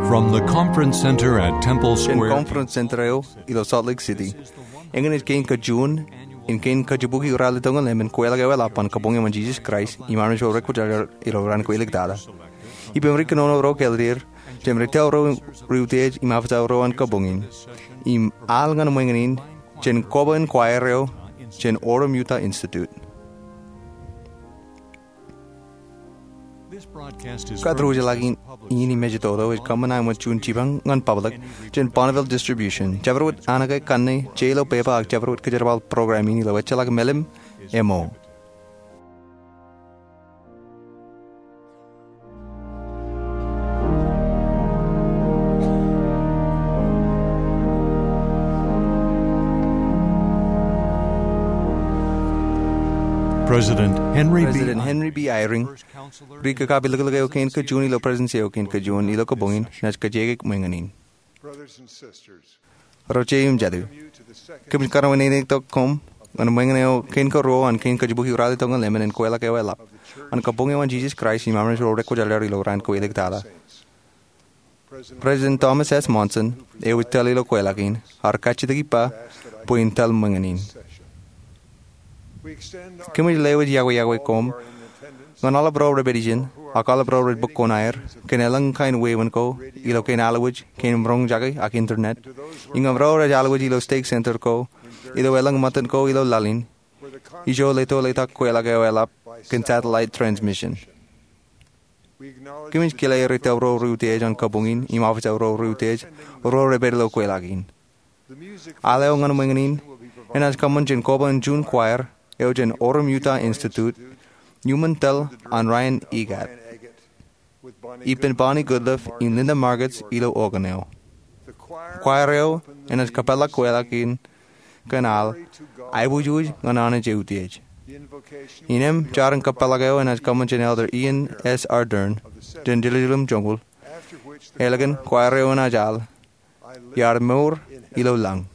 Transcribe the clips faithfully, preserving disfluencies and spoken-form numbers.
From the Conference Center at Temple Jān Square, Conference Center eo ilo Salt Lake City. Eñin ej kein kajuon in kein kajibukwi ralitōñal emān kweilọk eoelap an Kabuñ eo an Jesus Christ im armej ro rekwōjarjar ilo raan ko iliktata. Ippān ri kōnono ro kōlōt er, jān ri tōl ro, ri utiej im officer ro an kabuñ in, im al ñan ṃweiñin in jān koba in choir eo jān Orem Utah Institute. Kōtḷọk in im ej toto ej kōṃṃan aṃ juon jipañ ñan public jān Bonneville Distribution. Jabdewōt an ke kanne, je ilo pepa ak jabdewōt kōjerbal program in ilo ejjeḷọk mālim eo. President Henry B. President Henry B. Eyring, ri kakapiliklik eo kein kajuon ilo Presidensi eo kein kajuon ilo kabuñ in, naaj kajekek ṃweiñin in. Ro jet im jatū, kōmij kōrā eo neineintok koṃ ñan ṃweiñin eo kein karuo an kein kajibukwi ralitōñal emān kweilọk eoelap an Kabuñ eo an Jesus Christ im armej ro rekwōjarjar ilo raan ko iliktata. President Thomas S. Monson, eo ej tōl ilo kweilọk in, ear kajjitōk ippa bwe in tōl ṃweiñin in. Kōmij lewōj iọkwe iọkwe koṃ ñan aolep ro rej pād ijin, ak aolep ro rej bōk koṇaer, kōn elōñ kain wāween ko ilo kein alwōj, kein roñjake ak internet, im ñan ro rej alwōj ilo stake center ko, ilo elōñ ṃōttan ko ilo laḷ in, ijo leto letak kweilọk eoelap kōn satellite transmission. Kōmij kile ri tōl ro ri utiej an kabuñ in im officer ro ri utiej ro rej pād ilo kweilọk in. Al eo ñan ṃweiñin in enaaj kōṃṃan jān koba in juon choir eo jān Orem Utah Institute, iuṃwin tōl an Ryan Eggett, ippān Bonnie Goodliffe im Linda Margetts ilo organ eo. Choir eo enaaj kōpeḷḷọk kweilọk in kōn al, Aiboojoj ñan Anij eutiej. Innām jar in kōpeḷḷọk eo enaaj kōṃṃan jān Elder Ian S. Ardern jān Jerusalem Joñoul. Ālikin, choir eo enaaj al, Iar mour ilo lañ.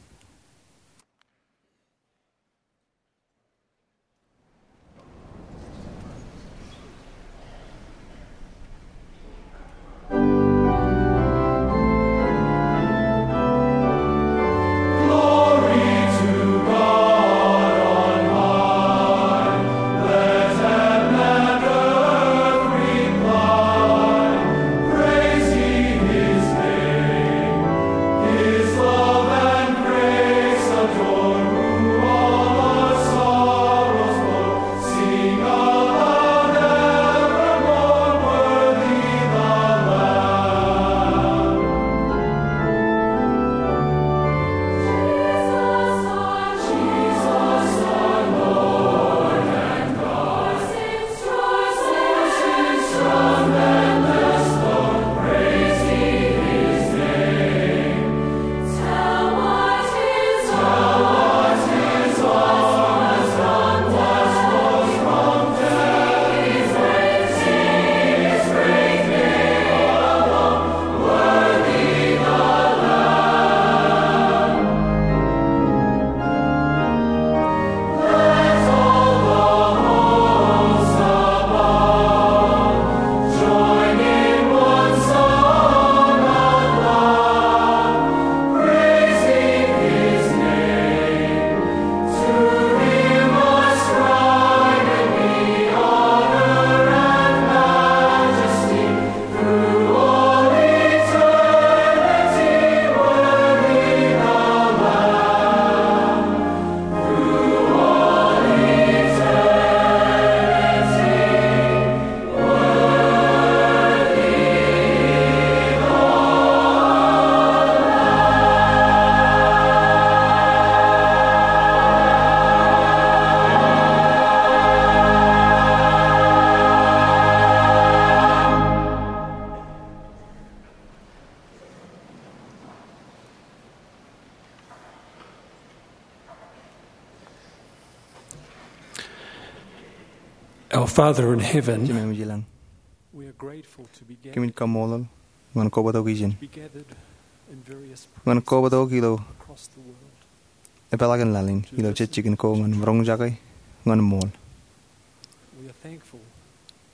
Our Father in heaven, Jemem ilañ, we are grateful to be gathered, kōmij kaṃṃoolol ñan kobatok ijin, to be gathered in various ñan kobatok ilo across the world, epeḷaakin laḷ in, ilo jejjikin ko ñan roñjake ñan ṃool. We are thankful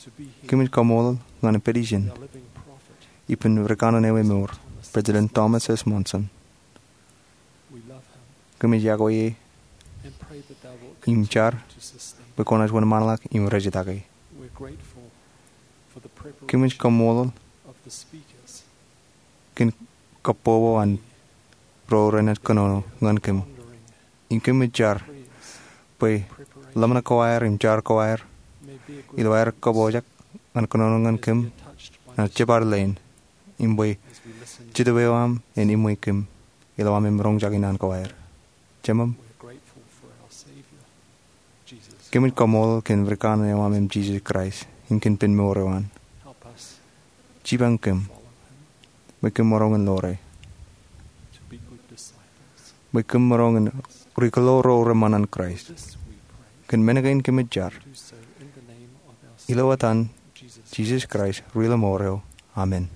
to be here. Kōmij kaṃṃoolol ñan pād ijin. We are living prophet. ippān rikanaan eo emour, President Thomas S. Monson. Kōmij iọkwe e im jar bwe kwōnaaj wōnṃaanḷọk im rejtake. Kōmij kaṃṃoolol kōn kabbokbok an ro renaaj kōnono ñan kōm. Im kōmij jar bwe ḷōmṇak ko aer im jar ko aer ilo aer kabojak an kōnono ñan kōm, naaj jebar leen, im bwe jetōb eo aṃ en iṃwe kōm ilo aṃ roñjake naan ko aer. Jemem, kōmij kaṃṃoolol kōn rikanaan eo aṃ im Jisōs Kraist im kōn ippān mour eo an. Jipañ kōm bwe kōm maroñ in ḷoore, bwe kōm maroñ in ri-kōḷaḷ ro reṃṃan an Kraist. Kōn men kein kōmij jar ilo etan Jisōs Kraist, Ri-Ḷōṃaro eo. Amen.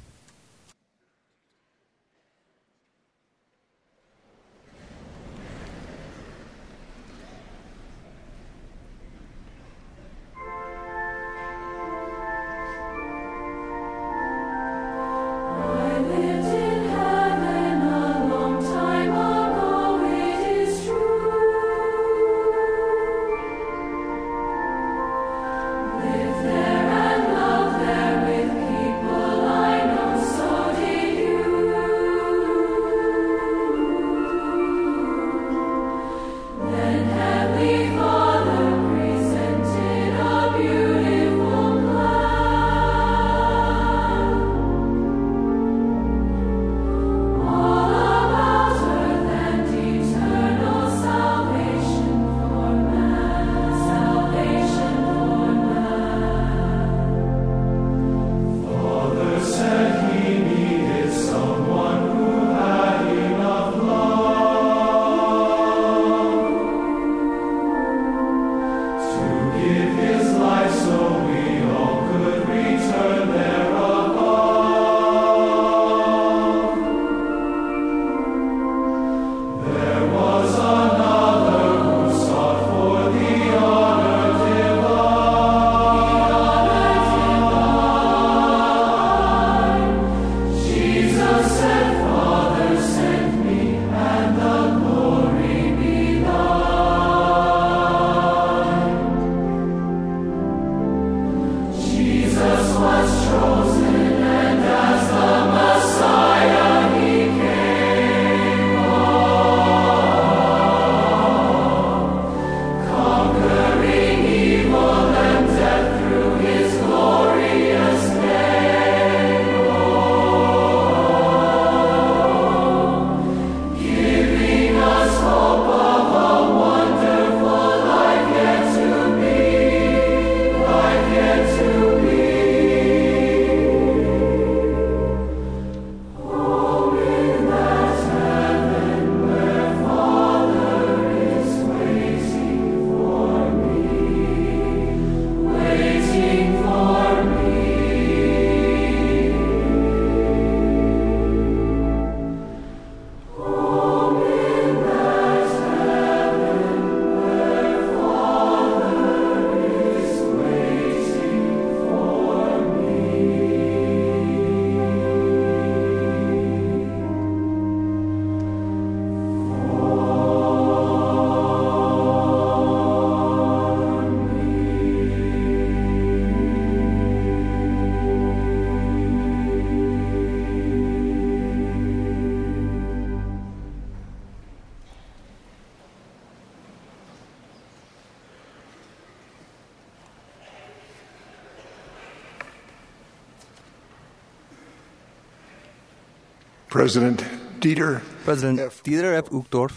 President Dieter President F. Dieter F. Uchtdorf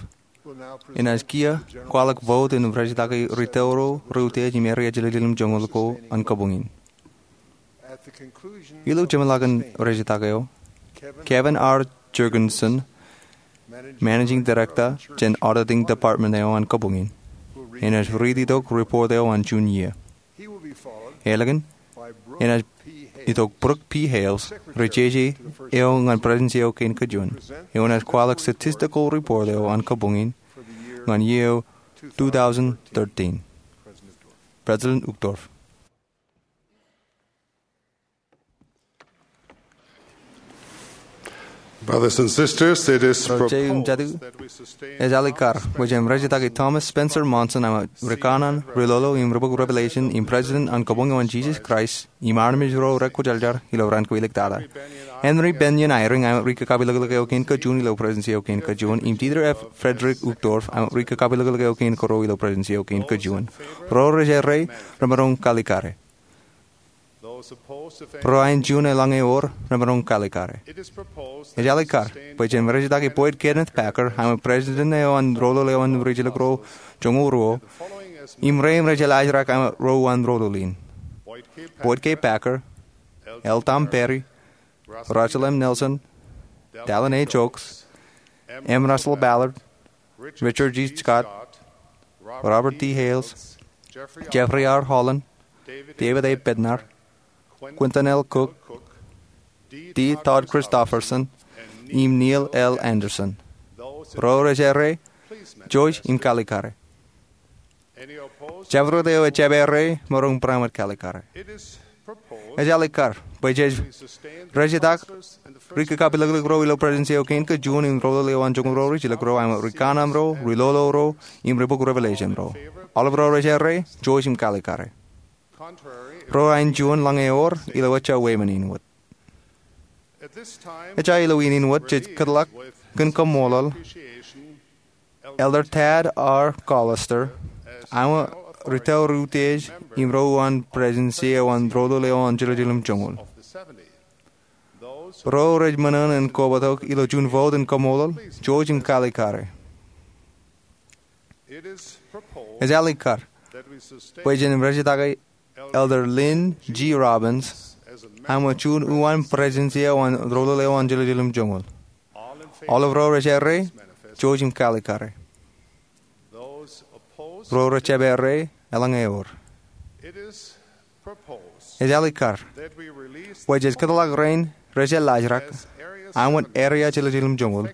enaaj kiiō kwaḷọk vote in rejtake ri-tōl ro reutiej im area jiljilimjuonñoul ko an kabuñ in. Ilo jeṃḷọkin rejtake eo, Kevin R. Jergensen, Managing Director jān Auditing Department eo an kabuñ in, enaaj riit itok report eo an juon iiō. Eḷaññe, enaaj itok Brooke P. Hales, ri-jeje eo ñan Presidency eo kein kajuon, eo enaaj kwaḷọk statistical report eo an kabuñ in ñan iiō two thousand thirteen. President Uchtdorf. Brothers and sisters, it is Ro je im jatū, ej alikkar bwe jen rejjitōk Thomas Spencer Monson aṃ rikōṇaan, ri-lolo im ri-bok Revelation im President an Kabuñ eo an Jesus Christ im armej ro rekwōjarjar ilo raan ko iliktata. Henry Bennion Eyring aṃ ri-kakapeḷḷọk eo kein kajjioñ ilo Presidensi eo kein kajjioñ im Dieter F. Friedrich Uchtdorf aṃ ri-kakapeḷḷọk eo kein kōrā ilo Presidensi eo kein kajjioñ. Ro rej errā remaroñ kalikkare. Ro aenjuon eḷaññe ewōr remaroñ kalikkare. Ej alikkar bwe jen rejjitōk Boyd Kenneth Packer aṃ President eo an Rōḷōḷ eo an Rijjelōk ro joñoul ruo im rein rej jeḷā ro aṃ ro uwaan rōḷōḷ in: Boyd K. Packer, L. Tom Perry, Russell M. Nelson, Dallin H. Oaks, M. Russell Ballard, Richard G. Scott, Robert D. Hales, Jeffrey R. Holland, David A. Bednar, Quentin L. Cook, D. Todd Christofferson, im Neil L. Andersen. Ro rej errā, jouj im kalikkare. Jabdewōt eo ejjab errā, maroñ būrāmwōt kalikkare. Ej alikkar bwe jej rejjitōk ri-kakapeḷḷọk ro ilo Presidensi eo kein kajjioñ im Rōḷōḷ eo an joñoul ruo rijjelōk ro aṃ rikōṇaan ro, ri-lolo ro im ri-bok Revelation ro. Aolep ro rej errā, jouj im kalikkare. Ro aenjuon eḷaññe ewōr, ilo ejja wāween in wōt. Ejja ilo wāween in wōt jej kōtḷọk kōn kaṃṃoolol Elder Tad R. Callister aṃ ri-tōre utiej im ro uwaan Presidensi eo an Rōḷōḷ eo an Jiljilimjuonñoul. Ro rej ṃōṇōṇō in kobatok ilo juon vote in kaṃṃoolol, jouj im kalikkare. Ej alikkar bwe jen rejjitōk Elder Lynn G. Robbins aṃ juon uwaan Presidensi eo an Rōḷōḷ eo an Jiljilimjuonñoul. Aolep ro rej errā, jouj im kalikkare. Ro rej jab errā, eḷaññe ewōr. Ej alikkar bwe jej kōtḷọk rein rej jeḷā ro aṃ wōt area Jiljilimjuonñoul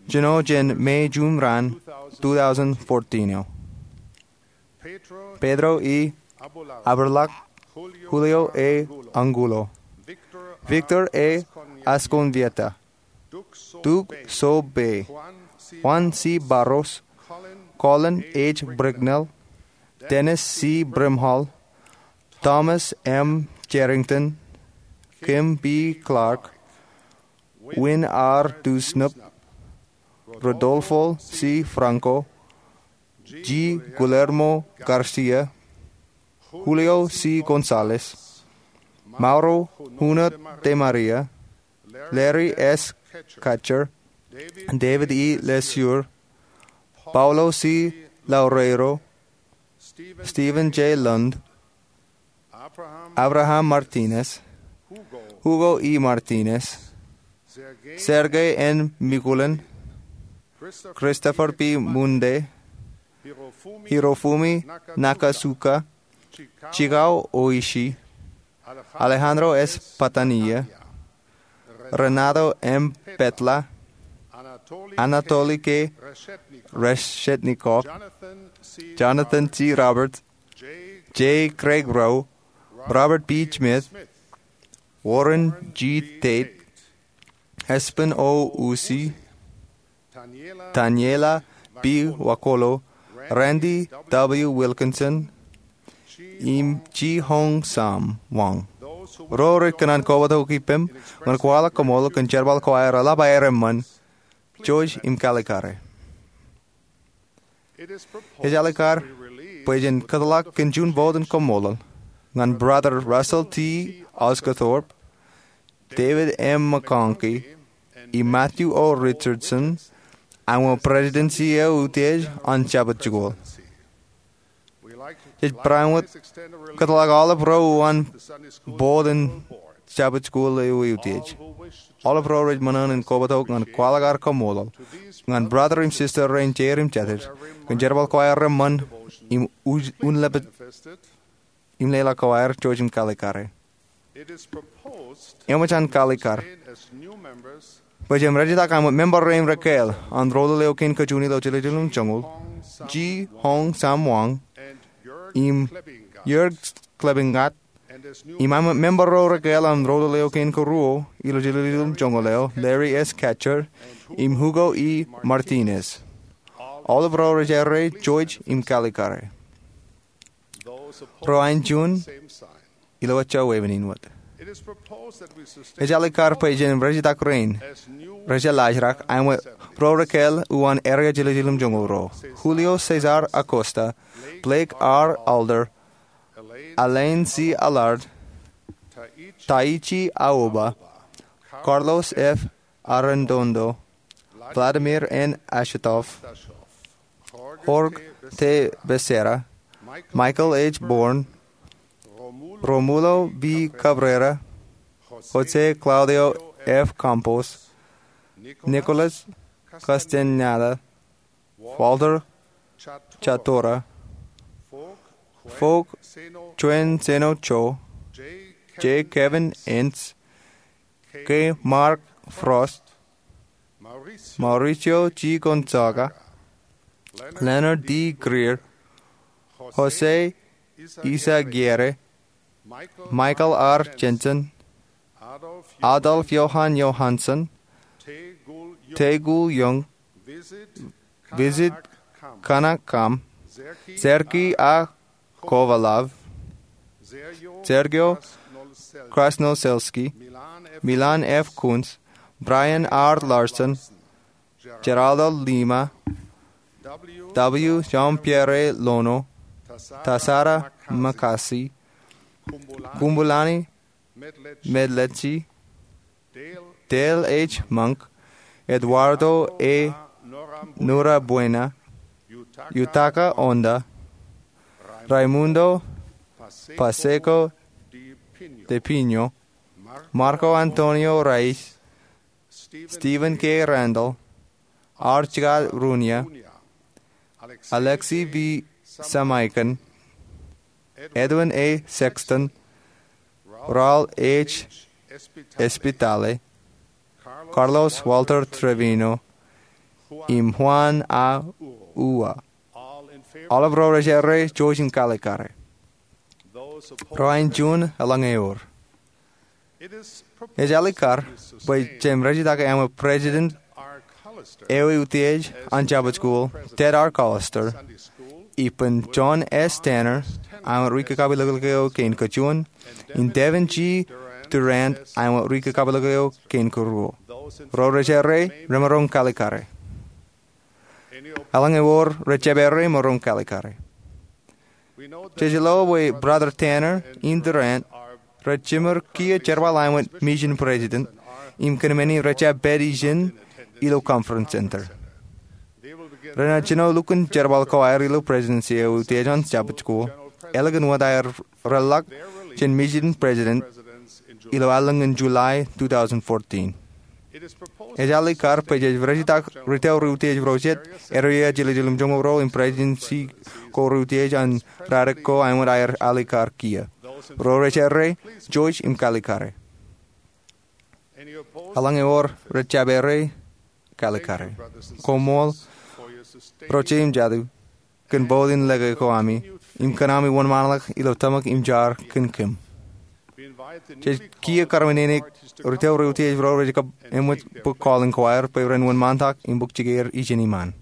jino jān May juṃ raan two thousand fourteen eo: Pedro E. Abulak, Julio A. Angulo, Victor A. Escondida, Duke Soe Bey, Juan C. Barros, Colin H. Bricknell, Dennis C. Brimhall, Thomas M. Cherrington, Kim B. Clark, Win R. Dewsnup, Rodolfo C. Franco, G. Guillermo Garcia, Julio C. Gonzalez, Mauro Huno de Maria, Larry S. Kacher, David E. LeSueur, Paulo C. Loureiro, Steven J. Lund, Abraham Martinez, Hugo E. Martinez, Sergey N. Mikulen, Christopher P. Munde, Hirofumi Nakasuka, Chikao Oishi, Alejandro S. Patania, Renato M. Petla, Anatoly K. Reshetnikov, Jonathan C. Roberts, J. Craig Rowe, Robert B. Smith, Warren G. Tate, Espen O. Usi, Taniela B. Wakolo, Randy W. Wilkinson, im Chi Hong Sam Wang. Ro rej kōṇaan kobatok ippaṃ ñan kwaḷọk kaṃṃoolol kōn jerbal ko aer eḷap aer eṃṃan, jouj im kalikkare. Ej alikkar bwe jen kōtḷọk kōn juon vote in kaṃṃoolol ñan Brother Russell T. Osguthorpe, David M. McConkie, im Matthew O. Richardson aṃ Presidensi eo Utiej an Jabōt Jikuuḷ. Jej būrāmwōt kōtḷọk aolep ro uwaan board in Jabōt Jikuuḷ eo Utiej. Aolep ro rej ṃōṇōṇō in kobatok ñan kwaḷọk ad kaṃṃoolol ñan brother im sister rein jeid im jatid kōn jerbal ko aer reṃṃan im uj-, unlepen im leḷọk ko aer, jouj im kalikkare. Eṃōj an kalikkar bwe jen rejjitōk aṃ member rein rekāāl an Rōḷōḷ eo kein kajjioñ ilo Jiljilimjuonñoul, Chi Hong Sam Wang im Jörg Klebingat, Im aṃ member ro rekāāl an Rōlōl Eo Kein Kōruo ilo jiljilimjuonñoul eo, Larry S. Katcher im Hugo E. Martinez. Aolep ro rej errā, Jewish im Kalikare. Ro āinjuon, ilo ejja wāween in wōt. Ej alikkar bwe jen rejitak rein, rej jeḷā ḷọk, āinwōt ro rekāāl uwaan area jiljilimjuonñoul ro: Julio Cesar Acosta, Blake R. Alder, Elaine C. Allard, Taichi Aoba, Carlos F. Arredondo, Vladimir N. Ashetov, Jorge T. Becerra, Michael H. Bourne, Romulo V. Cabrera, Jose Claudio F. Campos, Nicholas Castañeda, Walter Chatora, Foke Chuen Seno Cho, J. Kevin Ince, K. Mark Frost, Mauricio G. Gonzaga, Leonard D. Greer, Jose Izaguirre, Michael R. Jensen, Adolf Johan Johansson, Taegul Young, Visit Kanakam, Sergei A. Kovalov, Sergio Krasnoselski, Milan F. Kunz, Brian R. Larson, Geraldo Lima, W. Jean-Pierre Lono, Tasara Makasi, Kumbulani Medletsi, Dale H. Monk, Eduardo A. Norabuena, Yutaka Onda, Raimundo Pacheco de Pino, Marco Antonio Reyes, Stephen K. Randall, R. Chikat Ruña, Alexi V. Samaikon, Edwin A. Sexton, Raul H. Espitale, Carlos Walter Trevino, im Juan A. Ua. Aolep ro rej errā, Jewish im Kalikare. Ro āinjuon eḷaññe ewōr. Ej alikkar bwe jen rejitak āinwōt President eo eutiej an Jabōt Kuol, Ted R. Callister, ippān John S. Tanner āinwōt ri-kakapeḷḷọk eo kein kajuon, im Devin G. Durrant āinwōt ri-kakapeḷḷọk eo kein karuo. Ro rej errā, remaroñ kalikare. Eḷaññe ewōr rej jab errā, maroñ kalikare. Jej lo bwe Brother Tanner im Durrant rej jiṃor kiiō jerbal āinwōt mission president im kōn men in rej jab pād ijin ilo Conference Center. Renaaj jino lukkuun jerbal ko aer ilo Presidency eo eutiej an Jabōt Kuol, ālikin wōt aer reḷḷọk jān mission president ilo allōñ in July two thousand fourteen. Ej alikkar bwe jej rejitak ri-tōl ro eutiej ro jet, area jiljilimjuonñoul ro im Presidency ko ro eutiej an radik ko āinwōt aer alikkar kiiō. Ro rej errā, Jewish im kalikare. Eḷaññe ewōr rej jab errā, kalikare. Koṃṃool, ro je im jatū, kōn bōd in lōke ko ami im kōn ami wōnṃaanḷọk ilo tōmak im jar kōn kōm. Jej kiiō karmānene ri-tōl ro eutiej ro rej kab eṃōj bōk calling ko aer bwe ren wōnṃaantak im bōk jikeer ijin iṃaan.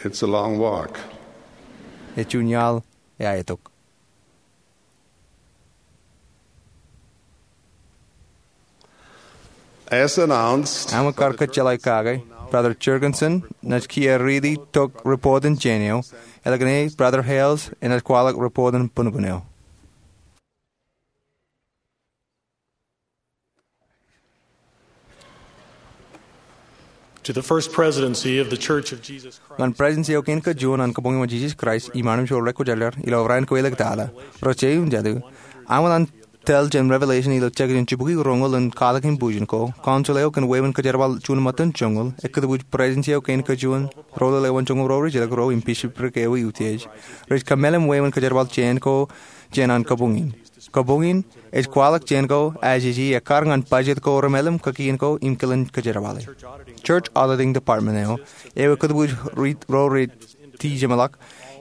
It's a long walk. Ej juon iaḷ eaitok. As announced, āinwōt kar kōjjeḷāik kake, Brother Jergensen enaaj kiiō riiti tok report in jān eo, ālikin e Brother Hales enaaj kwaḷọk report in punukun eo. To the First Presidency of the Church of Jesus Christ. Ñan Presidency eo kein kajuon an Kabuñ eo an Jisōs Kraist im Armej ro Rekwōjarjar ilo Raan Kawōḷḷe Tōl, ro je im jatū, aṃ wōt an tōl jān Revelation ilo jekjek in jibukwi roñoul in katak in bujen ko, council eo kōn wāween kajerbal juon ṃōttan joñoul, ekkā tōpoj Presidency eo kein kajuon, rōḷōḷ eo an joñoul ro rijjilōk ro im bishopric eo eutiej, rej kōmeḷeḷe wāween kajerbal jān ko jān an kabuñ in. Kōboñ in ej kwaḷọk jān ko ajeje ekkar ñan budget ko remelem, kōkien ko im kilen kōjerbale. Church Auditing Department eo, eo ekōtbuuj ri-, ro rej tijeṃḷọk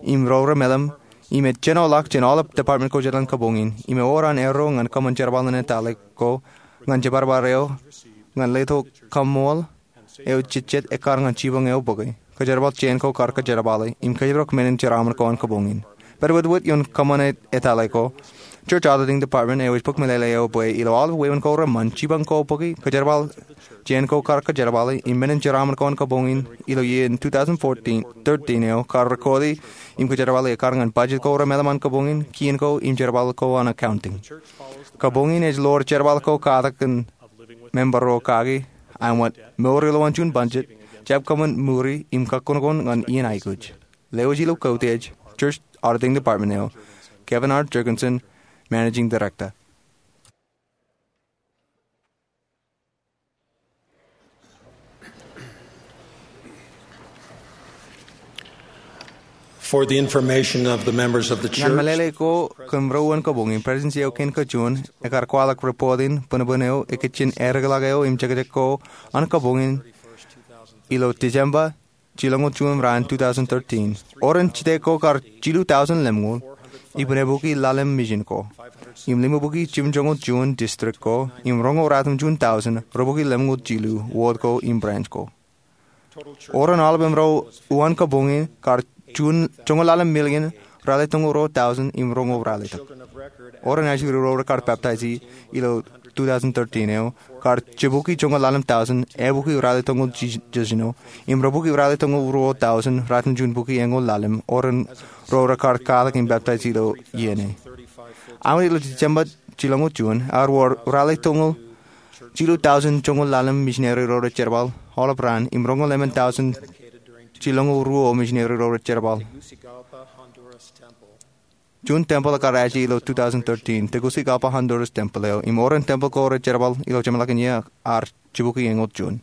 im ro remelem, im ej jenoḷọk jān aolep department ko jān kōboñ in, im ewōr an erro ñan kōṃṃan jerbal in etale ko ñan jebarbar eo ñan letok kaṃṃool eo jejjet ekkar ñan jipañ eo bōke. Kōjerbal jān ko kar kōjerbale im kōjparok men in jeraaṃṃan ko an kōboñ in. Pād wōtwōt ioon kōṃṃan etale ko, Church Auditing Department eo ej bōk meḷeḷe eo bwe ilo aolep wāween ko reṃṃan, jipañ ko bōke, kōjerbal jān ko kar kōjerbale im men in jeraaṃṃan ko an kōboñ in ilo iien two thousand fourteen, thirteen eo kar record e im kōjerbale ekkar ñan budget ko remelem an kōboñ in, kien ko im jerbal ko an accounting. Kōboñ in ej ḷoor jerbal ko katak kōn member ro kaki, āinwōt mour ilowaan juon budget, jab kōṃṃan ṃuri im kakkoṇkoṇ ñan iien aikuj. Lewōj ilo kautiej, Church Auditing Department eo, Kevin R. Jergensen, Managing Director. For the information of the members of the church, ñan meḷeḷe ko kōn ro an kōboñ in, Presidency eo kein kajuon ekar kwaḷọk report in bōnbōn eo ikijjien eddekḷọk eo im jekjek ko an kōboñ in ilo December jilñoul juon raan two thousand thirteen. Oren jitōñ ko kar jilu tọujin lemñoul, ippān ebuki ḷalem mission ko. Im limbuki jimjuonñoul juon district ko, im roñoul ratimjuon tọujin, rubuki lemñoul jilu ward ko im branch ko. Oren aolep ro uwaan kōboñ in kar juon, joñoul ḷalem million, ralitōñoul ruo tọujin, im roñoul ralitōk. Oren ajri ro rekar baptize ilo two thousand thirteen eo, kar jibuki joñoul ḷalem tọujin, ebuki ralitōñoul jiljino, im rubuki ralitōñoul ruo tọujin, ratimjuon buki eñoul ḷalem, oren ro rekar kwaḷọk im baptize ilo iien e. Aolep ilo December jilñoul juon, ear wōr ralitōñoul jilu tọujin joñoul ḷalem misineri ro rej jerbal, aolep raan, im roñoul emān tọujin jilñoul ruo misineri ro rej jerbal. Juon tempeḷ ekar aje ilo two thousand thirteen, Tegucigalpa Honduras tempeḷ eo, im oren tempeḷ ko rej jerbal ilo jeṃḷọkin iiō ear jibuki eñoul juon.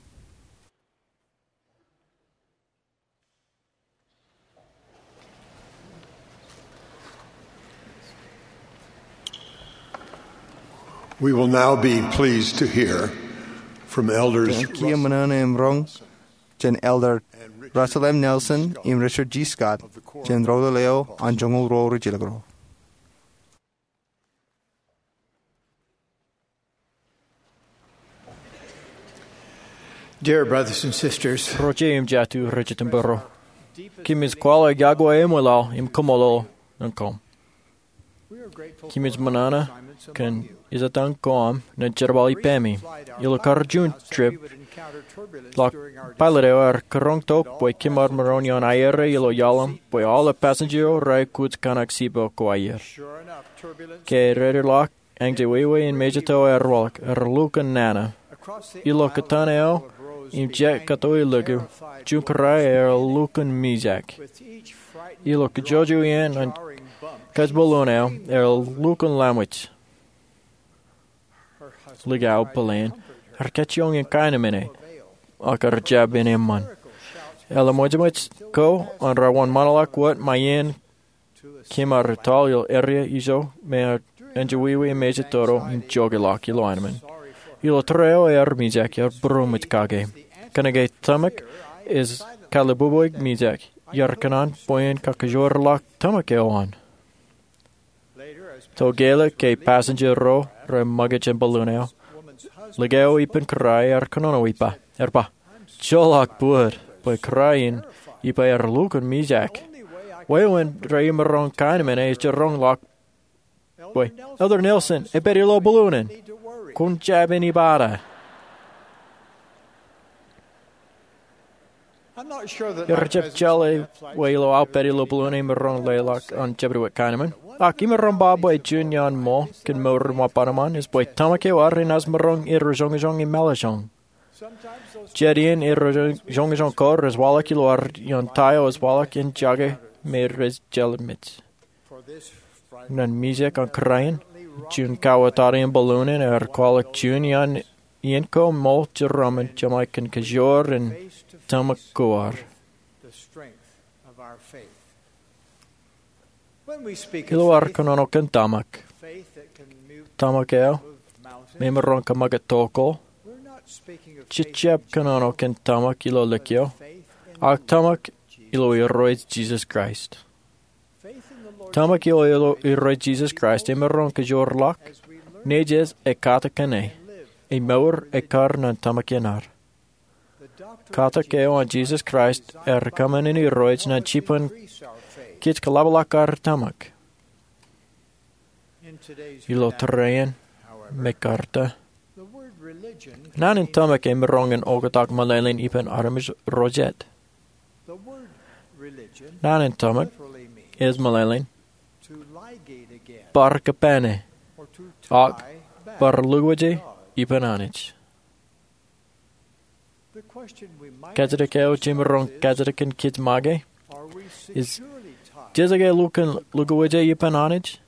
We will now be pleased to hear from Elders Kiiō ṃōṇōṇō im roñ jān Elder Russell M. Nelson im Richard G. Scott jān ro ḷeo an joñoul ruo rijilōk ro. Dear brothers and sisters, ro jeiū im jatū rej jitōnbōro, kōmij kwaḷọk yokwe eṃwilaḷ im kaṃṃoolol ñan koṃ. Kōmij ṃōṇōṇō kōn ijetan ko aṃ nen jerbal ippāmi. Ilo kar juon trip ḷọk, pilot eo ear kūroñ tok bwe kōm ar maroñ in aerro ilo iaḷ aṃ bwe aolep passenger ro rej aikuj kōṇak sippo ko aer. Ke rear ḷọk, eñjāwāwā in mejito ear waḷọk, ear lukkuun nana. Ilo kōtaan eo im jet kato elōñ, juon kūrae ear lukkuun mijak. Ilo kajjojo iien an kōj balloon eo, ear lukkuun lamwōj. Likao Belen ear kajjioñ in kaenmene, ak ear jab in eṃṃan. Eḷap ṃōjṃōj ko an wōnṃaanḷọk wōt ṃae iien kōm ar etal ilo area ijo me eñjāwāwā in mejatoto im jokḷọk ilo aenōṃṃan. Ilo tōre eo ear mijak, ear būroṃōj kake. Kōnke tōmak ej kalbubuik mijak, iar kōṇaan bwe in kakajoor ḷọk tōmak eo an. Tokālik ke passenger ro rej ṃōkaj jān balloon eo, likao ippān kūrae ear kōnono ippa, ear ba, "Joḷọk bōd bwe kūrae in ippa ear lukkuun mijak. Wāween rej imaroñ kaenmene ej jiroñ ḷọk bwe, 'Elder Nelson, epād ilo balloon in. Kwōn jab in ibada.'" Iar jab jeḷā wōt ilo aō pād ilo balloon e imaroñ leḷọk an jabdewōt kaenmān. Ak imaroñ ba bwe juon iaan ṃool kōn mour in wōnṃaanṃaan ej bwe tōmak eo ad enaaj maroñ erro joñojoñ im mālōtlōt. Jet iien erro joñojoñ ko rej waḷọk ilo ad iaan ta eo ej waḷọk in jake me rej jeḷā mej. Ñan mijak an kūrae in, juon kawōtata in balloon in ear kwaḷọk juon iaan iien ko ṃool jeraaṃṃan jeṃḷọk kōn kajoor in tōmak ko ad. Ilo ad kōnono kōn tōmak, tōmak eo me emaroñ ke make tokol, jej jab kōnono kōn tōmak ilo lōkio, ak tōmak ilo Irooj Jisōs Kraist. Tōmak ilo Irooj Jisōs Kraist emaroñ ke joorḷọk, nejū ej katakin e, im mour ej kar ñan tōmak in ad. Katak eo an Jisōs Kraist ear kōṃṃan in irooj ñan jibwin kōj kōḷapḷọk ad tōmak. Ilo tōre in, mekarta, naan in tōmak emaroñ in oktak meḷeḷein ippān armej ro jet. Naan in tōmak ej meḷeḷein bar kōpane, ak bar lukkuwōje ippān Anij. Kajjitōk eo jemaroñ kajjitōkin kōj make ej, jeje ke lukkuun lukkuwōje ippān Anij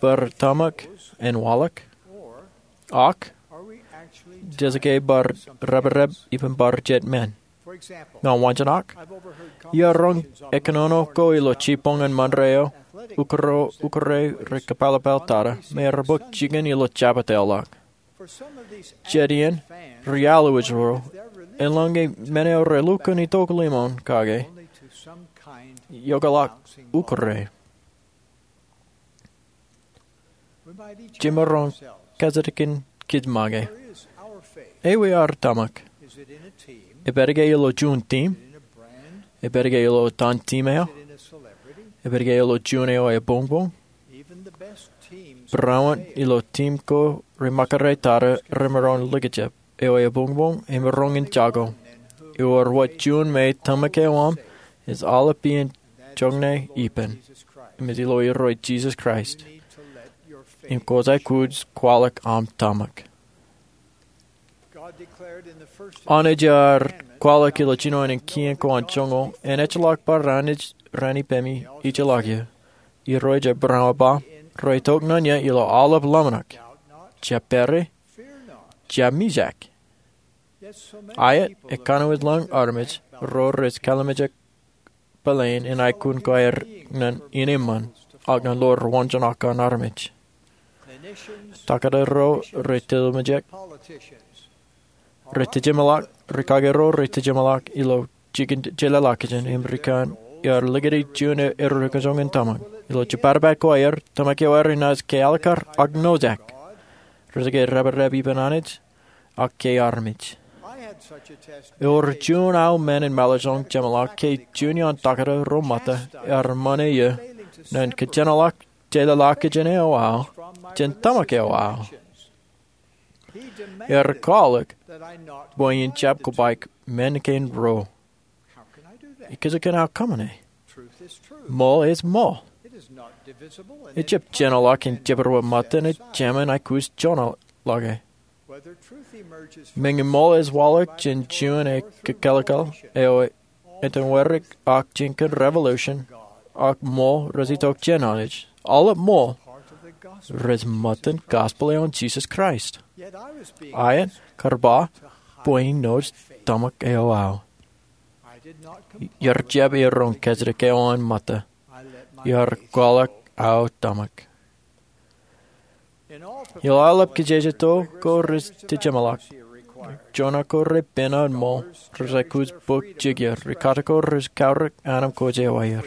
bar tōmak en waḷọk, ak jeje ke bar reprep ippān bar jet men? Ña waanjoñak, iar roñ ekōnono ko ilo jibboñ in Monterrey eo, ukure rej kōpālpāl tata, me ear bōk jikin ilo jabdewōt ḷọk. Jet iien, ri-aolep ro, eḷaññe men eo rej lukkuun itok limoṇ kake, ioḷọk ukure. Jemaroñ kajjitōkin kōj make. Ewi ad tōmak? Ej pād ke ilo juon team? Ej pād ke ilo etan team eo? Ej pād ke ilo juon eo ebuñbuñ? Barāinwōt ilo team ko rej ṃakūtkūt tata remaroñ likjab, eo ebuñbuñ emaroñ in jako. Ewōr wōt juon me tōmak eo aṃ ej aolep iien joñan ippān, im ej ilo Irooj Jisōs Kraist. Im kwōj aikuj kwaḷọk aṃ tōmak. Anij ear kwaḷọk ilo jinoin in kien ko an joñoul, en ejjeḷọk bar Anij raṇ ippemi ijeḷọk eō. Irooj ej barāinwōt ba, rej itok ñan eō ilo aolep ḷōmṇak. Jab pere, jab mijak. Aet, ekanooj ḷọk armej ro rej kalimjek plane in aikuj ko aer ñan ineeṃṃan, ak ñan ḷoor waanjoñak an armej. Taktō ro rej tijemḷọk, rej tijemḷọk, ri-kake ro rej tijemḷọk ilo jikin jeḷāḷọkjeṇ im ri-kōn, iar likūti juon erreo kajoor in tōmak. Ilo jepatapat ko aer, tōmak eo aer inaaj ke alikkar ak nojak. Rej ke reprep ippān Anij, ak ke armej. Ewōr juon aō men in mālōtlōt jeṃḷọk ke juon iaan taktō ro ṃōtta ear ṃane eō ñan kōjenolọk jeḷāḷọkjeṇ eo aō jān tōmak eo aō. Ear kwaḷọk bwe in jab kobaik men kein ruo. Ikijjien aō kōṃṃane? Ṃool ej ṃool. Ejjab jenolọk in jebed wōt ṃōttan ej jāmin aikuj joñan ḷọke. Meñe ṃool ej waḷọk jān juon ekōlōkōl eo etaṃwe dik ak jān kōn revolution, ak ṃool rej itok jān Anij, aolep ṃool rej ṃōttan gospel eo an Jisōs Kraist. Aet, kar ba bwe in nōj tōmak eo aō. Iar jab iroñ kajjitōk eo an ṃōtta. Iar kwaḷọk aō tōmak. Ilo aolep kijeje to ko rej tijemḷọk, joñan ko rej pād ṃool, rej aikuj bōk jikier, ri-kate ko rej kaurōk anemkwōj eo aer.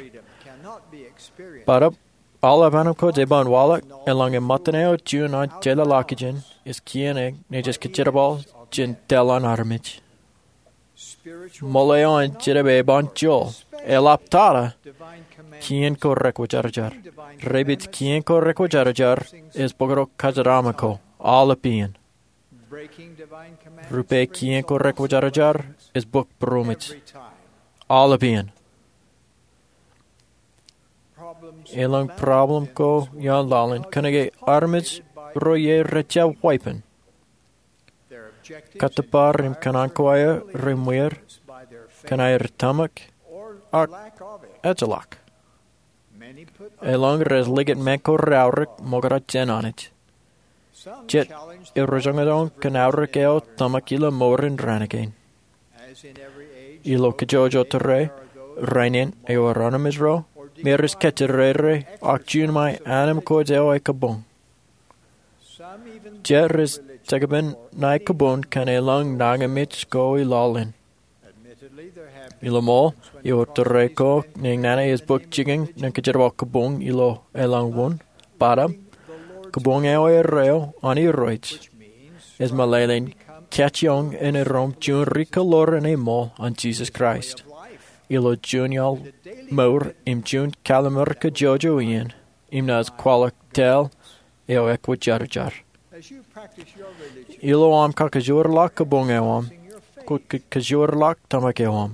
Bōtab, aolep anemkwōj eban waḷọk eḷaññe ṃōttan eo juon an jeḷāḷọkjeṇ ej kien eñin nejū kōjerbal jān tōl an armej. Ṃool eo an Jetōb eban joḷọk, eḷap tata kien ko rekwōjarjar. Rej pād kien ko rekwōjarjar ej bōktok kōjatdikdik ko aolep iien. Rupe kien ko rekwōjarjar ej bōk būroṃōj aolep iien. Elōñ problem ko iaan laḷ in kōnke armej ro ie rej jab weeppān. Kōttōpar im kōṇaan ko aer reṃwier kōn aer tōmak ak ejjeḷọk. Elōñ rej likūt men ko reaorōk ṃokta jān Anij. Jet rej joñojoñōk kōn aorōk eo tōmak ilo mour in rānōkwein. Ilo kōjwōj tōre, rainin ewōr armej ro me rej kōjjirere ak juon ṃae anemkwōj eo ekōbōñ. Jet rej jekpen ṇae kōpoon kōn elōñ nañinmej ko ilọlin. Ilo ṃool, ewōr tōre ko ñan nana ej bōk jikin ñan kōjerbal kōpoon ilo elōñ wōn, bōtab kōpoon eo erreo an Irooj ej meḷeḷein kajjioñ in erom juon ri-kōḷoor in eṃṃool an Jisōs Kraist ilo juon iaḷ mour im juon kalliṃur kajjojo iien im naaj kwaḷọk tōl eo ekwōjarjar. Ilo aṃ kakajoorḷọk kōpoon eo aṃ, kwōj kakajoorḷọk tōmak eo aṃ.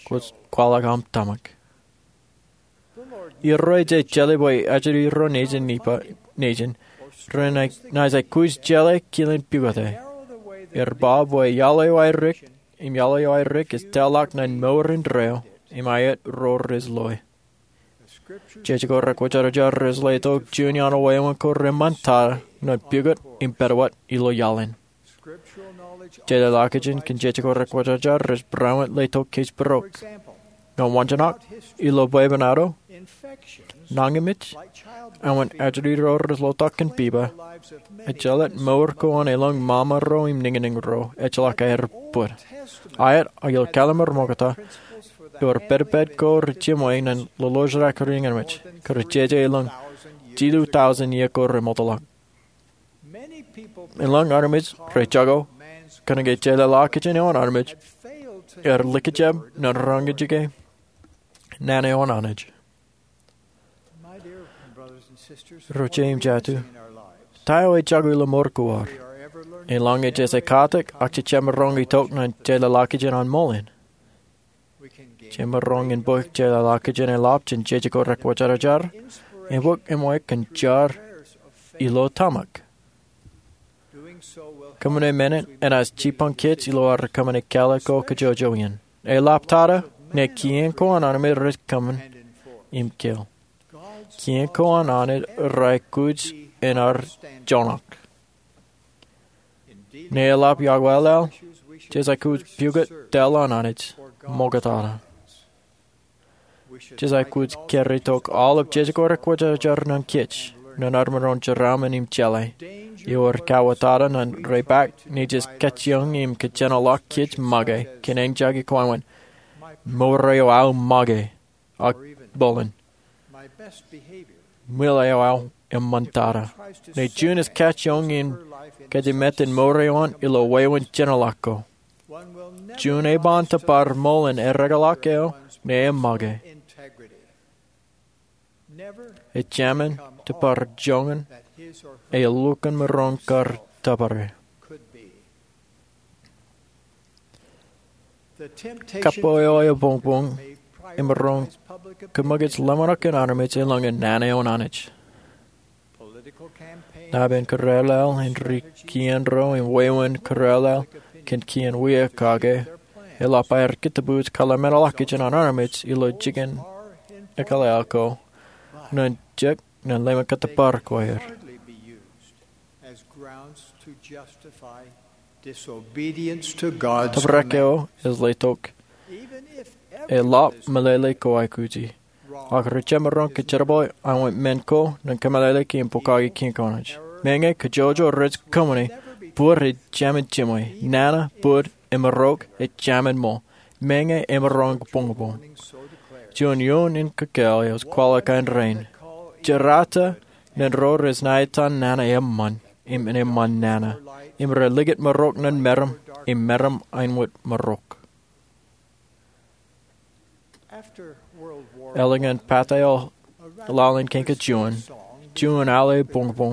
Kwōj kwaḷọk aṃ tōmak. Irooj ej jeḷā bwe ajri ro nejin, nejin renaaj aikuj jeḷā kilen pukot e. Ear ba bwe iaḷ eo aerōk im iaḷ eo aerōk ej tōlḷọk ñan mour indeeo im aet ro rej loe. Jej ko rekwōjarjar rej letok juon iaan wāween ko reṃṃantata ñan pukot im pād wōt ilo iaḷ in. Jeḷāḷọkjeṇ kōn jej ko rekwōjarjar rej barāinwōt letok kōjparok. Ñan waanjoñak, ilo bwebwenato, nañinmej, āinwōt ajri ro rej lotak kōn pipa, ejjeḷọk mour ko an elōñ ṃaṃa ro im niñniñ ro ejjeḷọk aer bōd. Aet, ilo kalliṃur ṃokta, ewōr pedped ko rej jiṃwe ñan lolorjake ri ñan ṃōj, kōjeañ elōñ jilu tọujin iiō ko remootḷọk. Elōñ armej rej jako kōnke jeḷāḷọkjeṇ eo an armej ear likjab ñan roñjake nana eo an Anij. Ro jet im jatū, ta eo ej jako ilo mour ko ad? Elōñ ej ej katak ak jemaroñ itok ñan jeḷāḷọkjeṇ an ṃool in. Jemaroñ in bōk jeḷāḷọkjeṇ eḷap jān jej ko rekwōjarjar im bōk eṃṃan kōn jar ilo tōmak. Kōṃṃane men in enaaj jipañ kōj ilo ad kōṃṃane kāālōt ko kajjojo in. Eḷaptata, ñe kien ko an armej rej kōṃṃan im keel, kien ko an Anij rej aikuj in ad joñak. Ñe eḷap iakwālal, jej aikuj pukot tōl an Anij ṃoktata. Jej aikuj kōrā tok aolep jej ko rekwōjarjar ñan kōj, ñan ad maroñ jeraaṃṃan im jeḷā. Ewōr kauwōtata ñan repaak ñe jej kajjioñ im kōjenolọk kōj make kōn eñjake ko āinwōt, mour eo aō make, ak bōlen, ṃwilaḷ eo aō eṃṃantata. Ñe juon ej kajjioñ in kōjatdikdik mour eo an ilo wāween jenolọk ko, juon eban tōpar ṃool in erekeḷọk eo ñe e make. Ejāmin tōpar joñan e lukkuun maroñ kar tōpare. Kapo eo ebuñbuñ emaroñ kōmij ḷōmṇak kōn armej elōñ nana eo an Anij. Naan kōrālel in ri kien ro im wāween kōrālel kōn kien wia kake eḷap aer kōttōpūj kōḷmānḷọkjeṇ an armej ilo jikin ekkālel ko ñan jek ñan ḷōmṇak kōttōpar ko aer. Tōprak eo ej letok, eḷap meḷeḷe ko aikuji. Ak rej jemaroñ kōjerbale āinwōt men ko ñan kōmeḷeḷeiki im bukaki kien ko an Anij. Meñe kajjojo rej kōṃṃane, bōd ejāmin jiṃwe, nana, bōd, im marok ejāmin ṃool. Meñe emaroñ buñbuñ. Juon iuun in kōkāāl eo ej kwaḷọk kōn rein. Jerata ñan ro rej ṇa etan nana eṃṃan im eṃṃan nana, im relikūt marok ñan meram im meram āinwōt marok. Eḷaññe pād eo laḷ in kōn kajuon, juon al ebuñbuñ,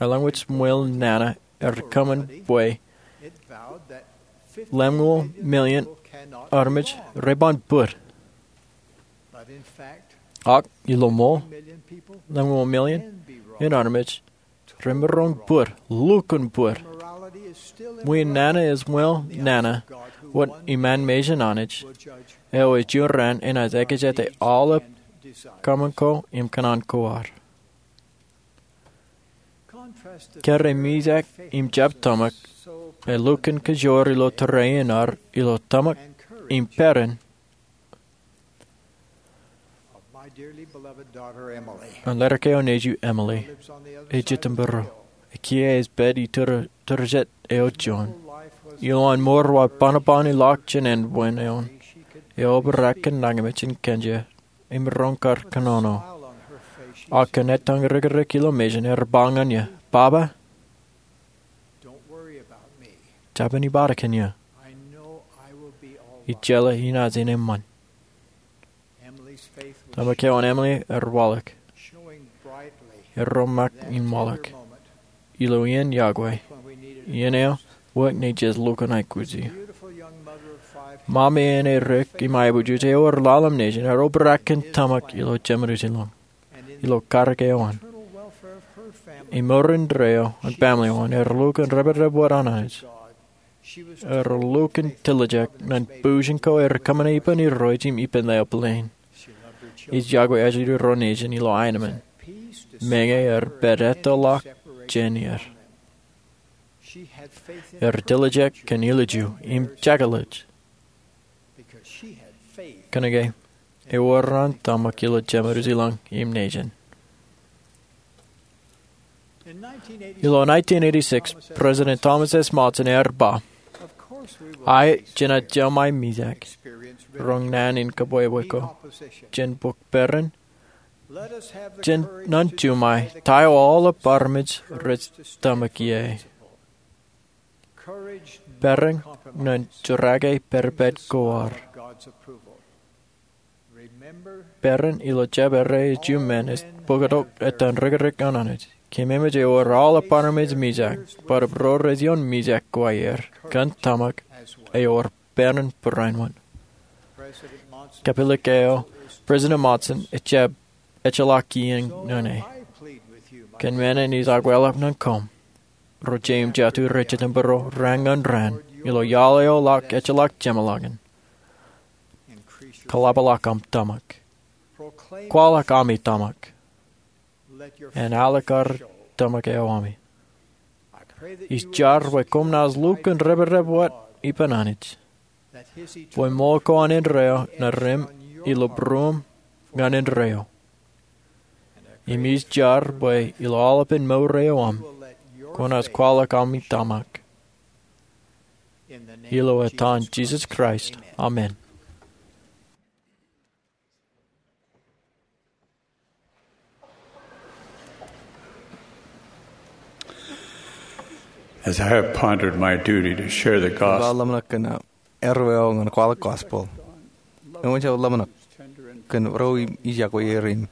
eḷaññe ṃwilaḷ nana ear kōṃṃan bwe lemñoul million armej re ban bōd. Ak ilo ṃool, lemñoul million in armej re maroñ bōd, lukkuun bōd. Ṃwilaḷ nana ej ṃwilaḷ nana wōt iṃaan mejān Anij, eo ej juon raan enaaj ekjete aolep kōṃṃan ko im kōṇaan ko ad. Kōrā mijak im jab tōmak elukkuun kajoor ilo tōre in ad ilo tōmak im peran Dearly beloved daughter Emily. Ñan ledik eo nejū Emily, lives on the other ej side of the Jitōnbōro, hill. Ekiiō ej pād iturū, iturūjet eo juon. Beautiful life was ilowaan mour wa bōnbōn ilọk jān ānbwin eoon. She could eobrak kōn nañinmej in kōnje im roñ kar kōnono. Smile on her face. Ak kōn etan rikirikōj ilo mejān, ear ba ñan eō, "Baba, don't worry about me. Jabōn ibadik kōn eō. I know I will be all right." Ijjeḷā inaaj in eṃṃan. Emily's faith was, tōmak eo an Emily ear waḷọk, showing brightly, ear roñ ṃōk in waḷọk, ilo iien yokwe, when we needed it, iien eo, wōt naaj lukkuun aikuji. Beautiful young mother of five. Ṃōṃ eo āne rik im aebujej eo ear laḷ im nejin ear obrak kōn tōmak ilo Jemenūs ilọñ, ilo karōk eo an. Im mour indeeo an family eo an ear lukkuun reprep wōt an Anij. Ear lukkuun tiljek ñan būshin ko ear kōṃṃane ippān irooj im ippān ḷeo plane. Ij yokwe ajri ro nejin ilo aenōṃṃan. Meñe ear pād ettoḷọk jān er. Ear tiljek kōn ilju im jekḷaj. Kōnke ewōr an tōmak ilo Jemenūs ilọñ im nejin. Ilo nineteen eighty-six, President Thomas S. Monson ear ba, "Aet jenaaj jeṃae mijak, roñ naan in kōbwebwe ko jān bok peran, jān naan juṃae ta eo aolep armej rej tōmak ie. Peran ñan jerake pād pād ko ad. Peran ilo jabdewōt men ej bōktok etan rikirikōj an Anij. Kōmeememej ewōr aolep armej mijak, bwe ro rej ioon mijak ko aer kōn tōmak ewōr peran barāinwōt." Kapilōk eo, President Monson ejjab ejjeḷọk iien ñan e. Kōn men in ij akwāḷọk ñan koṃ, ro jeiū im jatū rej jitōnbōro raan ñan raan, ilo iaḷ eo ḷọk ejjeḷọk jeṃḷọkin, kōḷapḷọk aṃ tōmak. Kwaḷọk ami tōmak. En alikkar tōmak eo ami. Ij jar bwe koṃ naaj lukkuun reprep wōt ippān Anij, bwe ṃool ko an indeeo ṇa ro im ilo būruōṃ ñan indeeo. Im ij jar bwe ilo aolepān mour eo aṃ, kwōnaaj kwaḷọk ami tōmak. Ilo etan Jisōs Kraist, amen. As I have pondered my duty to share the gospel, ḷōmṇak kōn, uh, erreo ñan kwaḷọk gospel, eṃōj aō ḷōmṇak kōn ro ij yokwe er im,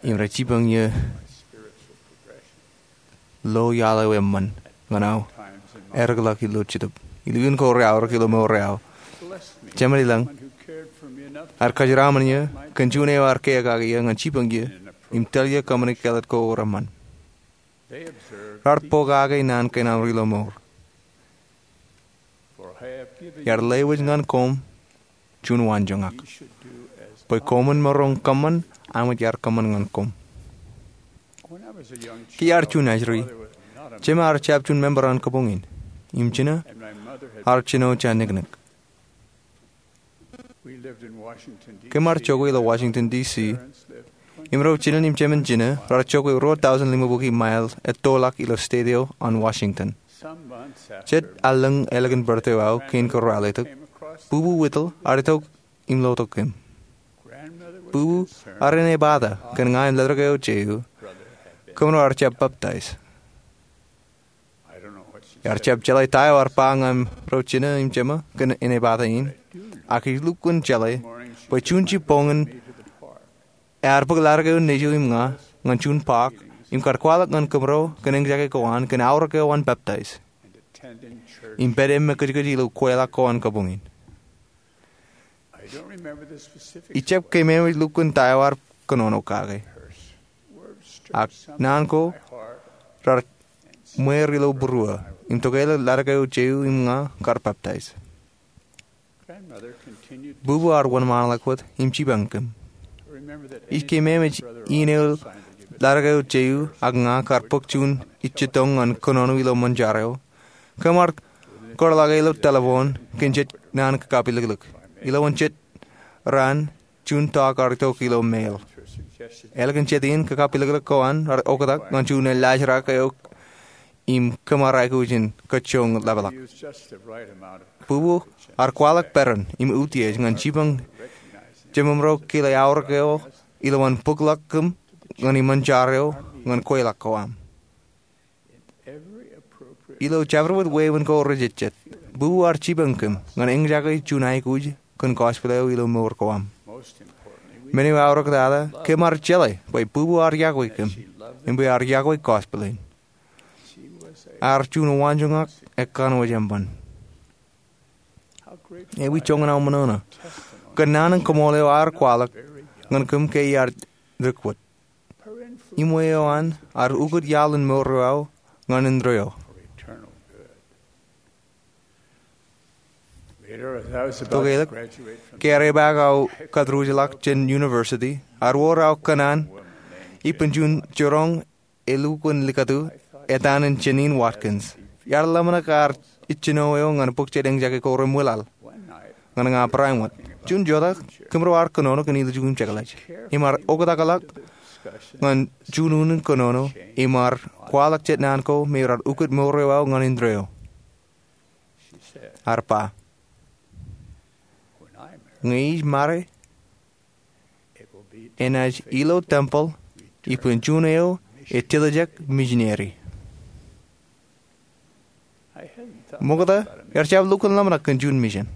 im rej jipañ ie lo iaḷ eo eṃṃan ñan aō erikḷọk ilo Jetōb. Ilo iien ko reaorōk ilo mour eo aō, jemān ilañ ear kōjeraaṃṃan ie kōn juon eo ear kiiō kake ie ñan jipañ ie im tōl ie kōṃṃane kāālōt ko reṃṃan. Raar pokake naan kein aṃ ilo mour. Iar lewōj ñan koṃ juon waanjoñak, bwe koṃwin maroñ kōṃṃan aṃ wōj iar kōṃṃan ñan koṃ. Ke iar juon ajri, jemān ear jab juon member an kabuñ in, im jinō ear jino jān niknik. Kōm ar jokwe ilo Washington, D C, im ro jinen im jemān jinō raar jokwe ruo tọujin limabukwi mael ettoḷọk ilo state eo an Washington. Jet allōñ ālikin birthday eo aō kein ko ralitōk, Bubu Whittle ear itok im lotok kōm. Bubu ear inepata kōn ña im ledik eo jeū, kōmro ar jab baptize. Ear jab jeḷā ta eo ear ba ñan ro jinō im jemān kōn inepata in, ak ij lukkuun jeḷā bwe juon jibboñōn ear bōk ledik eo nejū im ña ñan juon park im kar kwaḷọk ñan kōmro kōn eñjake ko an kōn aorōk eo an baptize im pād im kōjkōj ilo kweilọk ko an kabuñ in. Ij jab keememej lukkuun ta eo ear kōnono kake. Ak naan ko raar ṃweer ilo būruō im tokālik ledik eo jeū im ña kar baptize. Bubu ear wōnṃaanḷọk wōt im jipañ kōm. Ij keememej iien eo ledik eo jeū ak ña kar bōk juon ijjitōñ ñan kōnono ilo ṃōn jar eo. Kōm ar kōrḷọke ilo telephone kōn jet naan kakapiliklik. Ilowaan jet raan, juon tok ear itok ilo mail. Ālikin jet in, kakapilōklōk ko an ear oktak ñan juon elaajrak eo im kōṃṃan aikuj in kajjoñ ḷapḷọk. Bubu ear kwaḷọk peran im utiej ñan jipañ jememro kile aorōk eo ilowaan bōkḷọk kōm ñan iṃōn jar eo ñan kweilọk ko am. Ilo jabdewōt wāween ko rejejjet, bubu ear jipañ kōm ñan eñjake juon aikuj kōn gospel eo ilo mour ko am. Men eo aorōktata, kōm ar jeḷā bwe bubu ear iọkwe kōm im bwe ear iọkwe gospel in. Ear juon waanjoñak ekkanooj eṃṃan. Ewi joñan aō ṃōṇōṇō kōn naan in koṃṃool eo ear kwaḷọk ñan kōm ke iar dik wōt. Iṃwe eo an ear ukōt iaḷ in mour eo aō ñan indeeo. Tokālik, ke ear epaak aō kōtdjutḷọk jān university, ear wōr aō kōṇaan ippān juon jiroñ elukkuun likatū etan in Jeanene Watkins. Iar ḷōmṇak ear ijjino eo ñan bōk jet eñjake ko reṃwilaḷ ñan ña barāinwōt. Juon jota, kōmro ar kōnono kōn ilju im jekḷaj im ear oktakḷọk ñan juon unin kōnono im ear kwaḷọk jet naan ko me raar ukōt mour eo aō ñan indeeo. Ear ba, ñe ij ṃare, enaaj ilo tempel ippān juon eo ej tiljek misineri. Ṃokta, iar jab lukkuun ḷōmṇak kōn juon misin.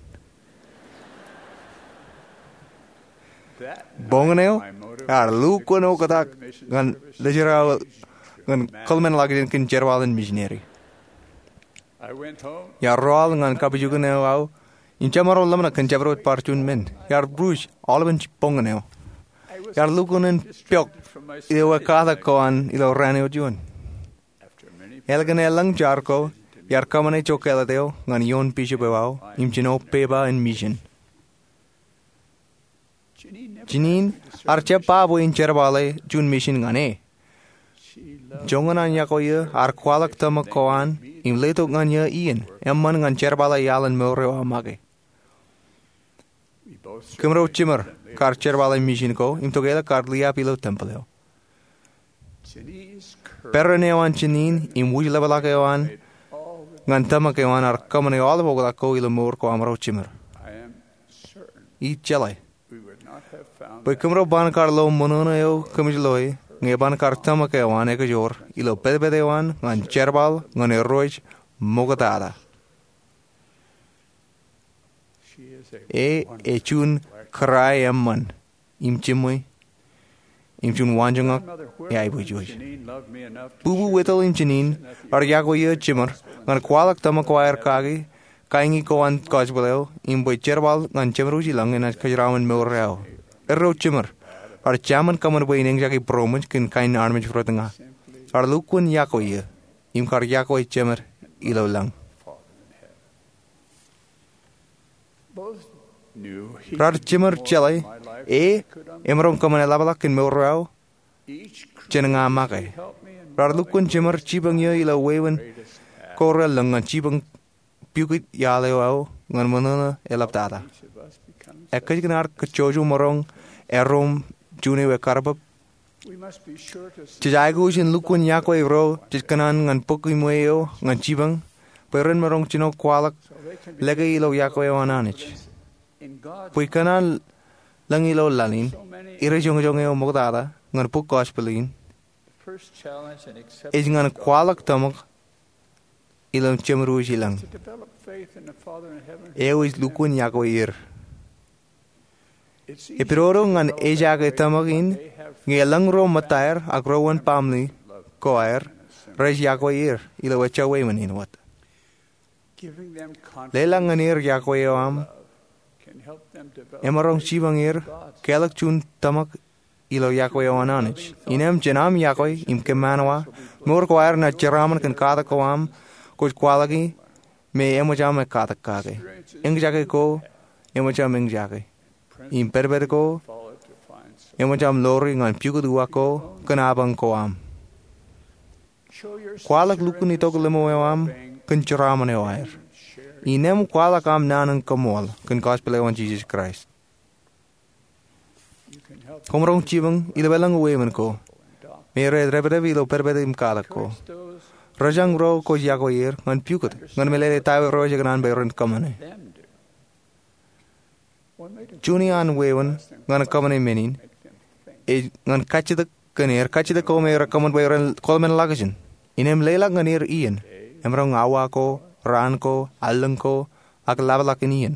Boñōn eo ear lukkuun oktak ñan lōjrak ñan kōḷmānḷọkjeṇ kōn jerbal in misineri. Iar rọọl ñan kapijuknen eo aō im jemaroñ ḷōmṇak kōn jabdewōt bar juon men. Iar ruj aolepān boñōn eo. Iar lukkuun in piọk ilo ewe katak ko an ilo raan eo juon. Ālikin elōñ jar ko, iar kōṃṃane ijo kāālōt eo ñan ioon bishop eo aō im jino pepa in misin. Jeanene ear jab ba bwe en jerbale juon misin ñan e. Joñan an iọkwe eō, ear kwaḷọk tōmak ko an im letok ñan eō iien eṃṃan ñan jerbale iaḷ in mour eo aō make. Kōmro jiṃor kar jerbale misin ko im tokālik kar liab ilo tempel eo. Peran eo an Jeanene im wūjlepḷọk eo an ñan tōmak eo an ear kōṃṃane aolep oktak ko ilo mour ko amro jiṃor. Ij jeḷā bwe kōmro ban kar lo ṃōṇōṇō eo kōmij loe ñe eban kar tōmak eo an ekajoor ilo pedped eo an ñan jerbal ñan irooj ṃoktata. E ej juon kōrā eṃṃan im jimwe im juon waanjoñak eaiboojoj. Bubu Whittle im Jeanene ear iọkwe eō jiṃor ñan kwaḷọk tōmak ko aer kake kaiñi ko an gospel eo im bwe jerbal ñan jemdewōj ilañ enaaj kōjeraṃṃan mour eo aō. Erro jiṃor ear jaṃōn kōṃṃan bwe en eñjake būroṃōj kōn kain armej rot ña. Ear lukkuun iọkwe eō im kar iọkwe jeṃor ilo lañ. Raar jiṃor jeḷā e emaroñ kōṃṃane ḷapḷọk kōn mour eo aō jān ña make. Raar lukkuun jiṃor jipañ eō ilo wāween ko relōñ ñan jipañ pukot iaḷ eo aō ñan ṃōṇōṇō eḷaptata. Ekkejkan ear kajjojo maroñ erom juon ewe karbōb. Jej aikuj in lukkuun iọkwe ro jej kōṇaan ñan bōk iṃwe eo ñan jipañ bwe ren maroñ jino kwaḷọk lōke ilo iọkwe eo an Anij. Bwe kōṇaan lañ ilo laḷ in, ire joñjoñ eo ṃoktata ñan bōk gospel in ej ñan kwaḷọk tōmak ilo jemdewōj ilañ. Eo ej lukkuun iọkwe er. Epidodo ñan ejaake tōmak in ñe elōñ ro ṃōttaer ak ro wōn baaṃle ko aer rej iọkwe er ilo ejja wāween in wōt. Leḷọk ñan er iọkwe eo aṃ emaroñ jipañ er kāālōt juon tōmak ilo iọkwe eo an Anij. Innām jān aṃ iọkwe im kōṃṃan wa, mour ko aer enaaj jeraaṃṃan kōn katak ko aṃ kwōj kwaḷọki me eṃōj aṃ ekkatak kake. Eñjake ko eṃōj aṃ eñjake. Im pedped ko eṃōj aṃ lori ñan pukot uwaak ko kōn apañ ko aṃ. Kwaḷọk lukkuun itok ḷimo eo aṃ kōn jeraaṃṃan eo aer. Innām kwaḷọk aṃ naan in koṃṃool kōn gospel eo an Jisōs Kraist. Koṃ roñ jipañ ilo elōñ wāween ko me rej dāpdep ilo pedped im katak ko. Rōjañ ro kwōj yokwe er ñan pukot ñan meḷeḷe ta eo rej kōṇaan bwe ren kōṃṃane. Juon iaan wāween ñan kōṃṃane men in ej ñan kajjitōk kōn er, kajjitōk ko me rekōṃṃan bwe ren kōḷmenḷọkjeṇ. Innām leḷọk ñan er iien, emaroñ awa ko, raan ko, allōñ ko, ak lapḷọk in iien,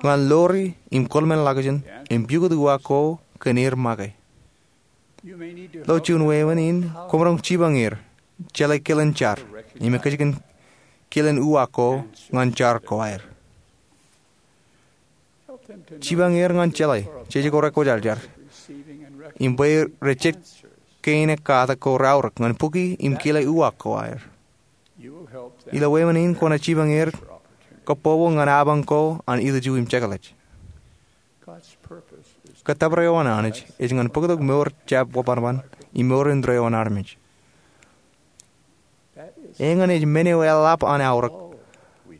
ñan lori im kōḷmenḷọkjeṇ im pukot uwaak ko kōn er make. Ilo juon wāween in koṃ roñ jipañ er jeḷā kilen jar im ekkejken kilen uwaak ko ñan jar ko aer. Jipañ er ñan jeḷā jeje ko rekwōjarjar im bwe rej jet kein katak ko reaorōk ñan bukwi im kile uwaak ko aer. Ilo wāween in kwōnaaj jipañ er kōpopo ñan apañ ko an ilju im jekḷaj. Kōttōpar eo an Anij ej ñan bōktok mour jab wōnṃaanṃaan im mour indeeo an armej. Eñin ej men eo eḷap an aorōk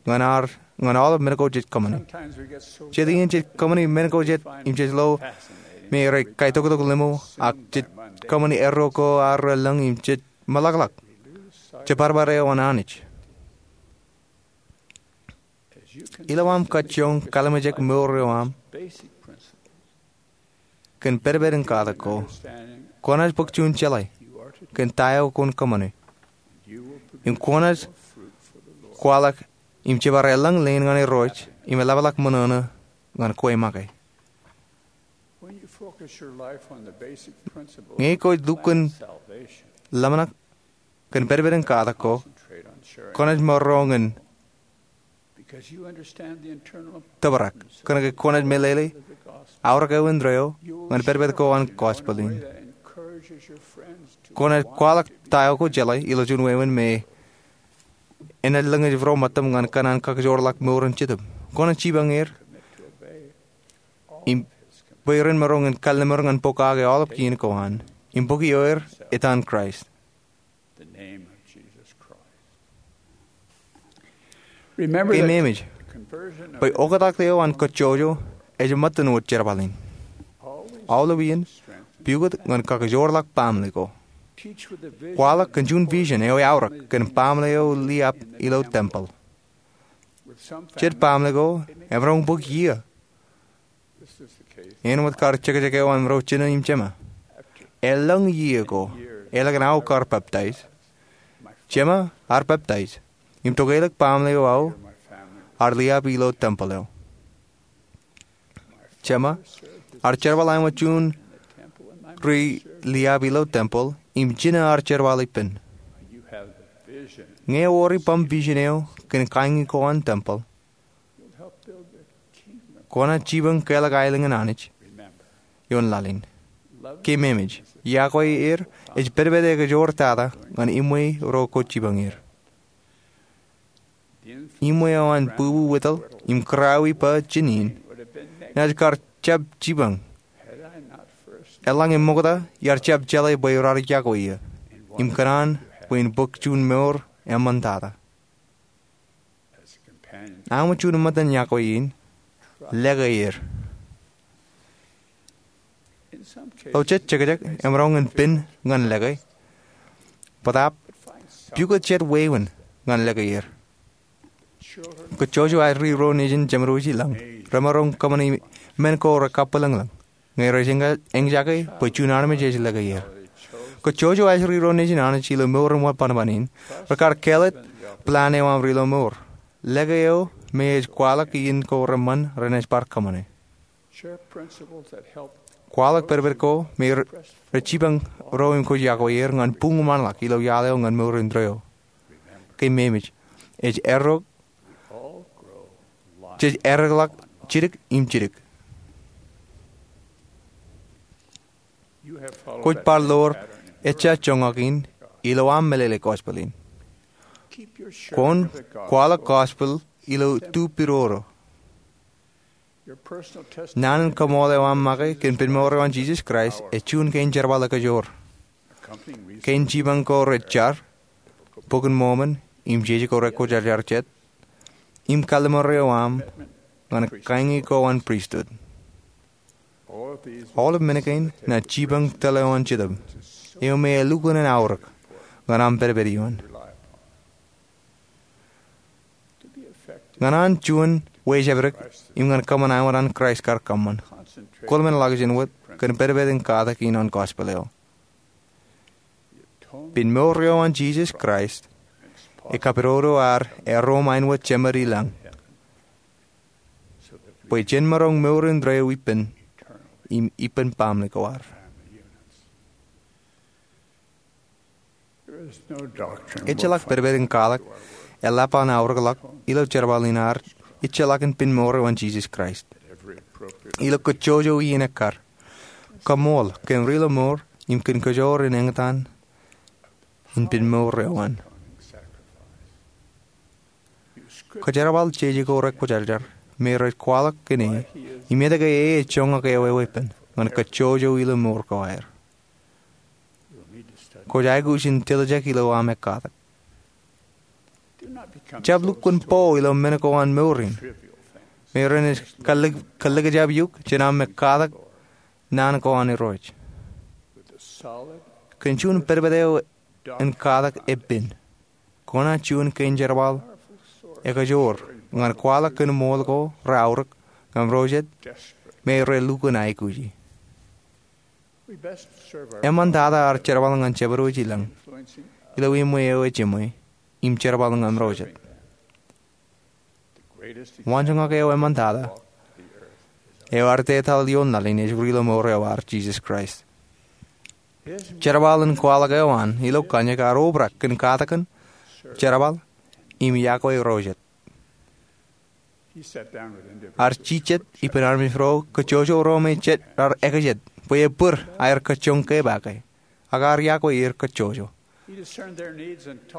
ñan aolep men ko jej kōṃṃane. Jet iien jej kōṃṃane men ko jet im jej lo me rej kaitoktok limo, ak jej kōṃṃane erro ko ad relōñ im jej meḷọkḷọk jeparpar eo an Anij. Ilo aṃ kajjioñ kalimjek mour eo aṃ kōn pedped in katak ko, kwōnaaj bōk juon jeḷā kōn ta eo kwōn kōṃṃane, im kwōnaaj kwaḷọk im jebar elōñ leen ñan Irooj im eḷapḷọk ṃōṇōṇō ñan kwe make. Ñe kwōj lukkuun ḷōmṇak kōn pedped in katak ko, kwōnaaj maroñ in tōprak kōnke kwōnaaj meḷeḷe aorōk eo indeeo ñan pedped ko an gospel in. Kwōnaaj kwaḷọk ta eo kwō jeḷā ilo juon wāween me enaaj lōñ ro ṃōttam ñan kōṇaan kakijoorḷọk mour in Jetōb. Kwōnaaj jipañ er im bwe ren maroñ in kalliṃur ñan pokake aolep kien ko an im bōki er etan Kraist. Keememej bwe oktak eo an kōjjojo ej ṃōttan wōt jerbal in. Aolep iien pukot ñan kakijoorḷọk baaṃle ko. Kwaḷọk kōn juon vision eo eaorōk kōn baaṃle eo liab ilo tempel. Jet baaṃle ko emaroñ bōk iiō. Āinwōt kar jekjek eo an ro jino im jema. Elōñ iiō ko, elōñ aō kar peptaij, jema ear peptaij, im tokelōk baaṃle eo aō ear liab ilo tempel eo. Jema ear jerbal āinwōt juon ri liab ilo tempel im jino ear jerbal ippān. Ñe ewōr ippām vision eo kōn kaiñi ko an tempel, kwōnaaj jipañ keḷọk aelōñ in Anij ioon laḷ in. Keememej, iọkwe er ej pedped ekajoor tata ñan iṃwe ro kwōj jipañ er. Iṃwe eo an bubu witōl im kūrāwij bwe jinen enaaj kar jab jipañ eḷaññe ṃokta iar jab jeḷā bwe raar iọkwe eō im kōṇaan bwe en bōk juon mour eṃṃantata. Āinwōt juon ṃōttan iọkwe in, lōke er. Ilo jet jekjek emaroñ in pen ñan lōke, bōtaab pukot jet wāween ñan lōke er. Kōjjojo aer ri ro nejin jemedwōj i lañ remaroñ kōṃṃane men ko rekabwilōñlōñ ñe rej eñjake bwe juon armej ej lōke er. Kōjjojo aer ri ro nejin Anij ilo mour in wōnṃaanṃaan in rekar kāālōt plan eo aṃ ilo mour. Lōke eo me ej kwaḷọk iien ko reṃṃan renaaj bar kōṃṃane. Kwaḷọk pedped ko me rej jipañ ro im kwōj iọkwe er ñan buñūṃanḷọk ilo iaḷ eo ñan mour indeeo. Keememej, ej errọọk, jej errọọkḷọk jidik im jidik. Kwōj bar lo ejja joñak in ilo aṃ meḷeḷe gospel in. Kwōn kwaḷọk gospel ilo tupidoro. Naan in kaṃool eo aṃ make kōn pen mour eo an Jisōs Kraist ej juon kein jerbal ekajoor. Kein jipañ ko rej jar, Bok in Mormon im jeje ko rekwōjarjar jet, im kalliṃur eo aṃ ñan kaiñi ko an pristut. Aolep men kein ṇa jipañ tōl eo an Jetōb eo me elukkuun aorōk ñan aṃ pedped ioon. Ñan an juon wejābdek im ñan kōṃṃan āinwōt an Kraist kar kōṃṃan, kwōlōmṇak jān wōt kōn pedped in katak in an gospel eo. Pen mour eo an Jisōs Kraist ekapidodo ad erom āinwōt Jemād ilañ bwe jen maroñ mour indeeo ippān im ippān baaṃle ko ad. Ejjeḷọk pedped in katak eḷap an aorōkḷọk ilo jerbal in ad ejjeḷọkin pen mour eo an Jisōs Kraist. Ilo kōjjojo iien ekkar, kaṃṃool kōn ri-lọmour im kōn kōjoor in eñtaan in pen mour eo an. Kōjerbal jeje ko rekwōjarjar me rej kwaḷọk kōn e im etke e ejoñak eo eweeppān ñan kōjjojo ilo mour ko aer. Kwōj aikuj in tiljek ilo aṃ ekkatak. Jab lukkuun bo ilo men ko an mour in me renaaj kōllōkjab eok jān aṃ ekkatak naan ko an Irooj. Kōn juon pedped eo in katak eppān, kōṇaan juon kein jerbal ekajoor ñan kwaḷọk kōn ṃool ko reaorōk ñan ro jet me relukkuun aikuji. Eṃṃantata ad jerbal ñan Jemād wōj ilañ ilo iṃwe eo ejimwe im jerbal ñan ro jet. Waanjoñak eo eṃṃantata eo ad etal ioon laḷ in ej ri-lọmour eo ad Jisōs Kraist. Jerbal in kwaḷọk eo an ilo kanniōk ear obrak kōn katakin, jerbal, im iọkwe ro jet. Ear jijet ippān armej ro kōjjojo ro me jet raar ekajet bwe ebōd aer kōjjoñ ke ba ke, ak ear iọkwe er kōjjojo.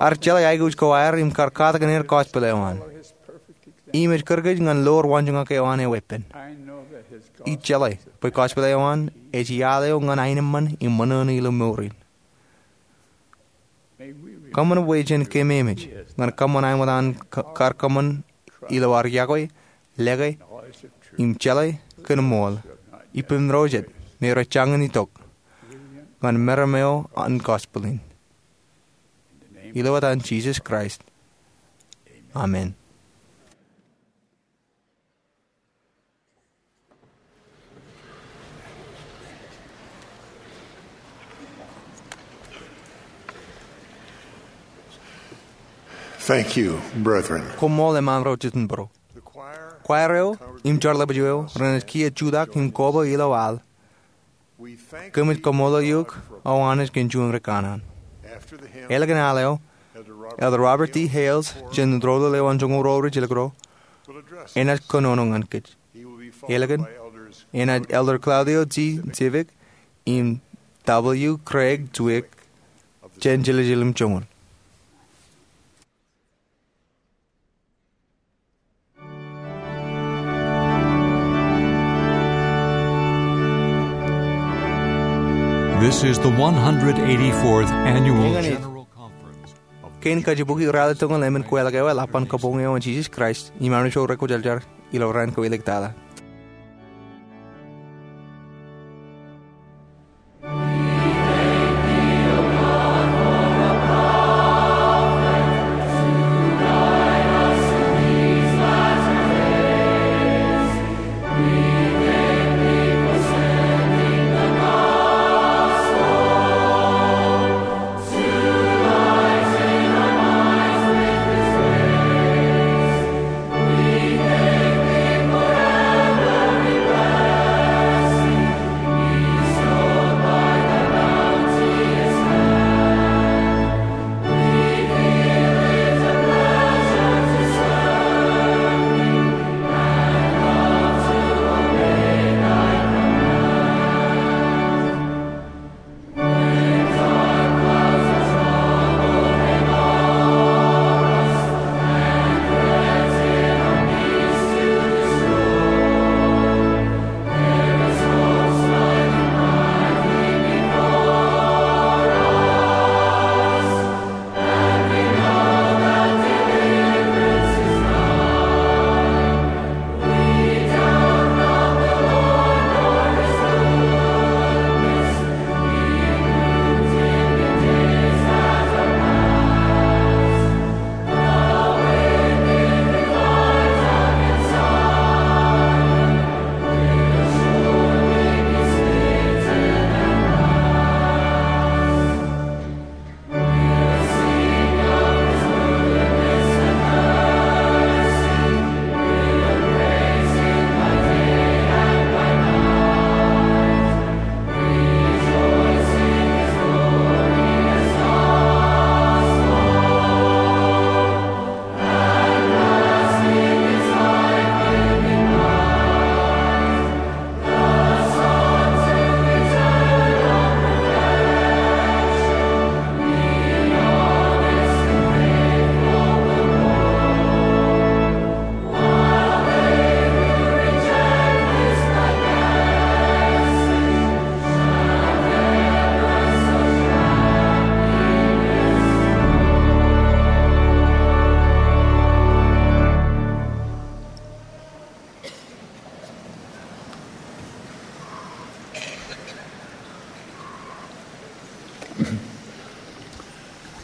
Ear jeḷā aikuj ko aer im kar katakin er gospel eo an. Im ej kūr kōj ñan loor waanjoñak eo an eweeppān. Ij jeḷā bwe gospel eo an ej iaḷ eo ñan aenōṃṃan im ṃōṇōṇō ilo mour in. Kōṃṃan bwe jen kememej ñan kōṃṃan āinwōt an kar kōṃṃan ilo ad iọkwe, lōke, im jeḷā kōn ṃool ippān ro jet me rej jañin itok ñan meram eo an gospel in. Ilo etan Jisōs Kraist, amen. Thank you, brethren. Koṃṃool eṃṃan ro jitōnbōro. Kwaer eo im jeorḷapḷọk eo renaaj kiiō jutak im koba ilo al. Kōmij kaṃṃoolol eok o Anij kōn juon ri kanaan. Ālikin al eo, Elder Robert D. Hales, jān doulul eo an joñoul ruo rijjilōk ruo, enaaj kōnono ñan kōj. Ālikin, enaaj Elder Claudio G. Zivik im W. Craig Zwick, jān jiljilimjuon. This is the one hundred eighty-fourth Annual Eñin ej General Conference of kein kajibukwi ralitōñal emān kweilọk eo eḷap an kabuñ eo an Jisōs Kraist im armej ro rekwōjarjar ilo raan ko iliktata.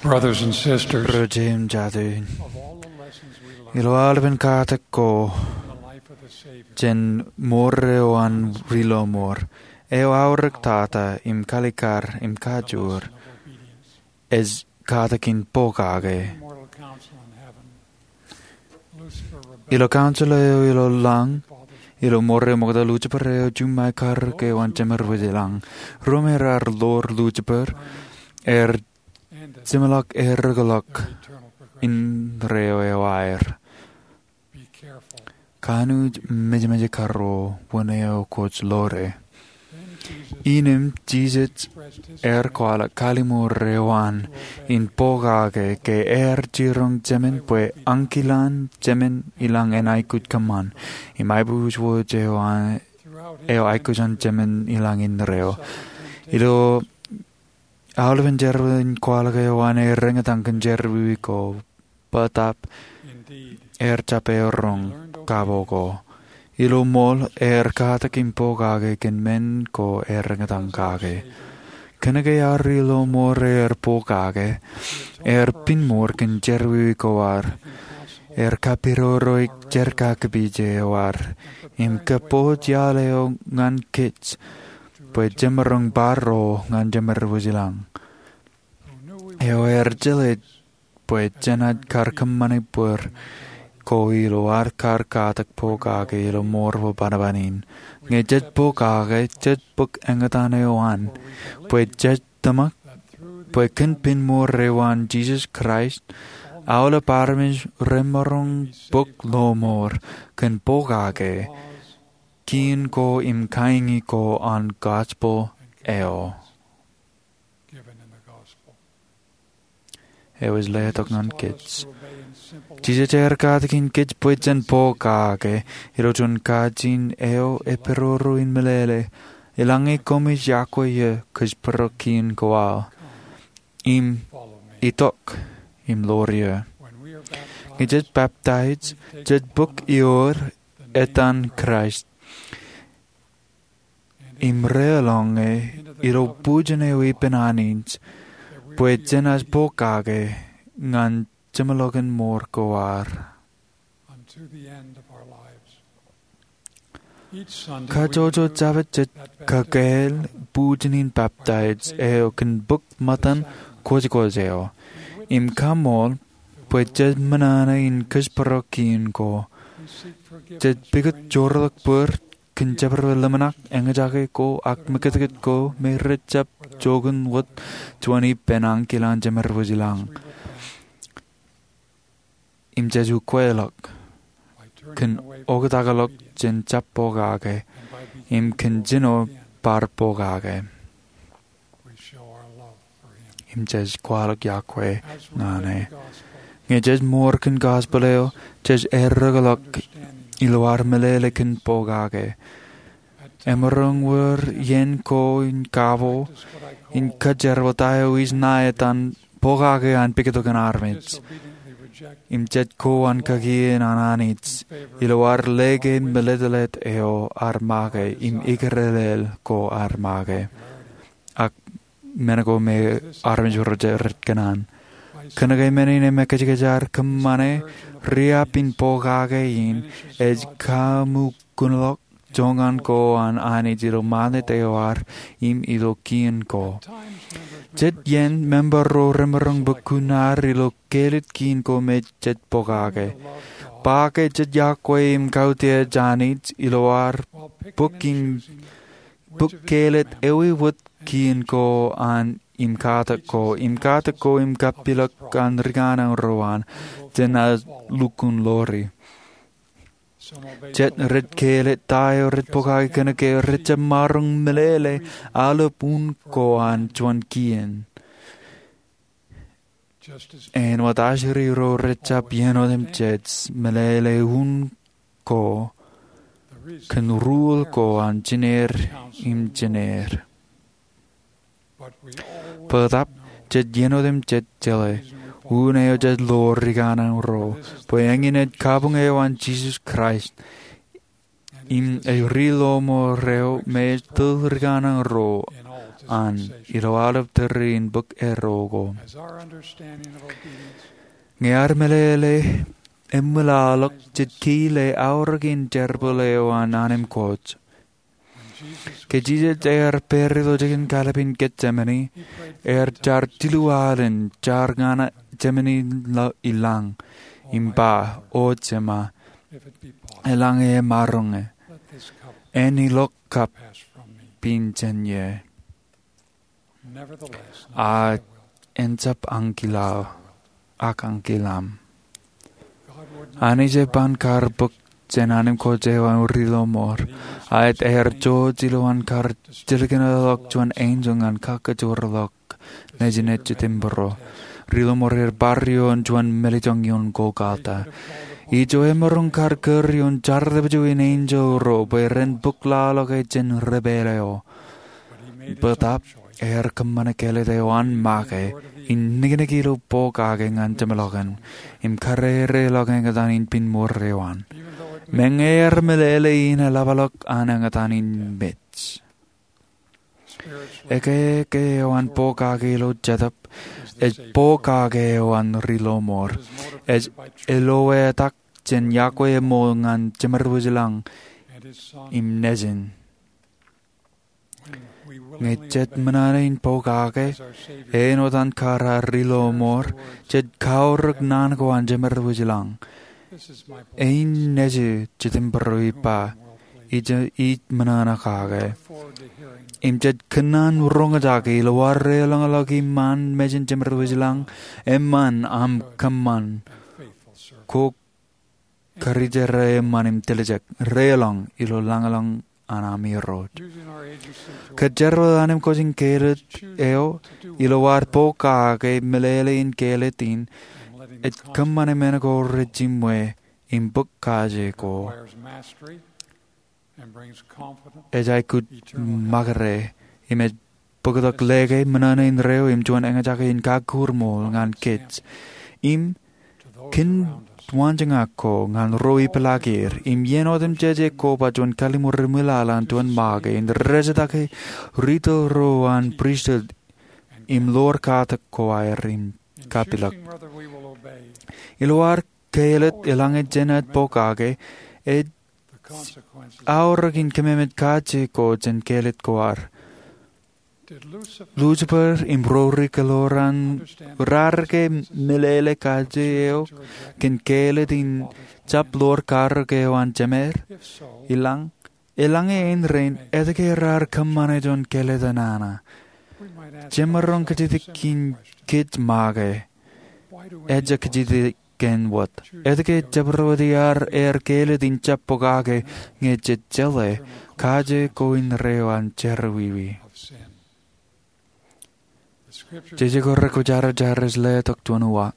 Brothers and sisters, Ro jeiū im jatū, ilo aolepen katak ko jān mour eo an Rilọmọọr, eo aorōk tata im kalikar im kajoor, ej katak in pokake. Ilo council eo ilo lañ, ilo mour eo ṃokta, Lucifer eo juṃae karōk eo an jemed wōj ilañ. Ruo me raar ḷoor Lucifer, er jeṃḷọk erōkḷọk indeeo eo aer. Kanooj mejemeje karuo wōn eo kwōj ḷoore. Innām Jisōs ear kwaḷọk kalliṃur eo an in pokake ke ear jiroñ Jemān bwe ankilaan Jemān ilañ en aikuj kōṃṃan. Im aiboojoj eo aikuj an Jemān ilañ indeeo. Ilo aolepen jerbal in kwaḷọk eo an ear eñtaan kōn jerọwiwi ko, bōtab ear jab eoroñ kabo ko. Ilo ṃool ear katak in pokake kōn men ko ear eñtaan kake. Kōnke an Rilọmọọr ear pokake, ear pinnmour kōn jerọwiwi ko ad. Ear kapidodoik jerkakpeje eo ad im kōpooj iaḷ eo ñan kōj bwe jemaroñ bar ro ñan jemed wōj ilañ. Eo ear jeḷā bwe jenaaj kar kōṃṃane bōd ko ilo ad kar katak pokake ilo mour bwe bajjek in. Ñe jej pokake, jej bōk eñtaan eo an, bwe jej tōmak bwe kōn pinnmour eo an Jisōs Kraist, aolep armej remaroñ bōk lọmọọr kōn pokake, kien ko im kañi ko an gospel eo. Eo ej letok ñan kōj. Jisōs ear katak in kōj bwe jen pokake ilo juon kajin eo epidodo in meḷeḷe, eḷaññe koṃij yokwe eō kōjparok kien ko aō, im itok im ḷoor eō. Ñe jej peptaij, jej bōk ioer etan Kraist im reḷọñe ilo bujen eo ippān Anij bwe jenaaj pokake ñan jeṃḷọkin mour ko ad. Kajjojo Jabōt jej kakāāl bujen in peptaij eo kōn bōk ṃōttan kwōjkwōj eo im kaṃool bwe jej ṃōṇōṇō in kōjparok kien ko. Jej pukot joorḷọk bōd kōn jabdewōt ḷōmṇak, eñjake ko ak meketkot ko me rej jab joñan wōt juon ippān ankilaan jemed wōj ilañ. Im jej ukweḷọk kōn oktakḷọk jān jab pokake im kōn jino bar pokake. Im jej kwaḷọk yokwe ñan e. Ñe jej mour kōn gospel eo, jej errōkḷọk ilo ad meḷeḷe kōn pokake. Emaroñ wōr iien ko in kabo in kōjjerbal ta eo ij ṇae etan pokake an pukot kōn armej. Im jej ko an kakien an Anij ilo ad leke meletlet eo ad make im ikerelel ko ad make. Ak men ko me armej rej kōṇaan. Kōnke men in emekajkaj ad kōṃṃane riab in pokake in ej kaṃōkōnḷọk joñan ko an Anij ilo ṃanit eo ad im ilo kien ko. Jet iien member ro remaroñ bōk kuṇaad ilo kāālōt kien ko me jej pokake. Ba ke jej yokwe im kautiej Anij ilo ad bōk im bōk kāālōt ewi wōt kien ko an im katak ko, im katak ko im kappilōk an ri kōṇaan ro an, jenaaj lukkuun ḷoori. Jet rej kāālōt ta eo rej pokake kōnke rej jab maroñ meḷeḷe aolep un ko an juon kien. Āinwōt ajri ro rej jab iien otemjej meḷeḷe un ko kōn ruo ko an jineer im jineer. Bōtab, jej iien otemjej jeḷā, un eo jej ḷoor ri kōṇaan ro, bwe eñin ej kabuñ eo an Jisōs Kraist, im ej Ri Ḷōṃool eo me ej tōl ri kōṇaan ro an ilo aolep tōre in bōk erro ko. Ñe ear meḷeḷe eṃwilaḷọk, jej kile aorōk in jerbal eo an Anij Anij. Ke Jisōs ear pād ilo jikin kalbin Getsemani, ear jar jilu alen jar ñan Jemān ilañ im ba, O Jema, eḷaññe emaroñ, en ilọk kab pin jān ie. A en jab ankilaaṃ, ak ankilaaṃ. Anij eban kar bōk jān Anij Anij eo an Rilomoor, a ej ear jouj ilowaan kar jilkinḷọk juon enjeḷ ñan kakajoorḷọk nejin ej jitōnbōro. Rilomoor ear bar ioon juon mālejjoñ ioon Golgota. Ijo emaroñ kar kūr ioon jar tapiju in enjeḷ ro bwe ren bōk laḷọk e jān ri pālle eo. Bōtaab, ear kōṃṃane kāālōt eo an make in niknik ilo pokake ñan jeṃḷọkin im karereḷọk eñtaan in piṃoor eo an. Meñe ear meḷeḷe in eḷapḷọk an eñtaan in mej. Ekeke eo an pokake ilo Jetōb ej pokake eo an Rilomoor. Ej eloetak jān iọkwe eṃool ñan Jemed wōjlañ im Nejin. Ñe jej ṃōṇōṇō in pokake āinwōt an kar ar Rilomoor, jej kaorōk naan ko an Jemed wōjlañ. Ein Nejū, jitōnbōro ej ba, ij ṃōṇōṇō kake. Im jej kōnnaan roñjake ilo ad deḷọñḷọk iṃaan mejān Jemed wōjlañ, eṃṃan aṃ kōṃṃan ko karijer eṃṃan im tiljek deḷọñ ilo lañlōñ an aṃ Irooj. Kōjerbal an im kōj in kāālōt eo ilo ad pokake meḷeḷe in kāālōt in, ej kōṃṃane men ko rejiṃwe im bōk kaje ko. Ej aikuj ṃakūtkūt im ej bōktok lōke, ṃōṇōṇō in reo im juon eñjake in kakūrmool ñan kōj. Im kōn waanjoñak ko ñan ro ipḷaak er, im iien otemjej ko ba juon kalliṃur eṃwilaḷ an juon make in rejjitōk ritōl ro an pristut im ḷoor katak ko aer im kapilōk. Ilo ad kāālōt eḷaññe jenaaj pokake, ej aorōk in kōmemeej kaje ko jān kāālōt ko ad. Lucifer im ro ri kōḷaran raar ke meḷeḷe kaje eo kōn kāālōt in jab ḷoor karōk eo an Jemed ilañ? Eḷaññe ein rein, etke raar kōṃṃane juon kāālōt enana? Jemaroñ kajjitōk in kōj make, ejja kajjitōk kōn wōt. Etke jabdewōt iaad aer kāālōt in jab pokake ñe jej jeḷā kaje ko in reo an jerọwiwi? Jeje ko rekwōjarjar ej letok juon uwaak.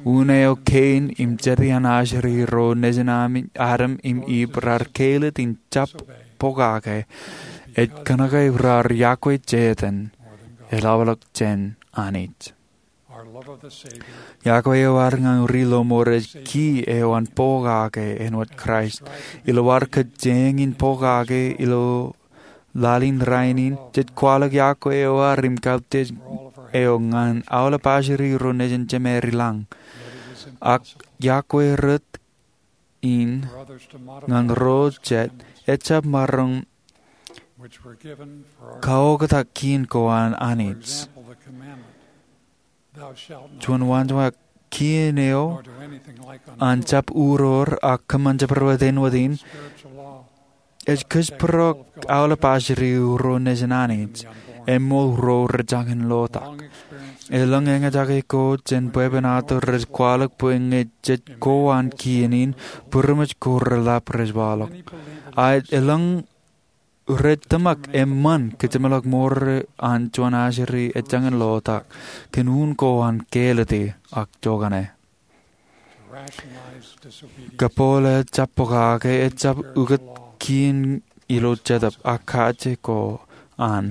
Un eo Kein im jedi an ajri ro nejin Adam im Iv raar kāālōt in jab pokake ej kōnke raar iọkwe Setan eḷapḷọk jān Anij. Iọkwe eo ad ñan Rilomoor ej ki eo an pokake āinwōt Kraist. Ilo ad kōjeañ in pokake ilo laḷ in rainin, jej kwaḷọk iọkwe eo ad im kautiej eo ñan aolep ajri ro nejin Jemed ilañ. Ak iọkwe rot in ñan ro jet ejab maroñ kaoktak kien ko an Anij. Juon waanjoñak kien eo an jab uror ak kōṃṃan jabdewōt āinwōt in ej kōjparok aolep ajri ro nejin Anij, eṃool ro rej jañin lotak. Eḷaññe eñjake ko jān bwebwenato rej kwaḷọk bwe ñe jej ko an kien in, būroṃōj ko reḷap rej waḷọk. A eḷaññe rej tōmak eṃṃan kōjeṃḷọk mour an juon ajri ej jañin lotak kōn un ko an kāālōte ak jokane. Kōpool eo jab pokake ejab ukōt kien ilo Jetōb ak kaje ko an.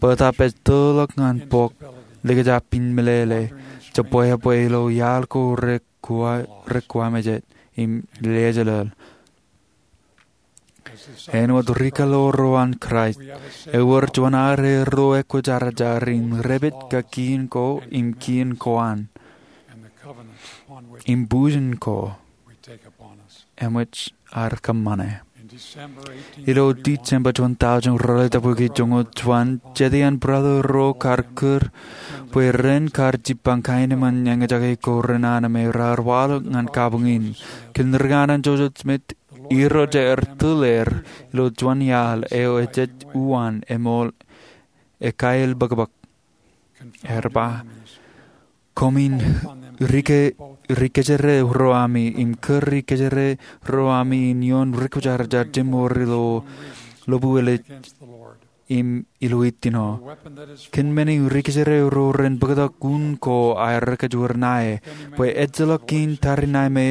Bōtaab ej tōḷọk ñan bok, likjab in meḷeḷe, jebwābwe ilo iaḷ ko rekuwamejān im lejeḷāḷ. Āinwōt ri kaḷoor ro an Kraist, ewōr juon armej ro ekwōjarjar in dāpij kōn kiin ko im kiin ko an, im bujen ko eṃōj ad kōṃṃane. Ilo December juon tọujin ruwalitōk bōki joñoul juon, jet iaan brother ro kar kūr bwe ren kar jipañ kaenōṃṃan eñjake ko renana me raar waḷọk ñan kabuñ in. Kōn rikana Joseph Smith, Irooj ear tūlōr ilo juon iaḷ eo ejej uwaan eṃool ekailbōkbōk. Ear ba, koṃwin rike-, ri kōjro ami, im kūr ri kōjro ami in ioon ri kwōjarjar jemor ilo ḷōbuwel ej im ilo itino. Kōn men in ri kōjro ro ren bōktok un ko aer kōjwōr ṇae, bwe ejjeḷọk in tariṇae me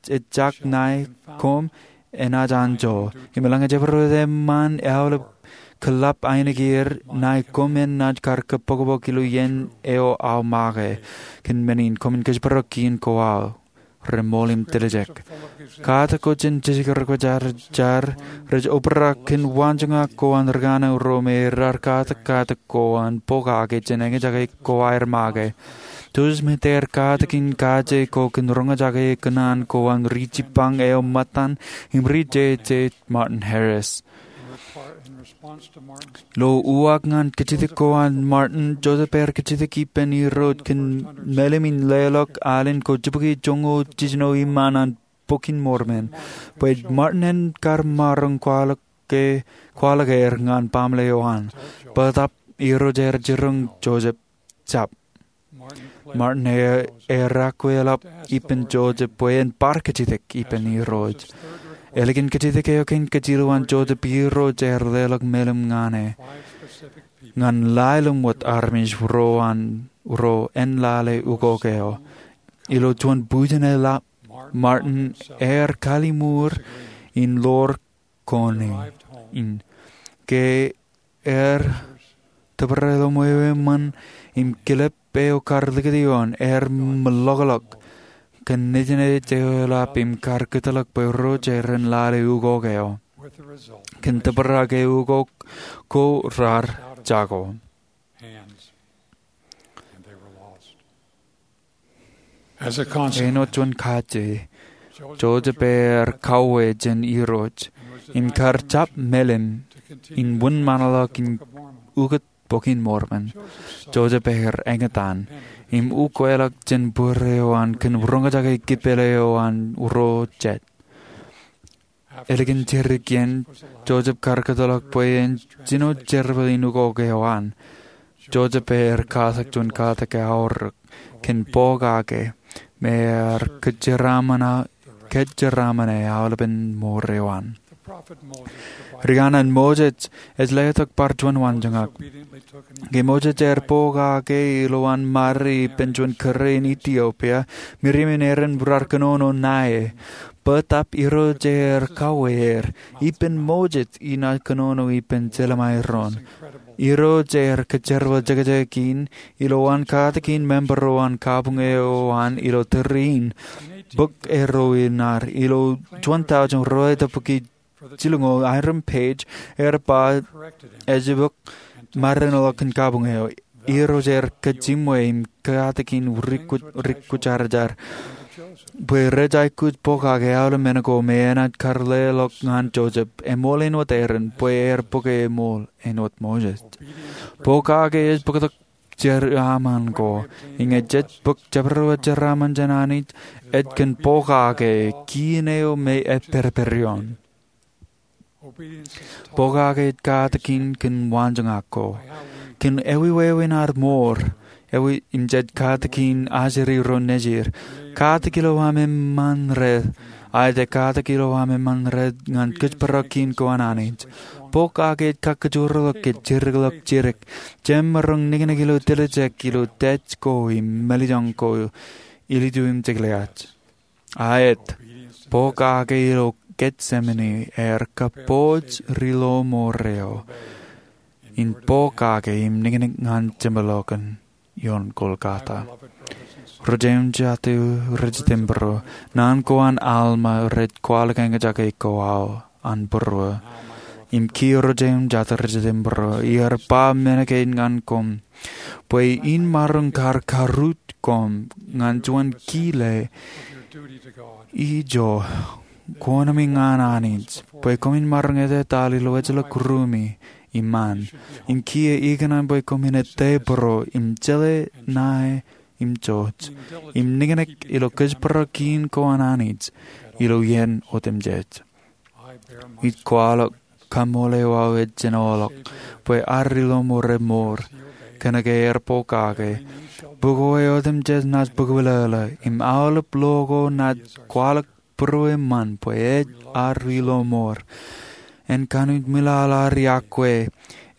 ejjab ṇae koṃ enaaj anjọ. Im eḷaññe jabdewōt eṃṃan eaḷap kōḷḷap ainikieir, ṇae koṃ enaaj kar kōbokbok ilo iien eo aō make. Kōn men in koṃwin kōjparok kiin ko aō reṃool im tiljek. Katak ko jān jisik ri kwōjarjar rej obrak kōn waanjoñak ko an rikana ro me raar katak katak ko an pokake jān eñjake ko aer make. Joseph Smith ear katak in kaje ko kōn roñjake kōṇaan ko an ri jipañ eo ṃōttan im ri jeje Martin Harris. Ilo uwaak ñan kajjitōk ko an Martin, Joseph ear kajjitōk ippān Irooj kōn mālim in leḷọk alen ko jibukwi joñoul jiljino iṃaan an Bok in Mormon, bwe Martin en kar maroñ kwaḷọk ke, kwaḷọk er ñan baaṃle eo an. Bōtab Irooj ear jiroñ Joseph jab. Martin e-, ear aikuj eḷap ippān Joseph bwe en bar kajjitōk ippān Irooj. Ālikin kajjitōk eo kein kajilowaan Joseph, Irooj ear leḷọk mālim ñan e, ñan lale ṃōt armej ro an, ro en lale ukok eo. Ilo juon bujen eḷap, Martin ear kalliṃur in ḷoor kone in. Ke ear tōpar ilo ṃweo eṃṃan im kilep eo kar likūt ioon, ear meḷọkḷọk kōn nejin eo eḷap im kar kōtḷọk bwe ro rej ren lale ukok eo. Kōn tōprak e ukok ko raar jako. Āinwōt juon kaje, Joseph ear kauwe jān Irooj im kar jab mālim in wūnṃaanḷọk in ukōt Bok in Mormon. Joseph ear eñtaan im ukweḷọk jān būruon eo an kōn roñjake kipel eo an ro jet. Ālikin jidik iien, Joseph kar kōtḷọk bwe en jino jerbal in ukok eo an. Joseph ear katak juon katak eaorōk kōn pokake me ear kōjeraaṃṃan, kōjeraaṃṃan e aolepen mour eo an. Rikana Moses ej letok bar juon waanjoñak. Ke Moses ear pokake ilowaan ṃare ippān juon kūr in Etiopia, Miriam im Aaron raar kōnono ṇae. Bōtab Irooj ear kauwe er, ippān Moses inaaj kōnono ippān jeḷā ṃae doon. Irooj ear kōjerbal jekjek in ilowaan katakin member eo an kabuñ eo an ilo tōre in. Bōk eo ro in ad ilo juon tọujin ruwalitōk bōki jilñoul, Hiram Page ear ba ej bōk maroñḷọk kōn kabuñ eo. Irooj ear kōjjiṃwe im katakin ri kwōjarjar bwe rej aikuj pokake aolep men ko me enaaj kar leḷọk ñan Joseph, eṃool āinwōt Aaron, bwe ear bōke eṃool āinwōt Moses. Pokake ej bōktok jeraaṃṃan ko, im ñe jej bōk jabdewōt jeraaṃṃan jān Anij, ej kōn pokake kiin eo me epperperion. Pokake ej katakin kōn waanjoñak ko. Kōn ewi wāween ad mour, ewi im jej katakin ajri ro nejid. Katak ilo aṃ eṃṃan red, aet katak ilo aṃ eṃṃan red ñan kōjparok kiin ko an Anij. Pokake ej kakkōjorḷọk ke jidikḷọk jidik. Jemaroñ niknik ilo tiljek ilo tij ko im mālejjoñ ko ilitu im jekleaj. Aet, pokake ilo Getsemane ear kabbokbok ri lo mour eo in pokake im niknik ñan jeṃḷọkin ioon Golgotha. Ri jeiū im jatū, ri jitōnbōro, naan ko an Alma rej kwaḷọk eñjake ko aō. an būruō. Im kiiō ro jeiū im jatū rej jete im būruō, iar ba men kein ñan koṃ bwe in maroñ kar karrūt koṃ ñan juon kile ijo, koṇaemi ñan Anij, bwe koṃwin maroñ etetal ilo ejjeḷọk ruumi iṃaan. Im kiiō ikōṇaan bwe koṃwin ettā būruō im jeḷā ṇae im jouj, im niknik ilo kōjparok kiiñ ko an Anij ilo iien otemjej. Ij kwaḷọk kaṃṃoolol eo aō ej jinoḷọk bwe ad ri-lọmọọr emour kōnke er pokake. Bok eo otemjej naaj bōkwilōḷō, im aolep lo ko naaj kwaḷọk būruō eṃṃan bwe ej ad ri-lọmọọr. En kanooj ṃwilaḷ ad iọkwe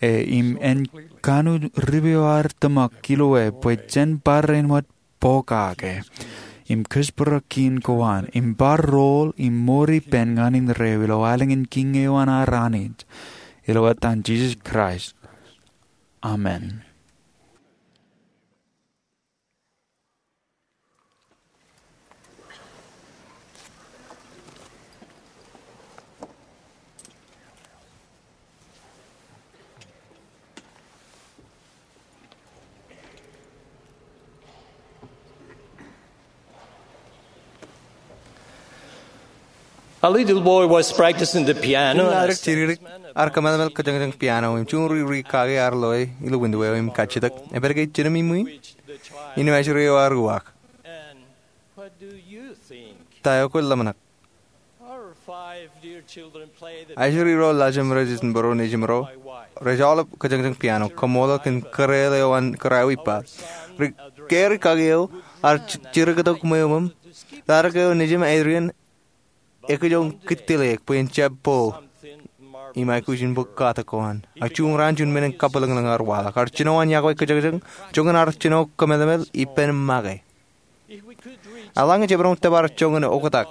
e, im en kanooj ripeo ad tōmak ilo e bwe jen barāinwōt pokake im kōjparok kiiñ ko an, im bar rool im mour ippān ñan indeeo ilo alen in Kiiñ eo an ad Anij, ilo etan Jisōs Kraist. Amen. A little boy was practicing the piano. Ri-lale ro rej jidikdik ear kōmeḷeḷe kōjañjañ piano im juon ri-kake ear loe ilo window eo im kajjitōk, "Epād ke jidim iṃwiin?" Innem ajri eo ear uwaak, "Ta eo kwōj ḷōmṇak?" Ajri ro laljim rej itok im būruō, nejimro rej aolep kōjañjañ piano, kaṃṃoolol kōn kōrā eo an kōrā eo ippa. Ri-, ke ri-kake eo ear ji-, jirikutok ṃweo im raan eo nejim, Adrian, ekwe ej kōttālōk bwe en jab bowl im aikuj in bōk katak ko an. Ak juon raan juon men in kabwilōñlōñ ear waḷọk. Ear jino an iọkwe kōjañjañ, joñan ear jino kōmeḷeḷe ippān make. Eḷaññe jemaroñ tōpar joñan oktak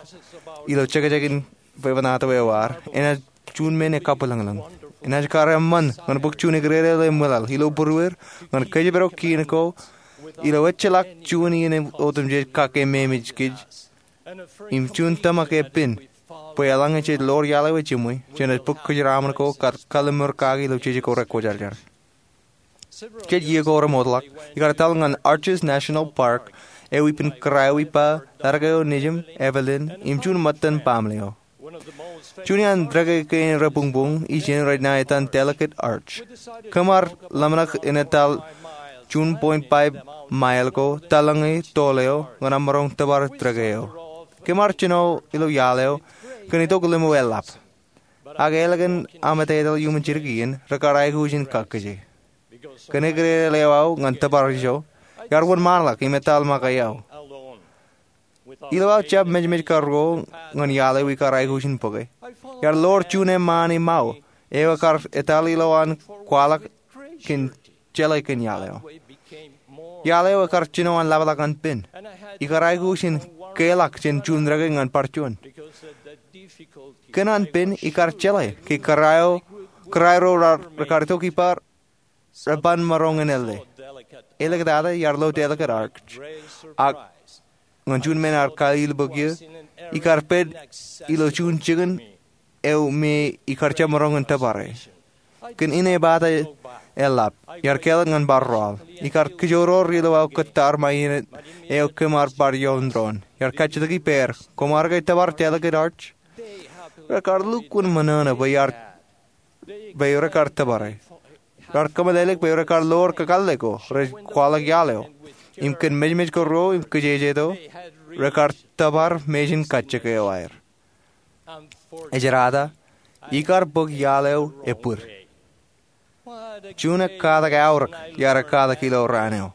ilo jekjek in fefanato eo ad, enaaj juon men ekabwilōñlōñ. Enaaj kar eṃṃan ñan bōk juon ekdede ḷe ṃwilaḷ ilo būrueir ñan kōjparok kiiñ ko ilo ejjeḷọk juon iien otemjej kake memeej kōj im juon tōmak epen bwe eḷaññe jej ḷoor iaḷ eo ejiṃwe, jenaaj bōk kōjeraaṃṃan ko kar kalliṃur kake ilo jeje ko rekwōjarjar. Jej iiō ko remootḷọk, ikar etal ñan Arches National Park eo ippān kōrā eo ippa, raan eo nejim, Evelyn, im juon ṃōttan baaṃle eo. Juon iaan dāke kein rebuñbuñ ijin rej ṇa etan Delicate Arch. Kōm ar ḷōmṇak in etal juon point five mile ko tōl ñe toḷ eo ñan maroñ tōpar dāke eo. Kōm ar jino ilo iaḷ eo kōn itok limo eḷap. Ak ālikin aṃ etetal iuṃwin jidik iien, rekar aikuj in kakkije. Kōn ekdede ḷeo aō ñan tōpar ijo, iar wōnṃaanḷọk im etal make eo. Ilo aō jab mejmej karuo ñan iaḷ eo ikar aikuj in bōke, iar ḷoor juon eṃṃaan iṃao eo ekar etal ilo an kwaḷọk kōn jeḷā kōn iaḷ eo. Iaḷ eo ekar jino an ḷapḷọk an pen. Ikar aikuj in keḷọk jān juon dāke ñan bar juon. Kōn an pen ikar jeḷā ke kōrā ro, kōrā ro rekar itok ippa reban maroñ in ālle. Āliktata iar lo Delicate Arch. Ak ñan juon men ear kalilbōk iiō, ikar pād ilo juon jikin eo me ikar jab maroñ in tōpare. Kōn inepata eḷap, iar kāālōt ñan bar roal. Ikar kijoor ilo aō kōttar ṃae inōt eo kōm ar bar ioon doon. Iar kajjitōk ippāer, "Koṃ ar ke tōpar Delicate Arch?" Rekar lukkuun ṃōṇōṇō bwe iar, bwe rekar tōpare. Raar kōmeḷeḷeik bwe rekar ḷoor kakōḷḷe ko rej kwaḷọk iaḷ eo. Im kōn mejmej karuo im kōjejjeto, rekar tōpar mejin kajjik eo aer. Ejjeḷọk, ikar bōk iaḷ eo ebōd. Juon ekkatak aorōk iar ekkatak ilo raan eo.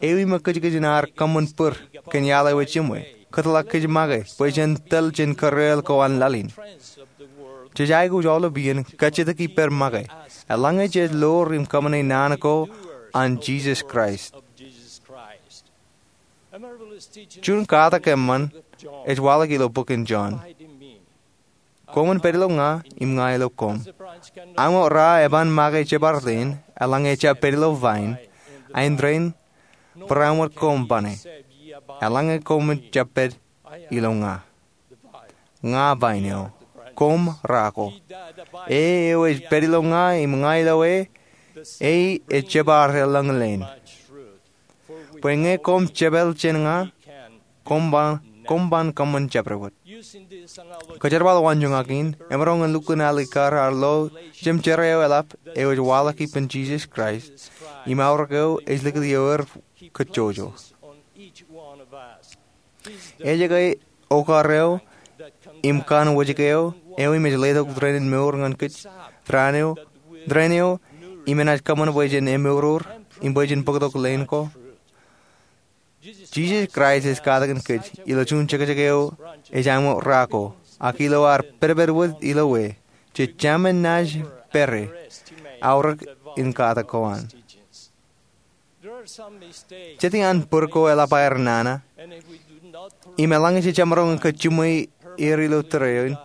Ewi ṃōk kōjkōj in ad kōṃṃan bōd kōn iaḷ eo ejiṃwe, kōtḷọk kōj make bwe jen tōl jān kōrā eo ko an laḷ in? Jej aikuj aolep iien kajjitōk ippād make, eḷaññe jej ḷoor im kōṃṃane naan ko an Jisōs Kraist. Juon katak eṃṃan ej waḷọk ilo bok in Jon. Koṃwin pād ilo ña, im ña ilo koṃ. Aṃ eo ra eban make jebar leen, eḷaññe ejab pād ilo vain, eindein barāinwōt koṃ bane, eḷaññe koṃwin jab pād ilo ña. Ña vain eo, koṃ ra ko. E eo ej pād ilo ña im ña ilo e, e ej jab ar eḷḷọk ḷein. Bwe ñe koṃ jepel jān ña, koṃ ban, koṃ ban kōṃṃan jabdewōt. Kōjerbal waanjoñak in, emaroñ in lukkuun alikkar ad lo jemjerā eo eḷap eo ej waḷọk ippān Jisōs Kraist im aorōk eo ej likūt ioer kajjojo. Ej ke okar eo im kanoojake eo, eo im ej letok tōre in mour ñan kōj tōre in eo, tōre in eo im enaaj kōṃṃan bwe jen emour im bwe jen bōktok ḷein ko. Jisōs Kraist ej katakin kōj ilo juon jekjek eo ej aṃ ra ko, ak ilo ad pedped wōt ilo e, jej jab men naaj pere aorōk in katak ko an. Jete an bōd ko eḷap aer nana, im eḷaññe jej jab maroñ in kōj jiṃwe er ilo tōre in,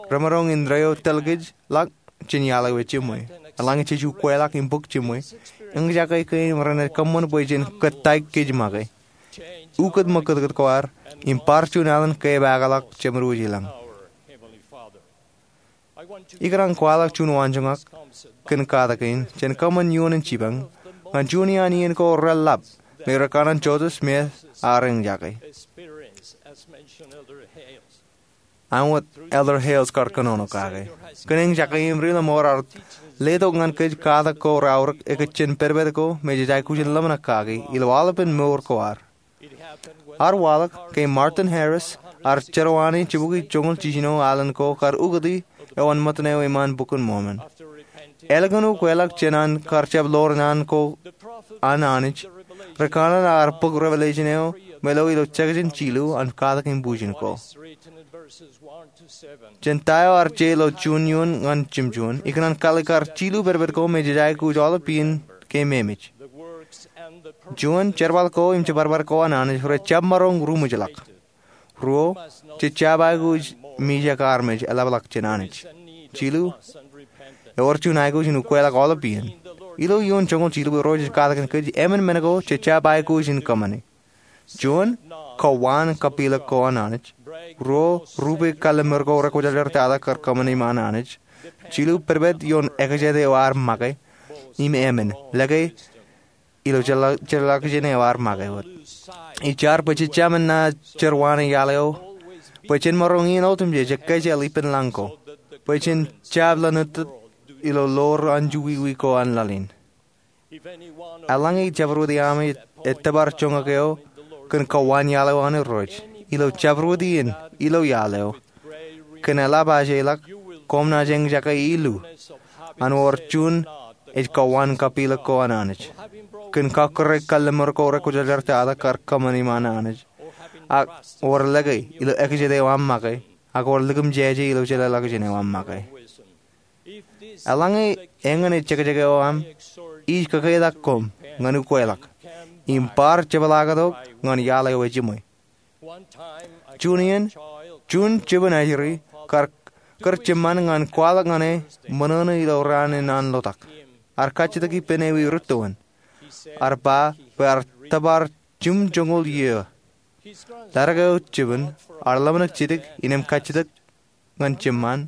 remaroñ in reo tōl kōj ḷọk jān iaḷ eo ejiṃwe. Eḷaññe jej ukweḷọk im bōk jiṃwe, eñjake kein renaaj kōṃṃan bwe jen kōttāik kōj make. Ukōt ṃōkūtkūt ko ad im bar juon alen kepaakḷọk Jemedwōj ilañ. Ikōṇaan kwaḷọk juon waanjoñak kōn katak in jān kōṃṃan ioon in jipañ ñan juon iaan iien ko reḷap me rekanooj Joseph Smith ear eñjake, ak wōt Elder Hales kar kōnono kake. Kōn eñjake im ri-lọmọọr ear letok ñan kōj katak ko reaorōk ekōjjān pedped ko me jej aikuj in ḷōmṇak kaki ilo aolepen mour ko ad. Ear waḷọk ke Martin Harris ear jerọwiwi jibukwi joñoul jiljino alen ko kar ukōti eo an ṃōttan eo iṃaan Bok in Mormon. Ālikin ukweḷọk jān an kar jab ḷoor naan ko an Anij, ri kanaan ear bōk Revelation eo me lo ilo jekjān jilu an katak in bujen ko. Jān ta eo ear je ilo juon ioon ñan jemjuon, ikōṇaan kalikkar jilu pedped ko me jej aikuj aolep iien ke memej. Juon, jerbal ko im jeparbad ko an Anij rej jab maroñ ruṃwijḷọk. Ruo, jej jab aikuj mijak armej eḷapḷọk jān Anij. Jilu, ewōr juon aikuj in ukweḷọk aolep iien. Ilo ioon joñoul jilu bwe Irooj ej katakin kōj, emān men ko jej jab aikuj in kōṃṃane. Juon, kowaan kapilōk ko an Anij. Ruo, rupe kalliṃur ko rekwōjarjartata kar kōṃṃan iṃaan Anij. Jilu, pedped ioon ekjete eo ear make. Im emān, lōke ilo jeḷā-, jeḷāḷọkjeṇ eo ear make wōt. Ij jar bwe jej jab men naaj jerọwiwi iaḷ eo, bwe jen maroñ iien otemjej ekkejel ippān lañ ko, bwe jen jab lōñtōt ilo ḷoor anjọ wiwi ko an laḷ in. Eḷaññe ij jabdewōt iaami ettōpar joñak eo kōn kowaan iaḷ eo an Irooj, ilo jabdewōt iien ilo iaḷ eo, kōn eḷap ajeḷọk, koṃ naaj eñjake ilu an wōr juon ej kowaan kapilōk ko an Anij, kōn kakkure kalliṃur ko rekwōjarjartata kar kōṃṃan iṃaan Anij, ak wōr lōke ilo ekjete eo aṃ make, ak wōr likūṃ jeje ilo jeḷāḷọkjeṇ eo aṃ make. Eḷaññe eñin ej jekjek eo aṃ, ij kōketak koṃ ñan ukweḷọk im bar jepḷaaktok ñan iaḷ eo ejiṃwe. Juon iien, juon jibwin ajri kar kūr jiṃṃan ñan kwaḷọk ñan e ṃōṇōṇō ilo raan in an ḷotak. Ear kajjitōk ippān ewi rūttoon. Ear ba bwe ear tōpar jimjuonñoul iiō. Ḷaddik eo jibwin ear ḷōmṇak jidik innām kajjitōk ñan jiṃṃan,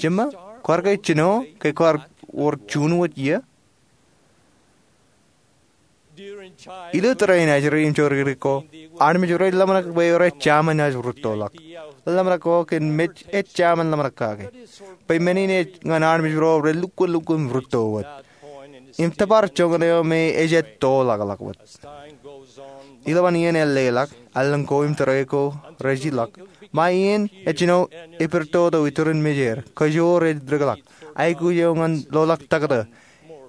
"Jiṃṃa, kwaar ke jino ke kwaar wōr juon wōt iiō?" Ilo tōre in ajri im jodikdik ko, armej rej ḷōmṇak bwe rej jemān naaj rūttoḷọk. Ḷōmṇak ko kōn mej ej jemān ḷōmṇak kake. Bwe men in ej ñan armej ro rej lukkuun lukkuun rūtto wōt im tōpar joñan eo me ejjab ettoḷọkḷọk wōt. Ilowaan iien elleḷọk, allōñ ko im tōre ko rej ilọk. Ṃae iien ejino epirtoto iturin mejeir, kōjro rej dikḷọk, aikuj eo ñan ḷoḷọk taktō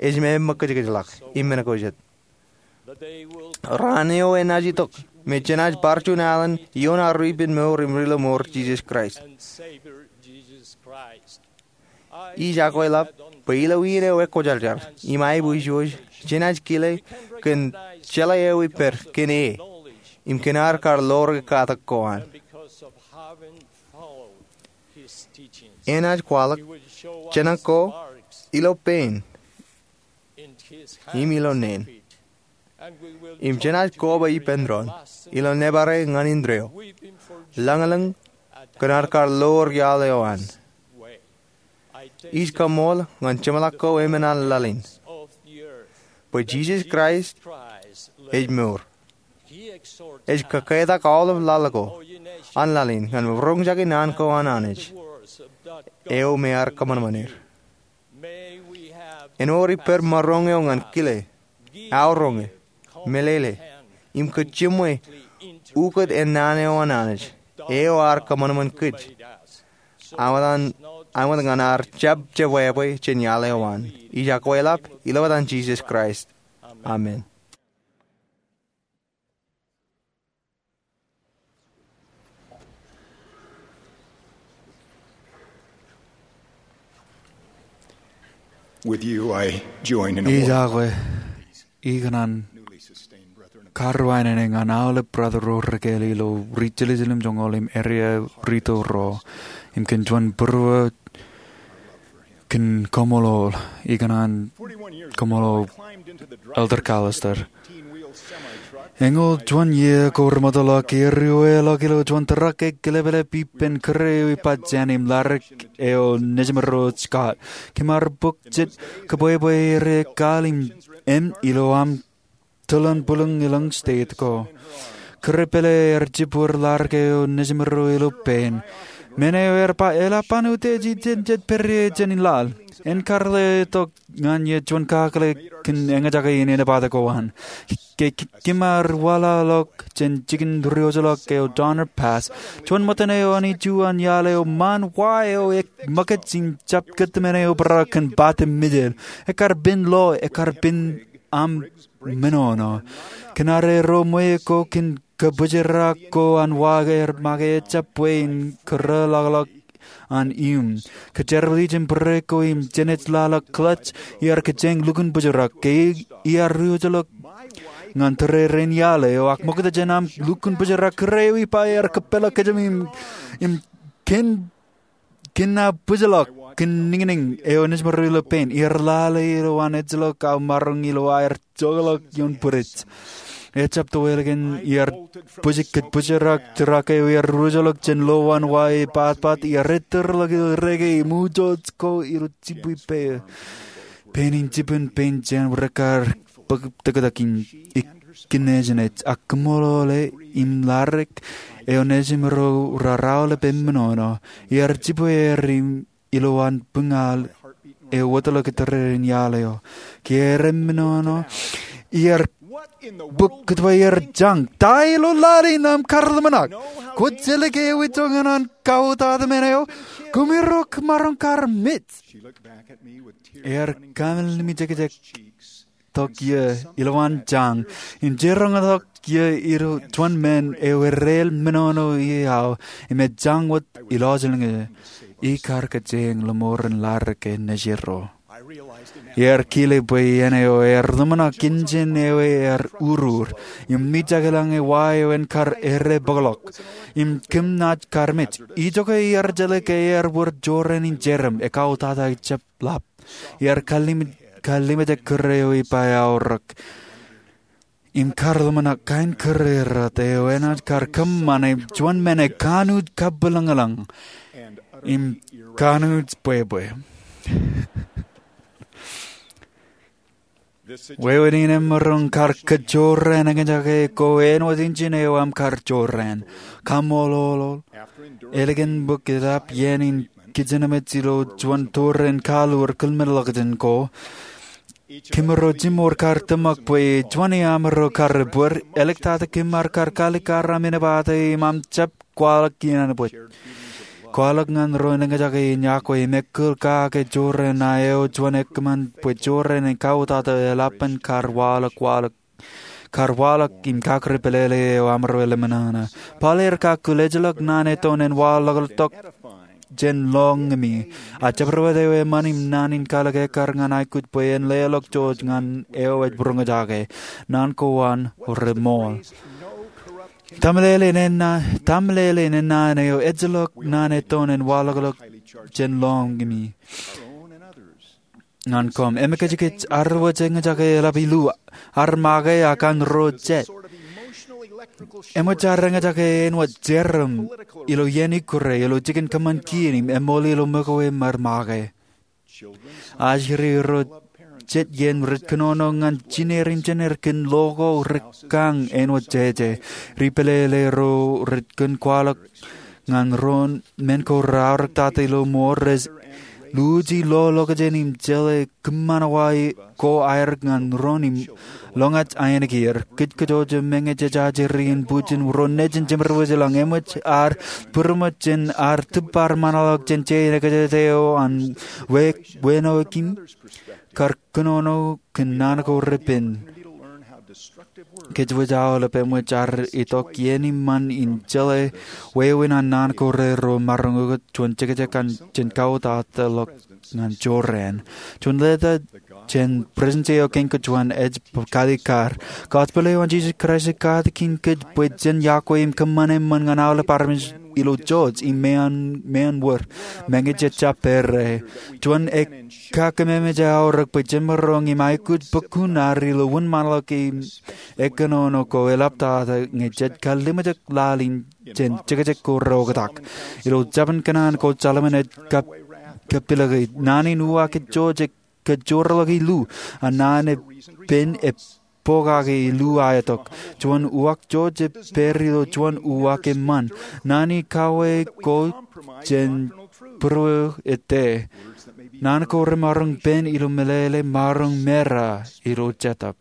ej meṃṃakūtkūtḷọk im men ko jet. Raan eo enaaj itok me jenaaj bar juon alen ioon ad ri-ippān mour im ri-lọmọọr Jisōs Kraist. Ij akweḷap bwe ilo iien eo ekwōjarjar im aiboojoj, jenaaj kile kōn jeḷā eo ippaṃ kōn e im kōn ad kar ḷoor katak ko an. Enaaj kwaḷọk jenak ko ilo pein im ilo neen. Im jenaaj koba ippān doon ilo nōbar e ñan indeeo, lañlōñ kōn ad kar ḷoor iaḷ eo an. Ij kaṃool ñan jeṃḷọk ko emān an laḷ in bwe Jisōs Kraist ej mour. Ej kōkketak aolep laḷ ko an laḷ in ñan roñjake naan ko an Anij eo me ear kōṃanṃan er. Āinwōt ippān maroñ eo ñan kile, aoroñe, meḷeḷe, im kōj jiṃwe ukōt ennaan eo an Anij eo ear kōṃanṃan kōj, āinwōt ñan ad jab jebwābwe jān iaḷ eo an. Ij akweḷap ilo etan Jisōs Kraist, amen. Ij akwe ikōṇaan karuwainene ñan aolep brother ro rekāāl ilo ri jelōjel im joñoul im area rito ro im kōn juon būruō kōn koṃṃool, ikōṇaan koṃṃool Elder Callister. Eñoul juon iiō ko remootḷọk, erriweḷọk ilo juon truck e kilepḷap ippān kōrā eo ippa jān im ladik eo Nejimro Scott. Kōm ar bōk jet kōbwebwe er ekkaal im ilo aṃ tōl in bwilōñ elōñ state ko. Kōrā pālle ear jibwur ladik eo Nejimro ilo pein. Men eo ear ba eḷap an utiej ijeṇ jet pād ie jān laḷ. En kar letok ñan ie juon kakōḷḷe kōn eñjake in inepata ko an. Ke kōm ar waḷọkḷọk jān jikin riojeḷọk eo Donner Pass, juon ṃōttan eo an iju an iaḷ eo ṃaan wa eo ek ṃōkaj im jab kōtmāne eobrak kōn bate mejād. Ekar pen lo, ekar pen aṃ menono. Kōn arro ṃweo ko kōn kabōjrak ko an wa er make ejjab bwe in kōrōḷọkḷọk an iuṃ. Kōjerbal ijin brake ko im jenej laḷ ḷọk clutch, iar kōjeañ lukkuun bōjrak. Ke iar riojeḷọk ñan tōre rein iaḷ eo ak ṃokta jān aṃ lukkuun bōjrak, kōrā eo ippa ear kōpeḷḷọk kōjām im, im kōn kōn aō bōjḷọk kōn niñniñ eo nejimro ilo pein. Iar lale ilowaan ejjeḷọk aō maroñ ilo aer jokḷọk ioon bwidej. Ejab tōwelōk in iar bōjrak, bōjrak truck eo iar riojeḷọk jān lowaan wa e patpat, iar ettōrḷọk ilo reke im ujot ko ilo jibwe pein. Pein in jibwin pein jān wōt kar bōk tōktak in ikijjeen ej ak kōṃṃoolol e im ladik eo nejimro raar aolep emenono. Iar jibwe er im ilowaan buñal eo wōtlọk tōre rein iaḷ eo. Ke er emenono, iar bōk kōtwāer jañ. Ta ilo laḷ in aṃ kar ḷōmṇak? Kwōj jelōk ewi joñan an kautata men eo? Koṃiro kōm maroñ kar mej. Ear kameḷeḷeimjekjek tok ie ilowaan jañ im jiroñtok ie ilo juon men eo erreel menono ie aō im ej jañ wōt ilọjilñe. Ikar kōjeañ ḷōṃoren ladik e nejirro. Iar kile bwe iien eo ear ḷōmṇak injin eo ear urur im mijak ilañ e wa eo en kar errepokḷọk im kōm naaj kar mej. Ijoke iar jeḷā ke ear wōr jorrāān in jerem, ekautata ejab ḷap. Iar kallimjek kōrā eo ippa eaorōk im kar ḷōmṇak kain kōrā errot eo enaaj kar kōṃṃane juon men eo ekanooj kabwilōñlōñ im kanooj bwebwe. Wāween in emaroñ kar kōjorrāān eñjake ko āinwōt injin eo aṃ kar jorrāān. Kaṃṃoolol. Ālikin bōk etap iien in kijenmej ilo juon tōre in kaḷoor kilmeḷọkjeṇ ko, kōmro jiṃor kar tōmak bwe juon iamro kar ebōd. Āliktata kōm ar kar kaalikkar aṃ inepata im aṃ jab kwaḷọk inanbwaj. Kwaḷọk ñan ro eñjake in yokwe im ekkōl kake jorrāān ṇae eo juon ekōṃṃan bwe jorrāān in kautata eḷap an kar waḷọk, waḷọk, kar waḷọk im kakūr pālele eo aṃro lemṇōṇō. Paul ear kakkōl, ejjeḷọk naan eton en waḷọkḷọk jān lọñimi. A jabdewōt eo eṃṃan im naan in kalōk ekkar ñan aikuj bwe en leḷọk jouj ñan eo ej būroñjake. Naan ko an reṃool. Ta meḷeḷein ennaan, ta meḷeḷein ennaan eo ejjeḷọk naan eton en waḷọkḷọk jān lọñimi ñan koṃ. Emekajkaj, arro wōj eñjake eḷap ilo ad make ak an ro jet. Eṃōj ad eñjake āinwōt jerem ilo iien ikkure, ilo jikin kōṃṃan kien im eṃool ilo ṃōko im ad make. Ajri ro jet iien rej kōnono ñan jineer im jener kōn lo ko rekañ āinwōt jeje. Ri pālele ro rej kōn kwaḷọk ñan ro men ko reaorōktata ilo mour, rej luuji lo lokjān im jeḷā kōṃṃan wa ko aer ñan ro im loñjān ainikieir. Kōj kajjojo meñe jej ajri in bwijin ro nejin jemed wōj eḷaññe eṃōj ad būroṃōj jān ad tūbbar ṃōṇōḷọk jān je ekejede eo an wāween eo im kar kōnono kōn naan ko repen. Kōj wōj aolep eṃōj ad itok iien im ṃan in jeḷā wāween an naan ko rerro maroñ ukōt juon jekjek jān kautata ḷọk ñan jorrāān. Juon leta jān Presidensi eo Kein Kōjuon ej kalikkar kar. Gospel eo an Jisōs Kraist ej katakin kōj bwe jen yokwe im kōṃṃan eṃṃan ñan aolep armej ilo jouj im meanwōr meñe jej jab pere. Juon ekkakeememej eaorōk bwe jemaroñ im aikuj bukun ad ilo wūnṃaanḷọk im ekkōnono ko eḷaptata ñe jej kallimjek laḷ in jān jekjek ko reoktak. Ilo jabōn kōṇaan ko Solomon ej kapilōk, naan in uwaak ej jouj kōjjorḷọk illu, a naan epen ej pokake illu aetok. Juon uwaak jouj ej pād ilo juon uwaak eṃṃan. Naan in kawōj ko jān būruō ej tōre. Naan ko remaroñ pen ilo meḷeḷe maroñ mera ilo jetōb.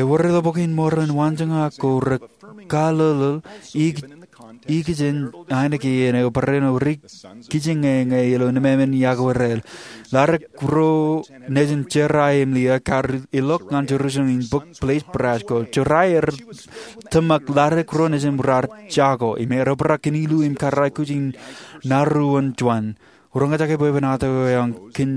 Ewōr ilo Bok in Mormon waanjoñak ko rekallōḷ ikijjien ainikien eo barāinwōt ri kijeññe ñe ilo nemāmein iọkwe raṇ. Ladik ro nejin Jeraia im Liya kar ilọk ñan Jerusalem in bōk place brass ko. Jeraia ear tōmak ladik ro nejin raar jako im ear obrak kōn illu im kar aikuj in naruon juon. Roñjake bwebwenato eo eoon kōn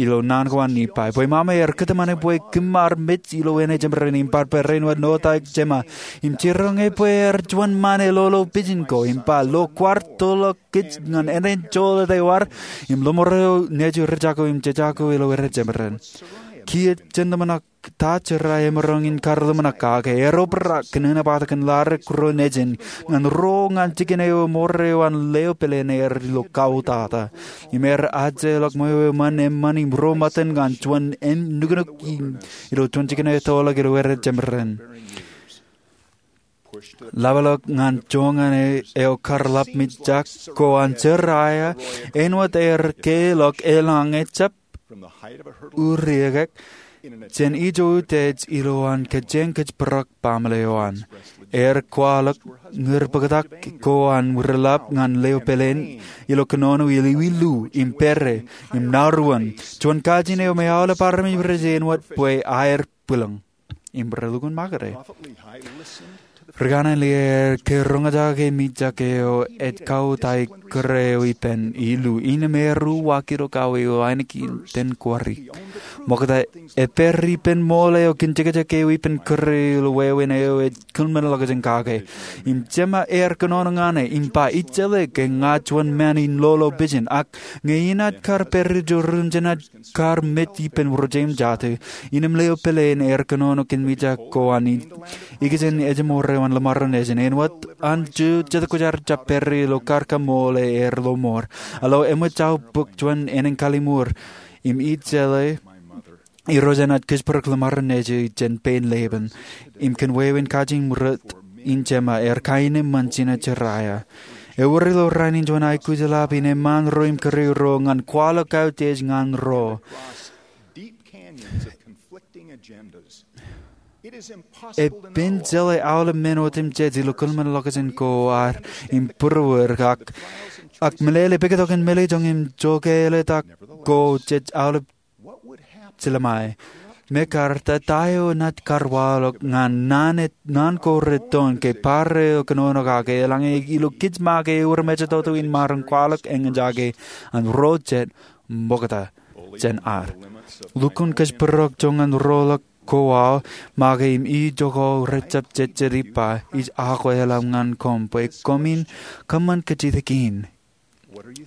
ilo naan ko an Nifai. Bwe ṃaṃe ear kōtmāne bwe kōṃṃar mej ilo āne jemān im bar barāinwōt ṇotaik jema im jiroñ e bwe ear juon ṃaan elolo pijin ko im ba, lo kwaar toḷọk kōj ñan āne joḷọk ewōr im ḷōṃaro nejū rijako im jejako ilo ere jemān. Kiiō jen ḷōmṇak ta Jeraia emaroñ in kar ḷōmṇak kake. Ear obrak kōn enaaj bōktok kōn ladik ro nejin ñan ro ñan jikin eo eṃool eo an leo pāleen er ilo kautata. Im ear ajjeḷọk ṃweo eṃṃan eṃṃan im ro ṃōttan ñan juon nuknuk ilo juon jikin eo ettoḷọk ilo ere jemān. Ḷapḷọk ñan joñan eo kar ḷap mijak ko an Jeraia āinwōt ear keḷọk eḷaññe jab uriekek jān ijo utiej ilowaan kōjeañ kōjparok baaṃle eo an. Ear kwaḷọk ñūr bōktak ko an wireḷap ñan leo pāleen ilo kōnono ilo illu im pere im naruon juon kajin eo me aolep armej rej āinwōt bwe aer bwilōñ im relukkuun makere. Ri kanaan Liai ear ke roñjake mijak eo ej kautiej kōrā eo ippān illu innām ear uwaak ilo kaweo ainikien ten kōrā. Ṃokta epād ippān ṃool eo kōn jekjek eo ippān kōrā ilo wāween eo ej kōḷmānḷọkjeṇ kake. Im jema ear kōnono ñan e im ba, ij jeḷā ke ña juon ṃaan in lolo pijin, ak ñe inaaj kar pād ijo ruun jenaaj kar mej ippān wōr jeiū im jatū. Innām leo pāleen ear kōnono kōn mijak ko an ikijjien ejmour eo an ḷōṃaro nejin āinwōt an juon jetōb kwōjarjar jab pād ilo kar kaṃṃoolol er ḷōṃor. A lo eṃōj aō bōk juon ānen kalliṃur im ij jeḷā irooj enaaj kōjparok ḷōṃaro nejū jān pein Laban im kōn wāween kajin ṃōrot in jema ear kaenōṃṃan jino Jeraia. Ewōr ilo rainin juon aikuj eḷap in eṃṃaan ro im kōrā ro ñan kwaḷọk kautiej ñan ro. Epen jeḷā aolep men otemjej ilo kōḷmānḷọkjeṇ ko ad im būruod ak meḷeḷe pād itok im meḷeḷe joñan im jokāālōt ak ko jej aolep jilōṃae. Mekarta, ta eo enaaj kar waḷọk ñan naan ko reton ke bar eo kōnono kake eḷaññe ilo kōj make ewōr mejatoto in maroñ kwaḷọk eñjake an ro jet ṃokta jān ad. Lukkuun kōjparok joñan roḷọk ko aō make im ijoko rejjab jejjet ippa ij akweḷap ñan koṃ bwe koṃwin kōṃṃan kajjitōk in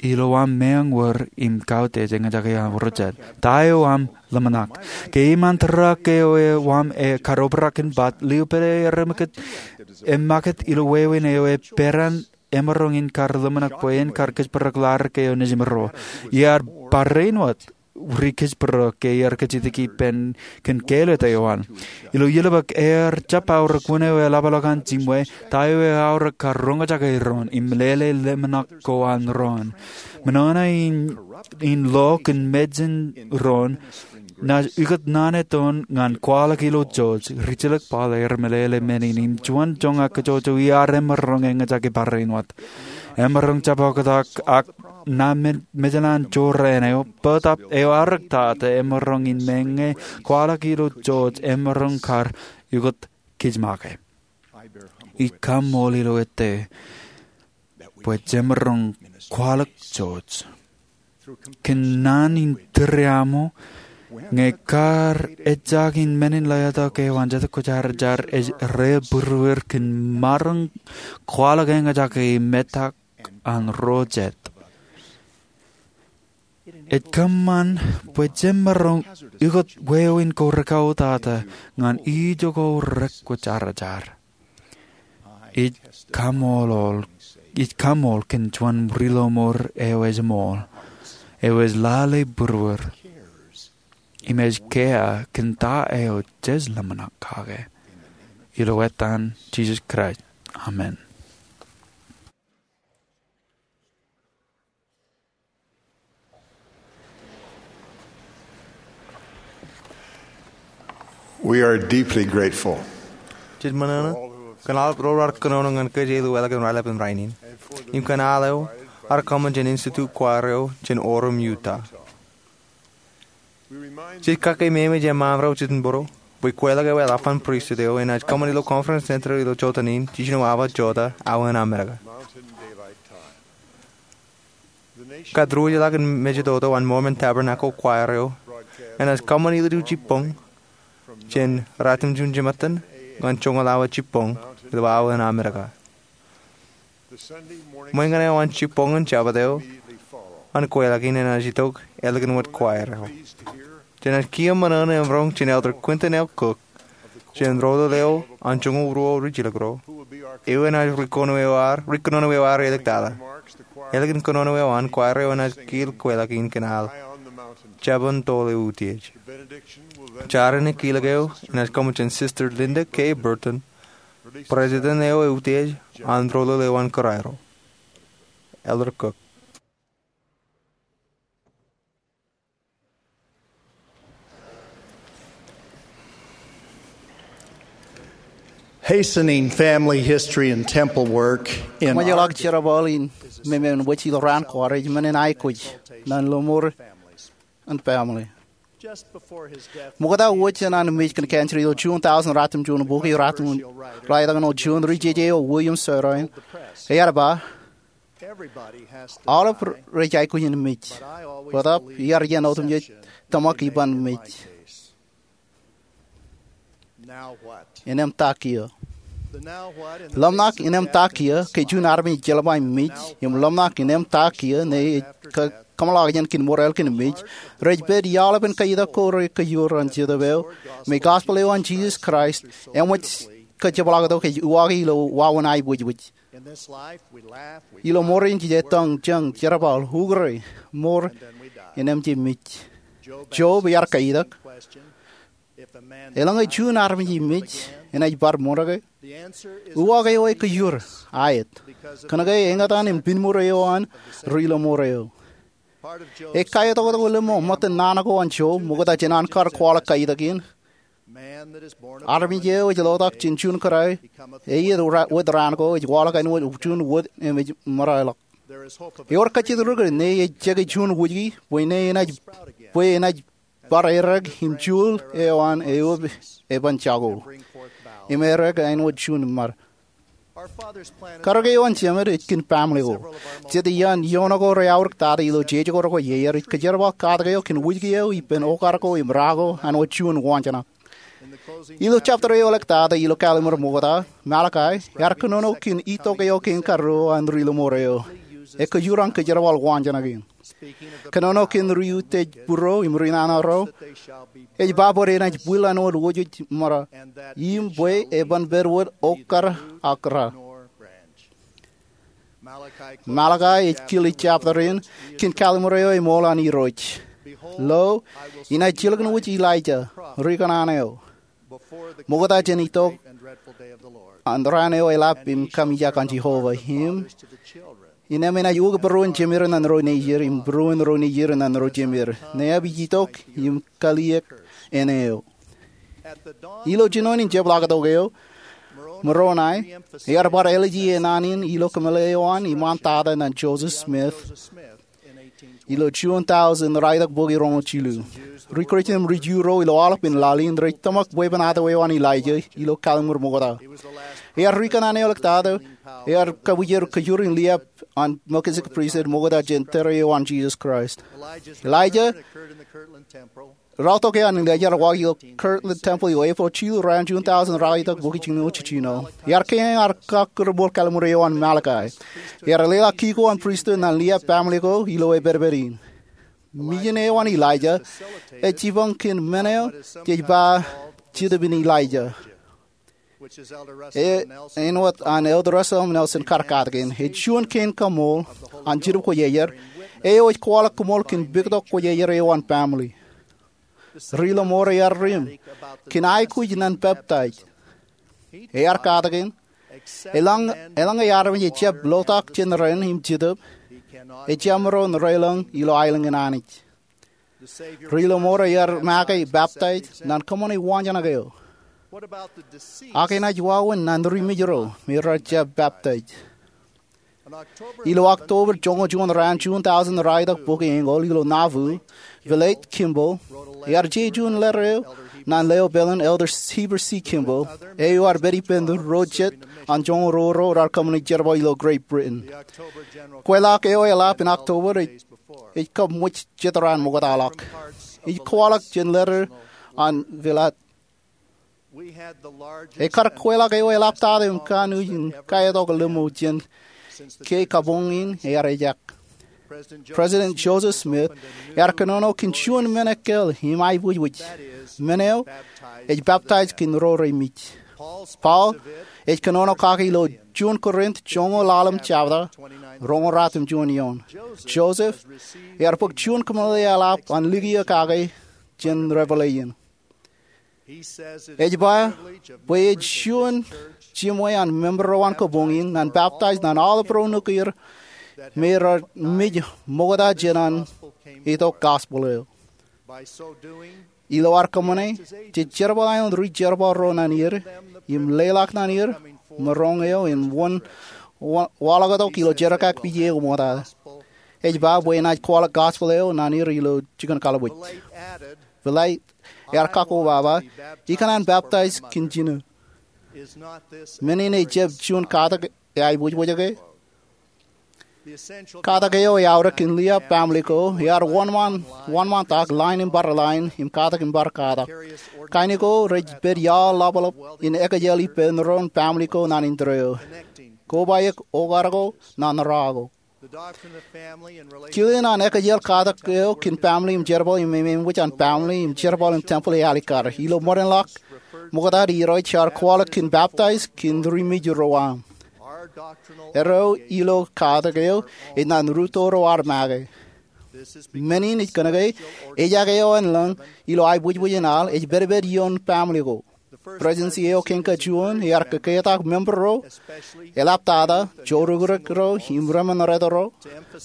ilo aṃ meañ wōr im kautiej eñjake an ro jet. Ta eo aṃ ḷōmṇak ke iṃaan tōrak eo aṃ kar obrak in bat lio pāle ear emakūt ilo wāween eo ej peran emaroñ in kar ḷōmṇak bwe en kar kōjparok ḷadik eo nejimro. Iar barāinwōt ri kōjparok ke iar kajjitōk ippān kōn kāālōt eo an. Ilo ielōñ bōk ear jab aorōk wōn eo eḷapḷọk an jimwe, ta eo eaorōk kar roñjake doon im meḷeḷe ḷōmṇak ko an doon. Ṃōṇōṇō in, in lo kōn mejān doon, naaj ukōt naan eo doon ñan kwaḷọk ilo George, rijilōk Paul ear meḷeḷe men in im juon joñak kajjojo iar emaroñ eñjake barāinwōt. Emaroñ jab oktak ak ṇa me-, mejān an jorrāān eo, bōtab eo eaorōk tata emaroñ in meñe kwaḷọk ilo George emaroñ kar ukōt kōj make. Ij kaṃṃoolol ilo ettā bwe jemaroñ kwaḷọk George kōn naan in tūriaṃo, ñe kar ejjañin men in letok eo an Jetōb Kwōjarjar ej reibūruer kōn maroñ kwaḷọk eñjake metak an ro jet. Ej kōṃṃan bwe jemaroñ ukōt wāween ko rikauwōtata ñan ijoko rek kwōjarjar. Ij kaṃṃoolol, ij kaṃṃoolol kōn juon ri-lọmọọr eo ej ṃool, eo ej lale būruer, im ej kea kōn ta eo jej ḷōmṇak kake. Ilo etan Jisōs Kraist, amen. We are deeply grateful. Jej ṃōṇōṇō kōn aolep ro raar kōnono ñan kōj ilo wāween raelep in rainin, im kōn aolep eo ear kōṃṃan jān Institute Choir eo jān Orem, Utah. Jej kakeememej eṃṃan ro jitōnbōro bwe kweilọk eo eḷap an pristut eo enaaj kōṃṃan ilo Conference Center ilo jotaan in jiljino awa jota awa in Amerika. Kōtḷọk in mejatoto an Mormon Tabernacle Choir eo enaaj kōṃṃan ilju jibboñ jān ratimjuon jimattan ñan joñoul awa jibboñ ilo awa in Amerika. Ṃōñā eo an jibboñ in Jabōt eo an kweilọk in enaaj itok ālikin wōt choir eo. Jenaaj kiiō ṃōṇōṇō im roñ jān Elder Quentin L. Cook jān Rōlōl eo an Joñoul Ruo Rijilōk Ro, eo enaaj ri kōnono eo ad, ri kōnono eo ad āliktata. Ālikin kōnono eo an, choir eo enaaj kiil kweilọk in kōn al Jabōn Toḷ Eutiej. Jarin kilōk eo enaaj kōṃṃan jān Sister Linda K. Burton, President eo eutiej an Rōlōl eo an Kūraero. Elder Cook. Hastening family history and temple work in Ṃōjḷọk jerbal in memen wōj ilo raan ko ad ej men in aikuj ñan lọmọọr an family. Ṃokta wōj jān an mej kōn cancer ilo June thousand, ratimjuon bukwi, ratimjuon, raelọk ṇe juon, ri-jeje eo William Saroyan ear ba, aolep rej aikuj in mej, bōtab iar iien otemjej tōmak iban mej. Innām ta kiiō? Ḷōmṇak innām ta kiiō ke juon armej ejeḷā ba im mej, im ḷōmṇak innām ta kiiō ñe ej kō-, kōmeḷeḷeik jān kōn ṃool ālikin mej, rej pād iaḷ ippān kaetak ko rekōjwōj an Jetōb eo, im gospel eo an Jisōs Kraist eṃōj kōjepḷaaktok ej uwaak ilo wāween aiboojoj. Ilo ṃoor in jej ettōñ, jeñ, jerbal, ukōre, ṃoor, innām jej mej. Job ear kaetak, eḷaññe juon armej ej mej, enaaj bar ṃōṇōṇō ke? Uwaak eo ej kōjwōj, aet. Kōnke eñtaan im piṃor eo an ri-lọmọọr eo. Ej kaetoktok ḷōmṇak ṃōttan naan ko an Job, ṃokta jān an kar kwaḷọk kaetak in. Armej eo ej lotak jān juon kōrā, eiiet ra-, wōt raan ko, ej waḷọk āinwōt juon wōt im ej ṃōraelọk. Ewōr kajjitōk rikūr ñe ej jeke juon wōjke, bwe ṇe enaaj, bwe enaaj bar errā im juul eo an eoon eban jako. Im errā āinwōt juon ṃad. Karōk eo an Jemād ej kōn family ko. Jet iaan ioon ko reaorōk tata ilo jeje ko rekwe iar ej kōjerbal katak eo kōn wōjke eo ippān okar ko im ra ko āinwōt juon waanjoñak. Ilo chapter eo ḷọk tata ilo kallim̧ur ṃokta, Malakai, ear kōnono kōn itok eo kein karuo an ri-lọmọọr eo. Ekōjwōj an kōjerbal waanjoñak in. Kōnono kōn ri-utiej būruo im ri-nana ro, ej ba bwe enaaj bwil āinwōt wōjwōj ṃōra, im bwe eban pād wōt okar ak ra. Malakai ej kile jabta in, kōn kallim̧ur eo eṃool an Irooj. Lo, inaaj jilkinwōj Elijah, ri kōṇaan eo, ṃokta jān itok an raan eo eḷap im kaṃijak an Jeova, im innem enaaj ukōt būruon jemed ñan ro nejier im būruon ro nejier ñan ro jemed, ñe ej itok im kaliek āne eo. Ilo jinoin in jepḷaaktok eo, Moroni ear bar ālije naan in ilo kōmeḷeḷe eo an iṃaan tata ñan Joseph Smith ilo June tausen ralitōk bukwi roñoul jilu. Ri Kūrjin im ri Ju ro ilo aolep in laḷ in rej tōmak bwebwenato eo an Elijah ilo kallim̧ur ṃokta. Ear ri kōṇaan eo eḷaptata ear kabwijer kōjur in liab an Melchizedek Priesthood ṃokta jān tōre eo an Jisōs Kraist. Elijah Raotok eo an Elijah ear waḷọk ilo Kirtland Temple ilo April jilu raan June tausen ralitōk bukwi jiljino jiljino. Ear kein ar kọkkure ṃool kallim̧ur eo an Malakai. Ear leḷọk kiko an pristut ñan liab baaṃle ko ilo epedped in. Mijen eo an Elijah ej jipañ kōn men eo jej ba Jetōb in Elijah. Eo āinwōt an Elder Russell M. Nelson kar katakin, ej juon kein kaṃool an Jetōb Kwōjarjar eo ej kwaḷọk koṃṃool kōn pukot kwōjarjar eo an baaṃle. Ri Ḷōṃoor ear ri im kōn aikuj ñan peptaij. Ear katakin, eḷaññe armej ejjab lotak jān ren im Jetōb, ejjab maroñ reḷọñ ilo aelōñ in Anij. Ri Ḷōṃoor ear make peptaij ñan kōṃṃane waanjoñak eo. Ak enaaj wāween ñan ri mej ro me rej jab peptaij? Ilo October joñoul juon raan June tausen ralitōk bukwi eñoul ilo Nauvoo, Villate Kimball ear je juon letter eo ñan leo peḷin Elder Heber C. Kimball, eo ear pād ippān ro jet an joñoul ruo ro raar kōṃṃane jerbal ilo Great Britain. Kweilọk eo eḷap in October ej kab ṃōj jet raan ṃoktaḷọk. Ij kwaḷọk jān letter an Villate. Ekar kweilọk eo eḷaptata im kanooj in kaetok lemñoul jān ke kabuñ in ear ejak. President Joseph Smith ear kōnono kōn juon men ekkāāl im aiboojoj. Men eo ej peptaij kōn ro remej. Paul ej kōnono kake ilo juon Korint joñoul ḷalem jabta, roñoul ruatimjuon eoon. Joseph ear bōk juon kōmeḷeḷe eḷap an likio kake jān Revelation. Ej ba bwe ej juon jiṃwe an member ro an kabuñ in ñan peptaij ñan aolep ro nukwier me rej mej ṃokta jān an itok gospel eo. Ilo ad kōṃṃane, jej jerbal aelōñ ri jerbal ro ñan er im leḷọk ñan er maroñ eo in wōn waḷọktok ilo jerkakpije eo ṃokta. Ej ba bwe enaaj kwaḷọk gospel eo ñan er ilo jikin kallib wōj. Villate ear kakkobaba, ikōṇaan peptaij kōn jino. Men in ejjab juon katak eaiboojoj ke? Katak eo eaorōk kōn liab baaṃle ko ear wōnṃaantak line im bar line im katak im bar katak. Kain ko rej pād iaḷ ḷapḷap in ekjel ippān ro baaṃle ko ñan indeeo. Kobaik okar ko ñan ra ko. Kilen an ekjel katak eo kōn baaṃle im jerbal im ememkwōj an baaṃle im jerbal in temple ej alikkar. Ilo ṃōdenḷọk ṃokta, Irooj ear kwaḷọk kōn peptaij kōn ri mej ro aṃ. Erreo ilo katak eo ej ñan rūtto ro ad make. Men in ej kōnke ejak eo en lōñ ilo aiboojoj in al ej pedped ioon baaṃle ko. Presidency eo kein kajuon ear kōketak member ro, eḷaptata joorūkrūk ro im remenreta ro,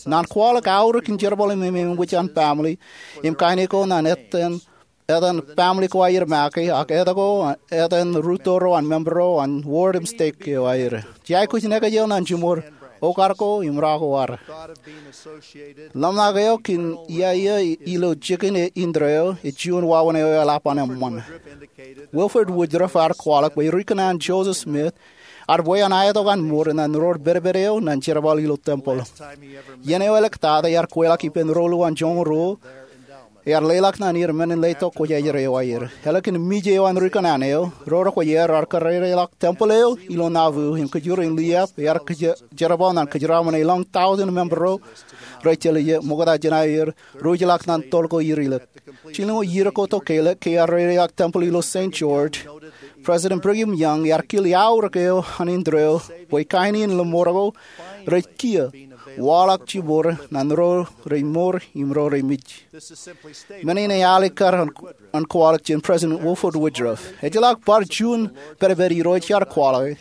ñan kwaḷọk aorōk in jerbal im ememkwōj an baaṃle im kain ko ñan etan etan baaṃle ko aer make ak etan ko, etan rūtto ro an member ro an ward im stake eo aer. Jej aikuj in ekjel ñan jiṃor okar ko im ra ko ad. Ḷōmṇak eo kōn iaia ilo jikin indeeo ej juon wāween eo eḷap an eṃṃan. Wilford Woodruff ear kwaḷọk bwe ri kōṇaan Joseph Smith ear bwe an aetok an mour ñan ro pedped eo ñan jerbal ilo temple. Iien eo eḷak tata ear kweilọk ippān ro luo an joñoul ruo, ear leḷọk ñan er men in letok kwōjarjar eo aer. Ālikin mej eo an ri kōṇaan eo, ro rekwōjarjar ear kōrrereḷọk temple eo ilo Nauvoo im kōjur in liab ear kōjerbal ñan kōjeraaṃṃan elōñ tọujin member ro rej jelje ṃokta jān aer ruj ḷọk ñan toḷ ko irilōk. Jilñuul iiō ko tok ke eḷak ke ear reireḷọk temple ilo Saint George, President Brigham Young ear kile aorōk eo an indeeo bwe kain in lōṃoor ko rej kiiō waḷọk jiṃor ñan ro rej mour im ro rej mej. Men in ej alikkar an kwaḷọk jān President Wilford Woodruff. Ejjeḷọk bar juon pedped Irooj ear kwaḷọke,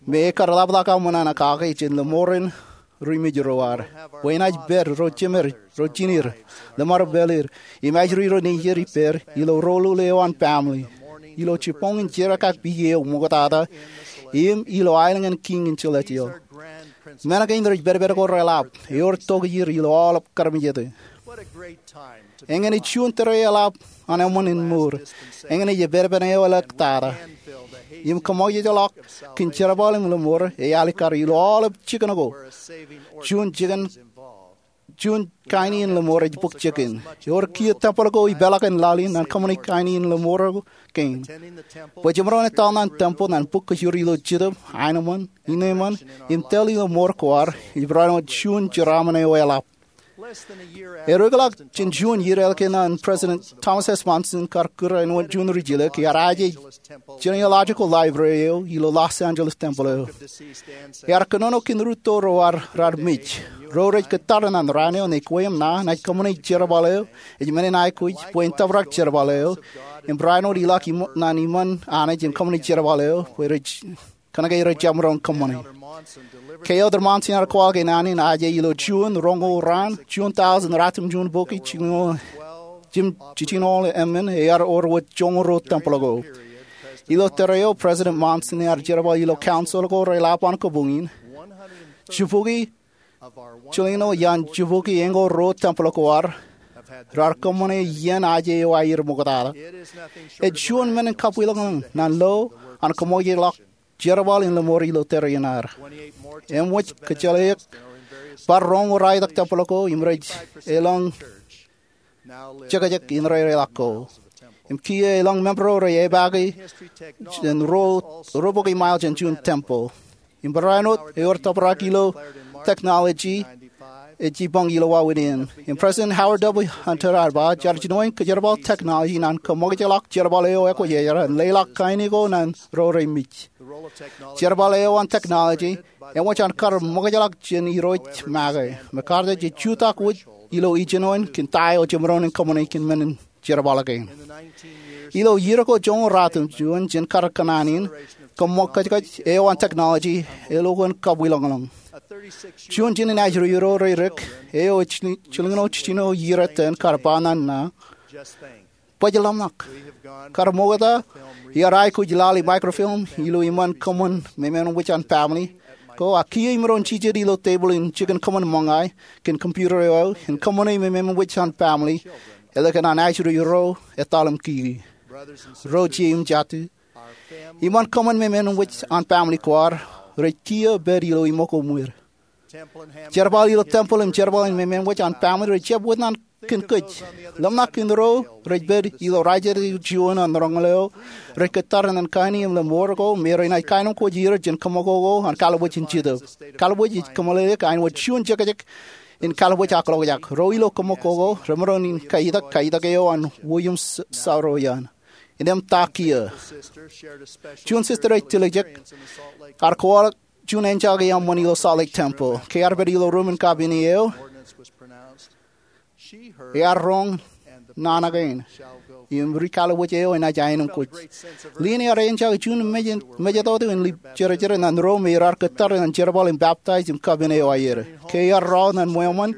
me ekar ḷapḷọk aṃ naan kake jān lōṃoor in ri mej ro ad, bwe enaaj pād ro jemed, ro jined, lōṃaro pāleed, im ajri ro nejier ippād ilo roḷoḷ eo an pamle, ilo jibboñin jerkakpeje eo ṃoktata, im ilo aelōñ in kiiñ in celestial. Men kein rej pedped ko reḷap, ewōr tokjāer ilo aolep karmejete. Eñin ej juon tōre eḷap an eṃṃan in mour. Eñin ej epedpen eo elōktata. Im kōṃṃakjeḷọk kōn jerbal im lōṃoor ej alikkar ilo aolep jikin ko. Juon jikin, juon kain in lōṃoor ej bōk jikin. Ewōr kiiō tempel ko ipeḷaakin laḷ in ñan kōṃṃani kain in lōṃoor kein. Bwe jemaroñ etal ñan tempel ñan bōk kōjro ilo jetōb, aenōṃṃan, innemān, im tōl ilo mour ko ad, ej barāinwōt juon jeraaṃṃan eo eḷap. Erukeḷọk jān juon iiō ḷọk eṇ an President Thomas S. Monson kar kūr āinwōt juon rijjilōk, ear aje genealogical library eo ilo Los Angeles tempel eo. Ear kōnono kōn rūtto ro ad raar mej. Ro rej kōttar ñan raan eo ñe kwe im ṇa enaaj kōṃṃane jerbal eo, ej men in aikuj bwe en tōprak jerbal eo, im barāinwōt ilọk im, ñan iṃaan Anij im kōṃṃane jerbal eo, bwe rej kōnke rej jab maroñ kōṃṃane. Ke Elder Monson ear kwaḷọk naan in aje ilo June roñoul raan, juon tọujin ratimjuon bukwi jiljino, jimjuon jiljino emān, ear wōr wōt joñoul ruo tempel ko. Ilo tōre eo, President Monson ear jerbal ilo council ko reḷap an kabuñ in. Jibukwi jiljino iaan jibukwi eñoul ruo tempel ko ad raar kōṃṃane iien aje eo aer ṃoktata. Ej juon men in kabwilōñlōñ ñan lo an kōṃṃakjeḷọk jerbal in lōṃoor ilo tōre in ad. Eṃōj kōjjeḷāik bar roñoul raelōñ tempel ko im rej elōñ jekjek indeeo reḷak ko. Im kiiō elōñ member ro rej epaake jān ruo, ruo bukwi mile jān juon tempel. Im barāinwōt ewōr tōprak ilo technology ej jibboñ ilo wāween in. Im President Howard W. Hunter ear ba, jar jinoin kōjerbal technology ñan kōṃakjeḷọk jerbal eo ekwōjarjar an leḷọk kain ko ñan ro rej mej. Jerbal eo an technology eṃōj an kar ṃōkajḷọk jān irooj make. MacArthur ej jutak wōj ilo ijinoin kōn ta eo jemaroñ in kōṃṃane kōn men in jerbal kein. Ilo iiō ko joñoul ratimjuon jān kar kōṇaan in, kōṃṃan kōjkōj eo an technology ej lukkuun kabwilōñlōñ. Juon jān ajri ro rej dik, eo ej jiljino jiljino iiō iten, kar ba ñan ṇa, bwe ḷōmṇak. Kar ṃokta, iar aikuj laḷ in microfilm ilo iṃaan kōṃṃan memeṃwōj an pamle ko, ak kiiō imaroñ jijet ilo tebōḷ in jikin kōṃṃan ṃōñā kōn computer eo im kōṃṃane memeṃwōj an pamle ālikin an ajri ro etal im kiki. Ro jet im jatū, iṃaan kōṃṃan memeṃwōj an pamle ko ad rej kiiō pād ilo iṃōk ko ṃwed. Jerbal ilo tempel im jerbal in memeṃwōj an pamle rej jab wōt naan kōn kōj. Ḷōmṇak kōn ro rej pād ilo rājeje juon an roñoul eo rej kōttar ñan kain in lōṃoor ko me renaaj kaenōṃṃan kōj er jān kōṃṃan ko an kalbuuj in jetōb. Kalbuuj ej kōmeḷeḷeik āinwōt juon jekjek in kalbuuj ak ḷokjak. Ro ilo kōṃṃan ko remaroñ in kaitak kaitak eo an William Saroyan. Innem ta kiiō. Juon sister ej tiljek ear kwaḷọk juon enjake eṃṃan ilo Salt Lake Temple. Ke ear pād ilo ruumen kapin eo, ear roñ naan kein, im ri-kalbuuj eo enaaj aenōṃṃan kōj. Lien ear enjake juon mej-, mejatoto in ḷap jerjer ñan ro me raar kōttar ñan jerbal in baptize im kapin eo aer. Ke ear rọọl ñan ṃweo ṃōn,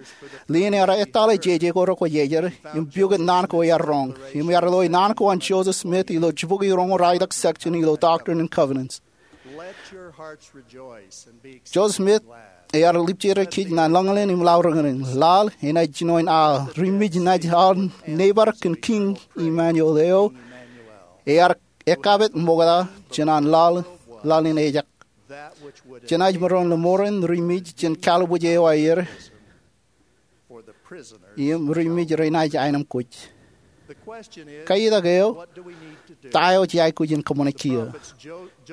lien ear etale jeje ko rekwōjarjar im pukot naan ko ear roñ. Im ear loe naan ko an Joseph Smith ilo jibukwi roñoul raelōñ section ilo Doctrine and Covenants. Joseph Smith ear lipjete kōj ñan lañlōñ im laḷ riñriñ. Laḷ enaaj jinoin aḷ. Ri mej enaaj aḷ neighbor kōn Kiiñ Emmanuel eo ear ekkapit ṃokta jān an laḷ, laḷ in ejak, jenaaj maroñ lōṃoor in ri mej jān kalbuuj eo aer im ri mej renaaj aenōṃṃan kōj. Kaitak eo, ta eo jej aikuj in kōṃṃane kiiō?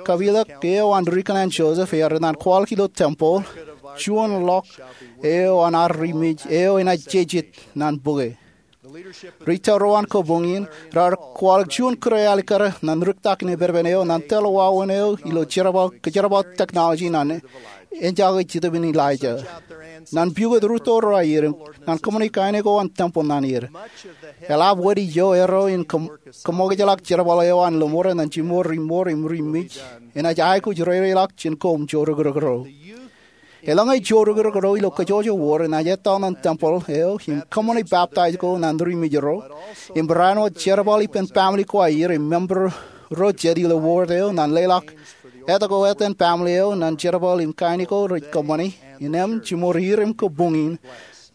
Kapilōk eo an ri kōṇaan Joseph ear naan kwaḷọk ilo tempeḷ, juon ḷọk eo an ad ri mej eo enaaj jejet ñan bōke. Ri-tōl ro an kabuñ in raar kwaḷọk juon kūr alikkar ñan rūktak in epepen eo ñan tōl wāween eo ilo jerbal, kōjerbal technology ñan ejako Jetōb in Elijah. Ñan piukot rūtto ro aer, ñan kōṃṃani kain ko an tempel ñan er, eḷap wōt ijo erro in kōṃ-, kōṃṃakūtḷọk jerbal eo an lōṃoor ñan jimor ri ṃoor im ri mej enaaj aikuj reireilọk jān koṃ joorūkūrūk ro. Eḷaññe joorūkūrūk ro ilo kōjwōj wōr enaaj etal ñan tempel eo im kōṃṃane baptize ko ñan ri mej ro, im barāinwōt jerbal ippān family ko aer im member ro jet ilo wōr eo ñan leḷọk etke etan family eo ñan jerbal im kain ko rej kōṃṃane, innem jimor er im kabuñ in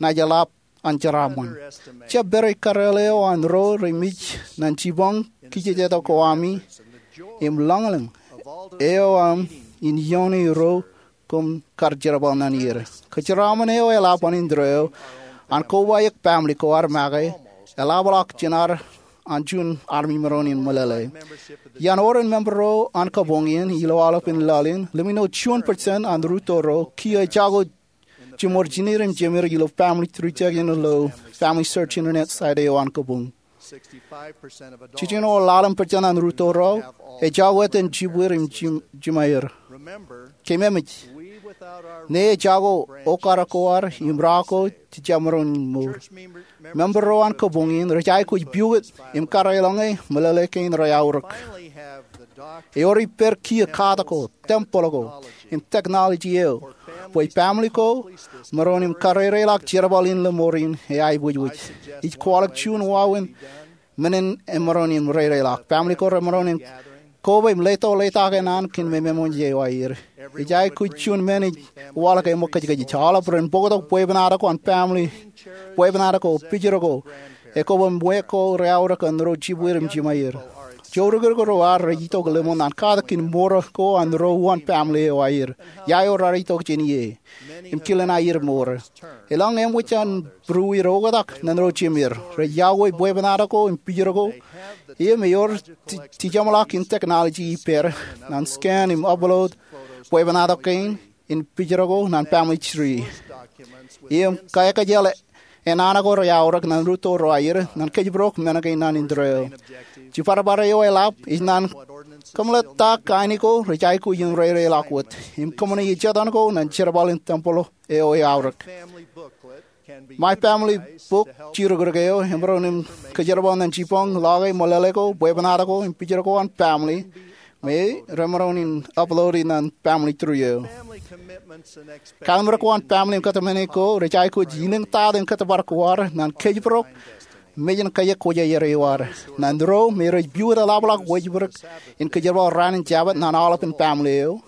enaaj eḷap an jeraaṃṃan. Jab pād eo kareel eo an ro ri mej ñan jipañ kijejeto ko ami im lañlōñ eo aṃ in ioone ro koṃ kar jerbal ñan er. Kōjeraaṃṃan eo eḷap an indeeo an kobaik family ko ad make eḷapḷọk jān ad an juon armej maroñ in meḷeḷe. Iaan oren member ro an kabuñ in ilo aolepān laḷ in, lemñoul juon percent an rūtto ro kiiō ejako jimor jined im jemed ilo FamilyTreeJack ilo FamilySearch internet site eo an kabuñ. Jiljino ḷalem percent an rūtto ro ejako etan jibwid im jim-, jimeaer. Keememej, ñe ejako okar ko ad im ra ko, jej jab maroñ in mour. Member ro an kabuñ in rej aikuj piukot im kar eḷaññe meḷeḷe kein reaorōk. Ewōr ippād kiiō katak ko, tempel ko, im technology eo bwe family ko maroñ in kareireilọk jerbal in lōṃoor in eaikuj wōj. Ij kwaḷọk juon wāween men in emaroñ in reireilọk. Family ko remaroñ in koba im leto letak e naan kein memeṃōj eo aer. Ej aikuj juon men ij waḷọk eṃōj kōjkōj. Aolep ren bōktok bwebwenato ko an family, bwebwenato ko, pijero ko, ekoba im wōj ko reaorōk an ro jibwid im jimeaer. Joorūkūrūk ro ad rej itok lōṃoor ñan katak in mour ko an ro uwaan family eo aer. Ia eo raar itok jān ie im kilen aer mour? Eḷaññe eṃōj an būruwij oktak ñan ro jemed, rej yokwe bwebwenato ko im pijero ko, im ewōr ti-, tijeṃḷọk in technology ippād ñan scan im upload bwebwenato kein im pijero ko ñan FamilyTree. Im kakkajjeḷā naan ko reaorōk ñan rūtto ro aer ñan kōjparok men kein an indeeo. Jiparpar eo eḷap ej ñan kōmeḷeḷe ta kain ko rej aikuj in reireilọk wōt im kōṃṃane ejetan ko ñan jerbal in tempel eo eaorōk. My Family Book, joorūkūrūk eo emaroñ in kōjerbal ñan jipañ ḷọke meḷeḷe ko, bwebwenato ko, im pijero ko an family, im remaroñ in upload e ñan FamilyTree eo. Kallim̧ur ko an family im kōtmāne ko rej aikuj ilōñtata in kōtbar ko ad ñan kōjparok mejān kōjeañ kwōjarjar eo ad. Ñan ro me rej piukot eḷapḷọk wōjpūrōk in kōjerbal raan in Jabōt ñan aolepān family eo,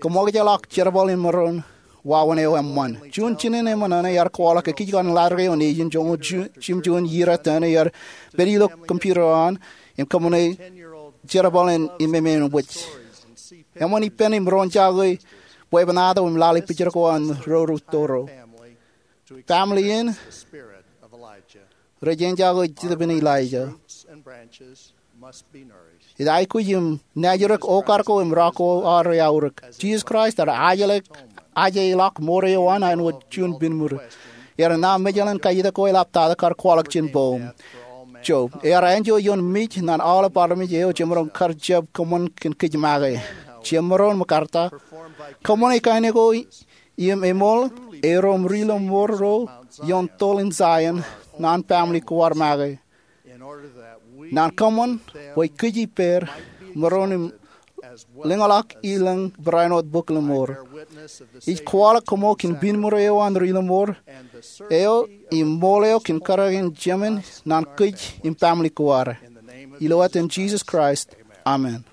kōṃakūtḷọk jerbal in maroñ wāween eo eṃṃan. Juon jinen eṃṃan ear kwaḷọk ekkejkan laḷ eo nejin joñoul ju-, jimjuon iier etōne, ear pād ilo computer eo an im kōṃṃane jerbal in, in memein wōj. Eṃṃan ippān im roñjake bwebwenato im lale pijero ko an ro rūtto ro. Family in rej eñjake Jetōb in Elijah. Ej aikuj im naajrōk okar ko im ra ko aer eaorōk. Jisōs Kraist ear ajeḷọk, ajeḷọk mour eo an āinwōt juon pinmūr. Ear ṇa mejeḷan kajjitōk ko eḷaptata kar kwaḷọk jān poum. Job, ear enjeḷ ioon mej ñan aolep armej eo jemaroñ kar jab kōṃṃan kōn kōj make. Jemaroñ ṃōkarta, kōṃṃane kain ko im eṃool, erom ri lọmọọr ro ioon toḷ in Zion ñan family ko ad make. Ñan kōṃṃan bwe kōj ippād, maroñ in lōñḷọk ilōñ barāinwōt bok lọmọọr. Ij kwaḷọk koṃṃool kōn pinmūr eo an ri lọmọọr eo im ṃool eo kōn kōrā in jemān ñan kōj im family ko ad. Ilo etan Jisōs Kraist, amen.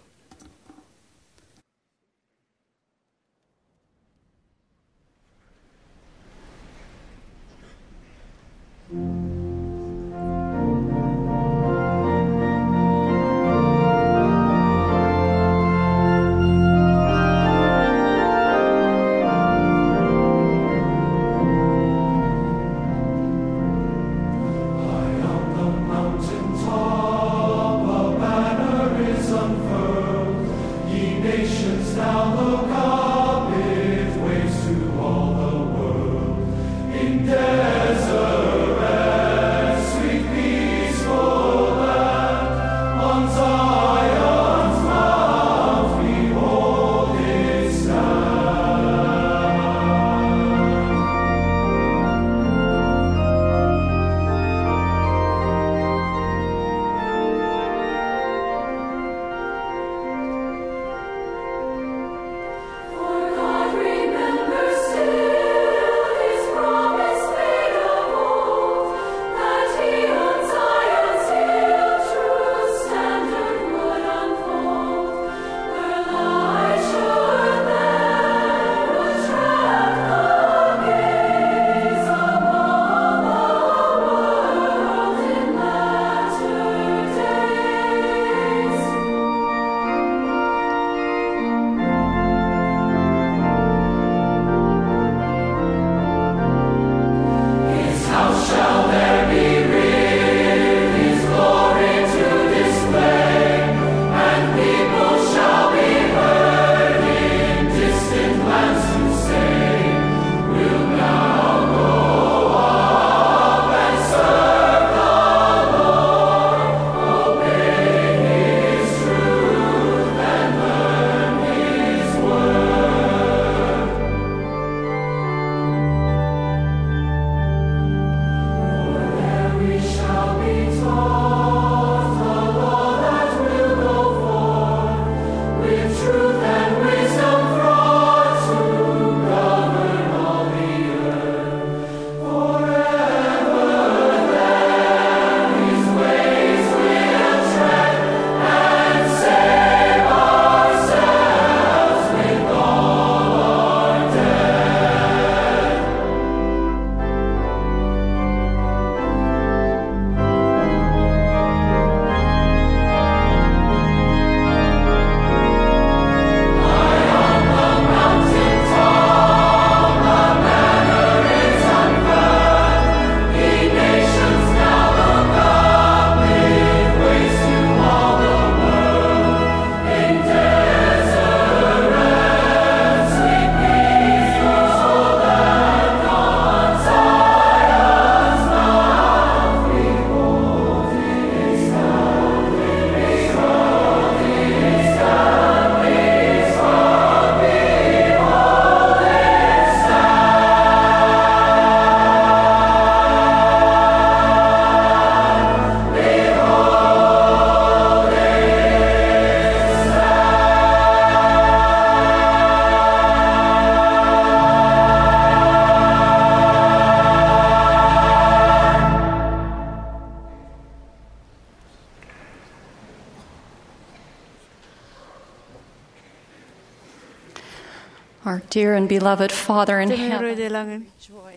Dear and beloved Father in Jemem heaven, Irooj ilañ in,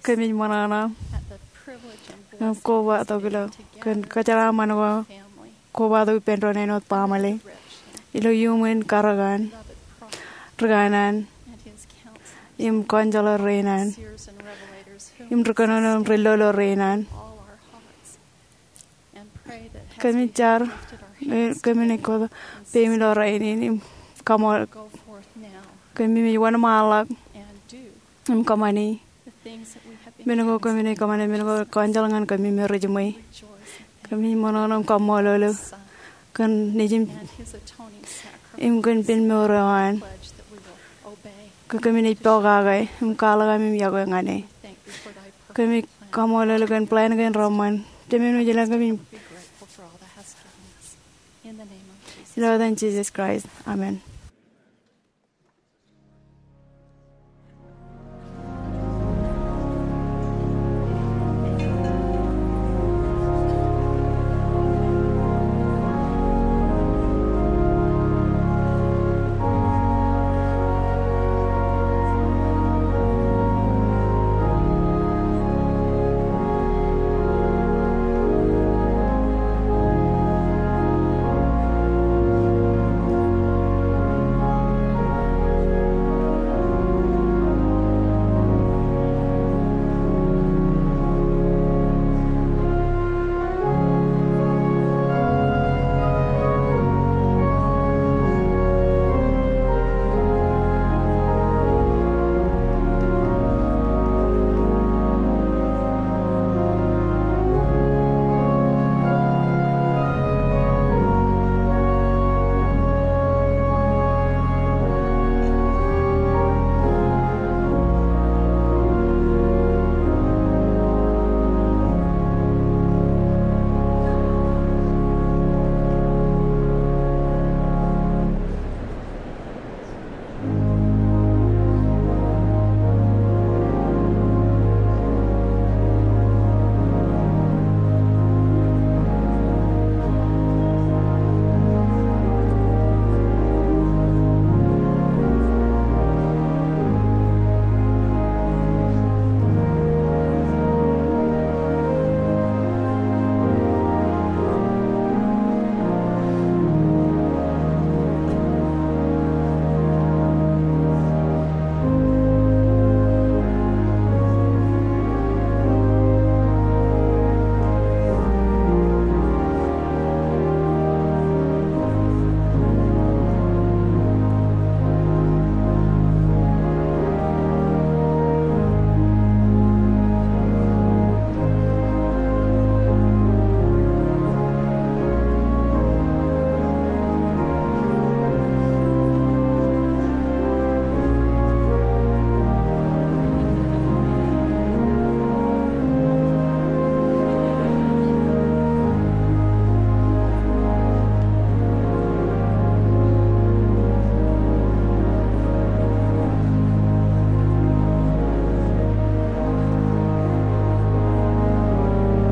kōmij ṃōṇōṇō im kobatok ilo kōn kōjeraaṃṃan ko kobatok ippān doon āinwōt baaṃle ilo iuṃwin karōk an, ri kanaan, im kaunseḷọk rein an, im ri kōnono im ri lolo rein an. Kōmij jar, kōmij naaj kōto peim ilo rainin im kaṃool. Kōmij wōnṃaanḷọk im kōṃṃani men ko kōmij naaj kōṃṃane, men ko kaunseḷ ñan kōmij me rej jiṃwe. Kōmij ṃōṇōṇō im kaṃṃoolol eok kōn Nejin im kōn pen mour eo an. Ke kōmij naaj pokake im kwaḷọk ami im iọkwe ñan e. Kōmij kaṃṃoolol eok kōn plan kein reṃṃan. Jemem wōj ilañ, kōmij ilo etan Jisōs Kraist, amen.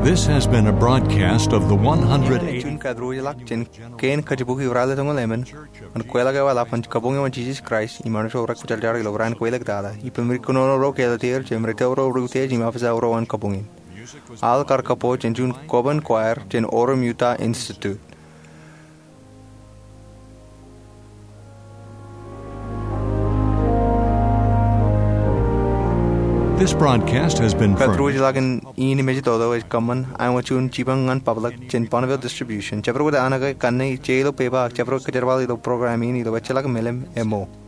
This has been a broadcast of the one hundred eighty. Juon kōtdruwōjḷọk jān kein kajjibukwi ralitōñoul emān ñan kweilọk eo eḷap an Kabuñ eo an Jisōs Kraist im Anij ro rekwōjarjar ilo raan kweilọk tata. Ippān ri kōnono ro ke etal er, jemān ri tōl ro ri utiej im officer ro an kabuñ in. Aḷ kar kapo jān juon Coburn Choir jān Orem Utah Institute. This broadcast has been furnished. Kōtdruwōjḷọk in iien im ej toto ej kōṃṃan āinwōt juon jipañ ñan public jān Bonneville Distribution. Jabdewōt an ke kanne ej ilo pepa ak jabdewōt kōjerbal ilo program in ilo ejjeḷọk melem eo ṃōk.